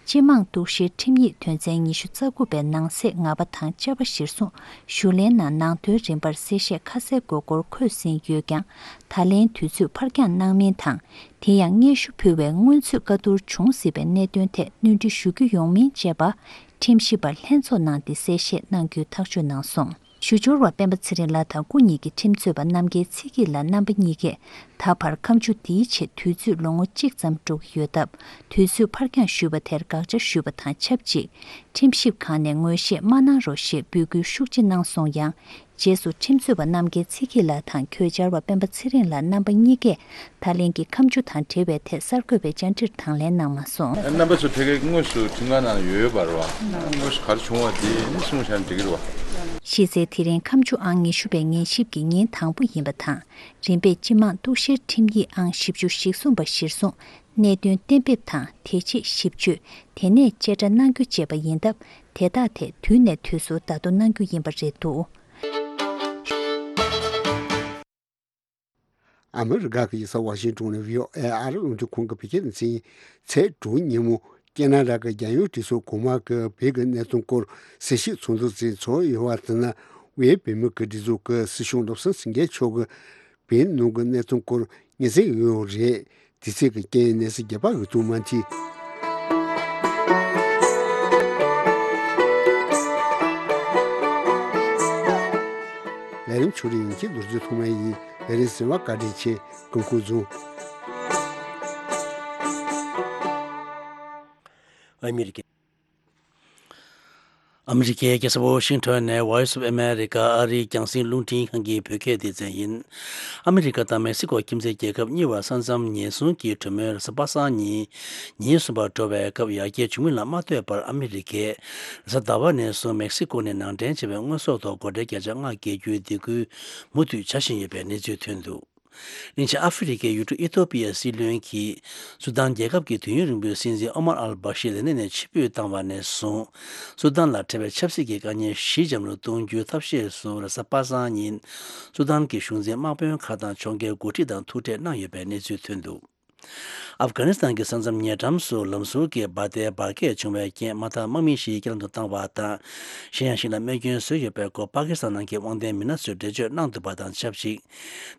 སྤྱི་དམངས་གཏུག་བཤེར་ཁྲིམས་ཡིག་དོན་ཚན་ཉི་ཤུ་རྩ་དགུ་པའི་ནང་གསེས་ལྔ་པ་དང་བཅུ་པ་གཞིར་བཟུང་ཞུ་ལན་ནང་ནང་དོན་རིམ་པར་གསལ་བཤད་ཁ་གསལ་དགོས་སྐོར་འཁོད་ཟིན་ཡོད་ཀྱང་། ད་ལན་དུས་ཚོད་ཕར་འགྱངས་གནང་མིན་དང་། དེ་ཡང་སྙན་ཞུ་ཕུལ་བའི་སྔོན་ཚུད་བཀའ་བསྡུར་བྱུང་སྲིད་པའི་གནད་དོན་ཐད་སྣོན་འཕྲི་ཞུ་རྒྱུ་ཡོང་མིན་བཅས་པ། ཁྲིམས་ཞིབ་པར་ལྷན་ཚོགས་ནང་འདི་གསལ་བཤད་གནང་རྒྱུའི་ཐག་གཅོད་གནང་སོང་། ཞུ་སྦྱོར་བ་སྤེན་པ་ཚེ་རིང་ལགས་དང་སྐུ་ཉིད་ཀྱི་ཁྲིམས་རྩོད་པ་རྣམ་རྒྱལ་ཚེ་སྐྱིད་ལགས་རྣམ་པ་གཉིས་ཀས་ད་བར་ཁ་མཆུ་འདིའི་ཆེད་དུས་ཚོད་ལོ་ངོ་གཅིག་ཙམ་འགྲོ་གི་ཡོད་སྟབས། དུས་ཚོད་ཕར་འགྱངས་ཞུས་པ་དེར་དགག་བྱ་ཞུས་པ་དང་ཆབས་ཅིག་ཁྲིམས་ཞིབ་ཁང་ནས་ངོས་བཞེས་མ་གནང་རོགས་ཞེས་འབོད་སྐུལ་ཤུགས་ཆེ་གནང་སོང་ཡང་། རྗེས་སུ་ཁྲིམས་རྩོད་པ་རྣམ་རྒྱལ་ཚེ་སྐྱིད་ལགས་དང་གོས་འཆར་བ་སྤེན་པ་ཚེ་རིང་ལགས་རྣམ་པ་གཉིས་ཀས་ད་ལན་གྱི་ཁ་མཆུ་དང་འབྲེལ་བའི་ཐད་གསར་འགོད་པའི་བཅར་འདྲིར་དང་ལེན་གནང་མ་སོང་། རྣམ་པ་ཚོ་ཕ་གིར་དངོས་སུ་ཁྲིམས་ཁང་ནང་ཡོད་ཡོད་པ་རེད་བ། དངོས་སུ་ག་རེ་བྱུང་བ་དེ་ནི་གསུངས་བཞག་ན་འགྲིག་གི་རེད་བ། གཞི་རྩའི་དེ་རིང་ཁ་མཆུ་ཨང་ཉི་ཤུ་པའི་ཉན་ཞིབ་ཀྱི་ཉིན་དང་པོ་ཡིན་པ་དང་། རིམ་པས་སྤྱི་དམངས་གཏུག་བཤེར་ཁྲིམས་ཡིག་ཨང་བཞི་བཅུ་ཞེ་གསུམ་པ་གཞིར་བཟུང་གནད་དོན་གཏན་འབེབས་དང་དེ་རྗེས་ཞིབ་དཔྱོད། དེ་ནས་བཅད་ཁྲ་གནང་རྒྱུ་བཅས་པ་ཡིན་སྟབས། དེ་དག་ཐད་དུས་ནས་དུས་སུ་ལྟ་རྟོག་གནང་རྒྱུ་ཡིན་པ་རེད་འདུག། ཨ་མི་རི་ཀ་གི་ཡིག་ཚང་ཝ་ཤིང་ཏོན་ནས་བྷི་ཨོ་ཨེ་ཨ་རི་རླུང་འཕྲིན་ཁང་གི་བོད་སྐད་སྡེ་ཚན་ཚེས་དྲུག་ཉིན་མོ་ཁེ་ན་ཌ་གི་རྒྱལ་ཡོངས་གྲོས་ཚོགས་གོང་མ་གི་བོད་ཀྱི་གནད་དོན་སྐོར་གསལ་བཤད་ཚོགས་འདུ་ཞིག་ཚོགས་ཡོད་པ་དེ་ནི་དབུས་བོད་མི་གི་སྒྲིག་འཛུགས་ཀྱི་སྲིད་སྐྱོང་བློ་བཟང་སེང་གེ་མཆོག་གིས་བོད་ནང་གི་གནད་དོན་སྐོར་ངེས་ཟིན་ཡོད་རེད། དེ་ཚིག་གི་རྐྱེན་གནས་ཚུལ་རྒྱས་པ་འོས་བསྡུ་མ་མཐིལ། ལས་རིམ་ཕྱོགས་རིས་ཡོངས་ཀྱི་རྡོ་རྗེ་ཐོགས་མེད་ཡིན། ལས་རིམ་གསན་པར་བཀའ་དྲིན་ཆེ། སྐུ་ཁམས་བཟང་། ཨ་མི་རི་ཀའི། ཨ་མི་རི་ཀའི་རྒྱལ་ས་ཝ་ཤིང་ཊོན་ནས་Voice of America ཨ་རིའི་རྒྱང་སྲིང་རླུང་འཕྲིན་ཁང་གི་བོད་སྐད་སྡེ་ཚན་ཡིན། ཨ་མི་རི་ཀ་དང་མེག་སི་ཀོ་ཁྱིམ་མཚེས་རྒྱལ་ཁབ་གཉིས་བར་ས་མཚམས་ཉེན་སྲུང་གི་གྲོས་མོལ་རེས་གཟའ་པ་སངས་ཉིན་ཉིན་གསུམ་པར་འགྲོ་བའི་སྐབས་ཡར་རྒྱས་བྱུང་མིན་ལ་མ་ལྟོས་པར་ཨ་མི་རི་ཀས་རེས་གཟའ་ཟླ་བ་ནས་བཟུང་མེག་སི་ཀོ་ནས་ནང་འདྲེན་བྱས་པའི་དངོས་ཟོག་ཐོག་སྒོ་ཁྲལ་བརྒྱ་ཆ་ལྔ་བཀལ་རྒྱུའི་སྡིགས་སྐུལ་མུ་མཐུད་བྱ་བཞིན་ཡོད་པའི་གནས་ཚུལ་ཐོན་འདུག། གླིང་ཆེན་ཨ་ཧྥེ་རི་ཁའི་ཡུལ་གྲུ་ཨི་ཐོ་པི་ཡའི་སྲིད་བློན་གྱིས་སུ་དཱན་རྒྱལ་ཁབ་ཀྱི་དུས་ཡུན་རིང་པོའི་སྲིད་འཛིན་ཨོ་མར་ཨལ་བྷ་ཤིར་ལས་གནས་ནས་ཕྱིར་འབུད་བཏང་བ་ནས་བཟུང་། སུ་དཱན་ལ་འཕྲད་པའི་ཆབ་སྲིད་ཀྱི་དཀའ་ངལ་ཞི་འཇམ་རུ་གཏོང་རྒྱུའི་ཐབས་ཤེས་སུ་རེས་གཟའ་པ་སངས་ཉིན་སུ་དཱན་གྱི་གཞུང་འཛིན་དམག་དཔོན་ཁག་དང་ཕྱོགས་འགལ་འགོ་ཁྲིད་དང་ཐུག་འཕྲད་གནང་ཡོད་པའི་གནས་ཚུལ་ཐོན་འདུག། ཨབ་གྷ་ནི་སི་ཐན་གྱི་ས་མཚམས་ཉེ་འགྲམ་སུ་ལམ་ཟུར་གྱི་འབར་མདེལ་འབར་གས་བྱུང་བའི་རྐྱེན་དམག་འཐབ་དམག་མི་བཞི་རྐྱེན་ལམ་དུ་བཏང་བ་དང་། གཞན་ཡང་ཞིག་ལ་རྨས་སྐྱོན་བཟོས་ཡོད་པའི་སྐོར་པ་ཀི་སི་ཐན་ནང་གི་དབང་ལྡན་མི་སྣ་ཚོས་འགྲེལ་བརྗོད་གནང་འདུག་པ་དང་ཆབས་ཅིག།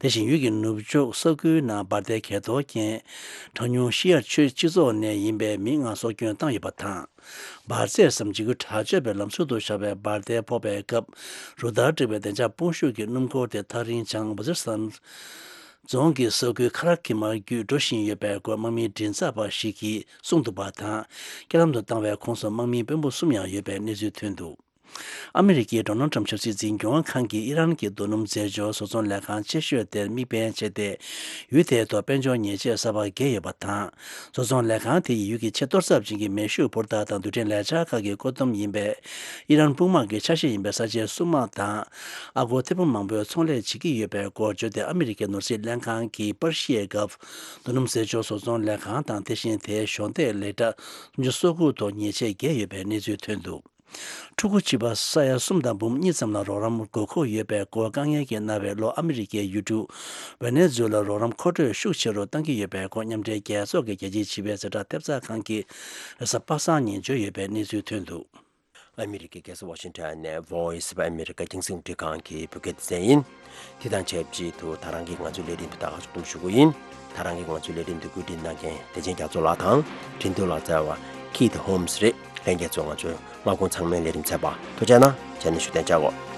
དེ་བཞིན་ཡུལ་གྱི་ནུབ་ཕྱོགས་ས་ཁུལ་ནང་འབར་མདེལ་གས་གཏོར་རྐྱེན། གྲངས་ཉུང་ཤི་ཡར་ཆོས་སྤྱི་ཚོགས་ནས་ཡིན་པའི་མི་ལྔ་སྲོག་སྐྱོན་བཏང་ཡོད་པ་དང་། འབར་རྫས་སམ་འཇིགས་སྐུལ་དྲག་སྤྱོད་པའི་ལམ་ཟུར་དུ་བཞག་པའི་འབར་མདེལ་ཕོག་པའི་སྐབས། རུ་སྟར་བསྒྲིགས་པའི་བདེ་འཇགས་དཔུང་ཤུགས་ཀྱི་སྣུམ་འཁོར་དེ་ཐག་རིང་བྱང་ཝ་ཛི་རི་སྟན་རྫོང་གི་ས་ཁུལ་ཁ་ར་ཁི་མར་བརྒྱུད་འགྲོ་བཞིན་ཡོད་པའི་སྐོར་དམག་མིའི་མགྲིན་ཚབ་པ་ཞིག་གིས་གསུངས་འདུག་པ་དང་། རྐྱེན་ལམ་དུ་བཏང་བའི་ཁོངས་སུ་དམག་མི་དཔོན་པོ་གསུམ་ཡང་ཡོད་པའི་གནས་ཚུལ་ཐོན་འདུག། ཨ་མི་རི་ཀའི་ཌོ་ནལ་ཊམ་ཆབ་སྲིད་འཛིན་སྐྱོང་ཁང་གིས་ཨི་རན་གྱི་རྡོ་སྣུམ་རྫས་སྦྱོར་བཟོ་ཚོང་ལས་ཁང་ཆེ་ཤོས་དེར་དམིགས་འབེན་བྱས་ཏེ། ཡུལ་དེའི་ཐོག་དཔལ་འབྱོར་ཉེས་ཆད་གསར་པ་བཀལ་ཡོད་པ་དང་། བཟོ་ཚོང་ལས་ཁང་དེ་ཡིས་ཡུལ་གྱི་ཆེས་གཏོར་ཚབས་ཅན་གྱི་མེ་ཤུགས་འཕུར་མདའ་དང་རྡུལ་ཕྲན་ལས་འཆར་ཁག་གི་བཀོད་འདོམས་ཡིན་པས། ཨི་རན་དཔུང་དམག་གི་ཆ་ཤས་ཡིན་པའི་ས་ཆའི་སྲུང་དམག་དང་། ཨ་སྒོར་ཐེར་འབུམ་མང་པོའི་ཚོང་ལས་བྱེད་ཀྱི་ཡོད་པའི་སྐོར་བརྗོད་དེ། ཨ་མི་རི་ཀའི་ནོར་སྲིད་ལྷན་ཁང་གིས་པར་ཤིའི་སྐབས། རྡོ་སྣུམ་རྫས་སྦྱོར་བཟོ་ཚོང་ལས་ཁང་དང་། དེ་བཞིན་དེའི་གཞོགས་འདེགས་ལས་གྲྭ་སུམ་ཅུ་སོ་དགུ་ཐོག་ཉེས་ཆད་བཀལ་ཡོད་པའི་གནས་ཚུལ་ཐོན་འདུག། ཕྲུ་གུ་བྱིས་པ་ས་ཡ་གསུམ་དང་འབུམ་གཉིས་ཙམ་ལ་རོགས་རམ་དགོས་མཁོ་ཡོད་པའི་སྐོར་དཀའ་ངལ་གྱིས་མནར་བའི་ལྷོ་ཨ་མི་རི་ཀའི་ཡུལ་གྲུ་ཝེ་ནེ་ཛུ་ལ་རོགས་རམ་མཁོ་སྤྲོད་ཤུགས་ཆེ་རུ་གཏང་གི་ཡོད་པའི་སྐོར་མཉམ་འབྲེལ་རྒྱལ་ཚོགས་ཀྱི་རྒྱལ་སྤྱིའི་བྱིས་པའི་ཛ་དྲག་ཐེབས་རྩ་ཁང་གིས་རེས་གཟའ་པ་སངས་ཉིན་བརྗོད་ཡོད་པའི་གནས་ཚུལ་ཐོན་འདུག་ཨ་མི་རི་ཀའི་རྒྱལ་ས་ཝ་ཤིང་ཊོན་ནས་Voice of America་རྒྱང་སྲིང་རླུང་འཕྲིན་ཁང་གི་བོད་སྐད་སྡེ་ཚན་ཡིན། དེ་དང་ཆབས་ཅིག་ཏུ་ད་རང་གིས་ང་ཚོའི་ལས་རིམ་དུ་ད་ག་ཕྱོགས་བསྡོམས་ཞུ་གི་ཡིན། ད་རང་གིས་ང་ཚོའི་ལས་རིམ་དུ་བཀོད་སྒྲིག་གནང་མཁན་བདེ་ཆེན་རྒྱ་མཚོ་ལགས་དང་འཕྲིན་གཏོང་ལག་རྩལ་བ་Keith Holmes་རེད། ལྷན་རྒྱས་ཚོ་ང་ཚོའི་སྔ་དགོང་ཚང་མའི་ལས་རིམ་ཚར་བ་ཐུགས་རྗེ་གནང་། བྱས་ན་བཞུགས་གདན་འཇགས་གོ།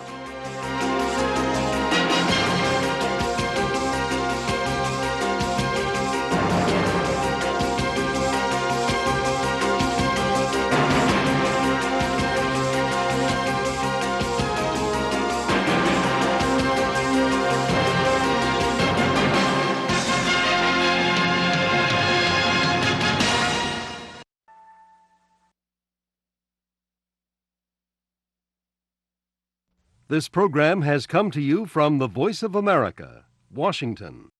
This program has come to you from the Voice of America, Washington.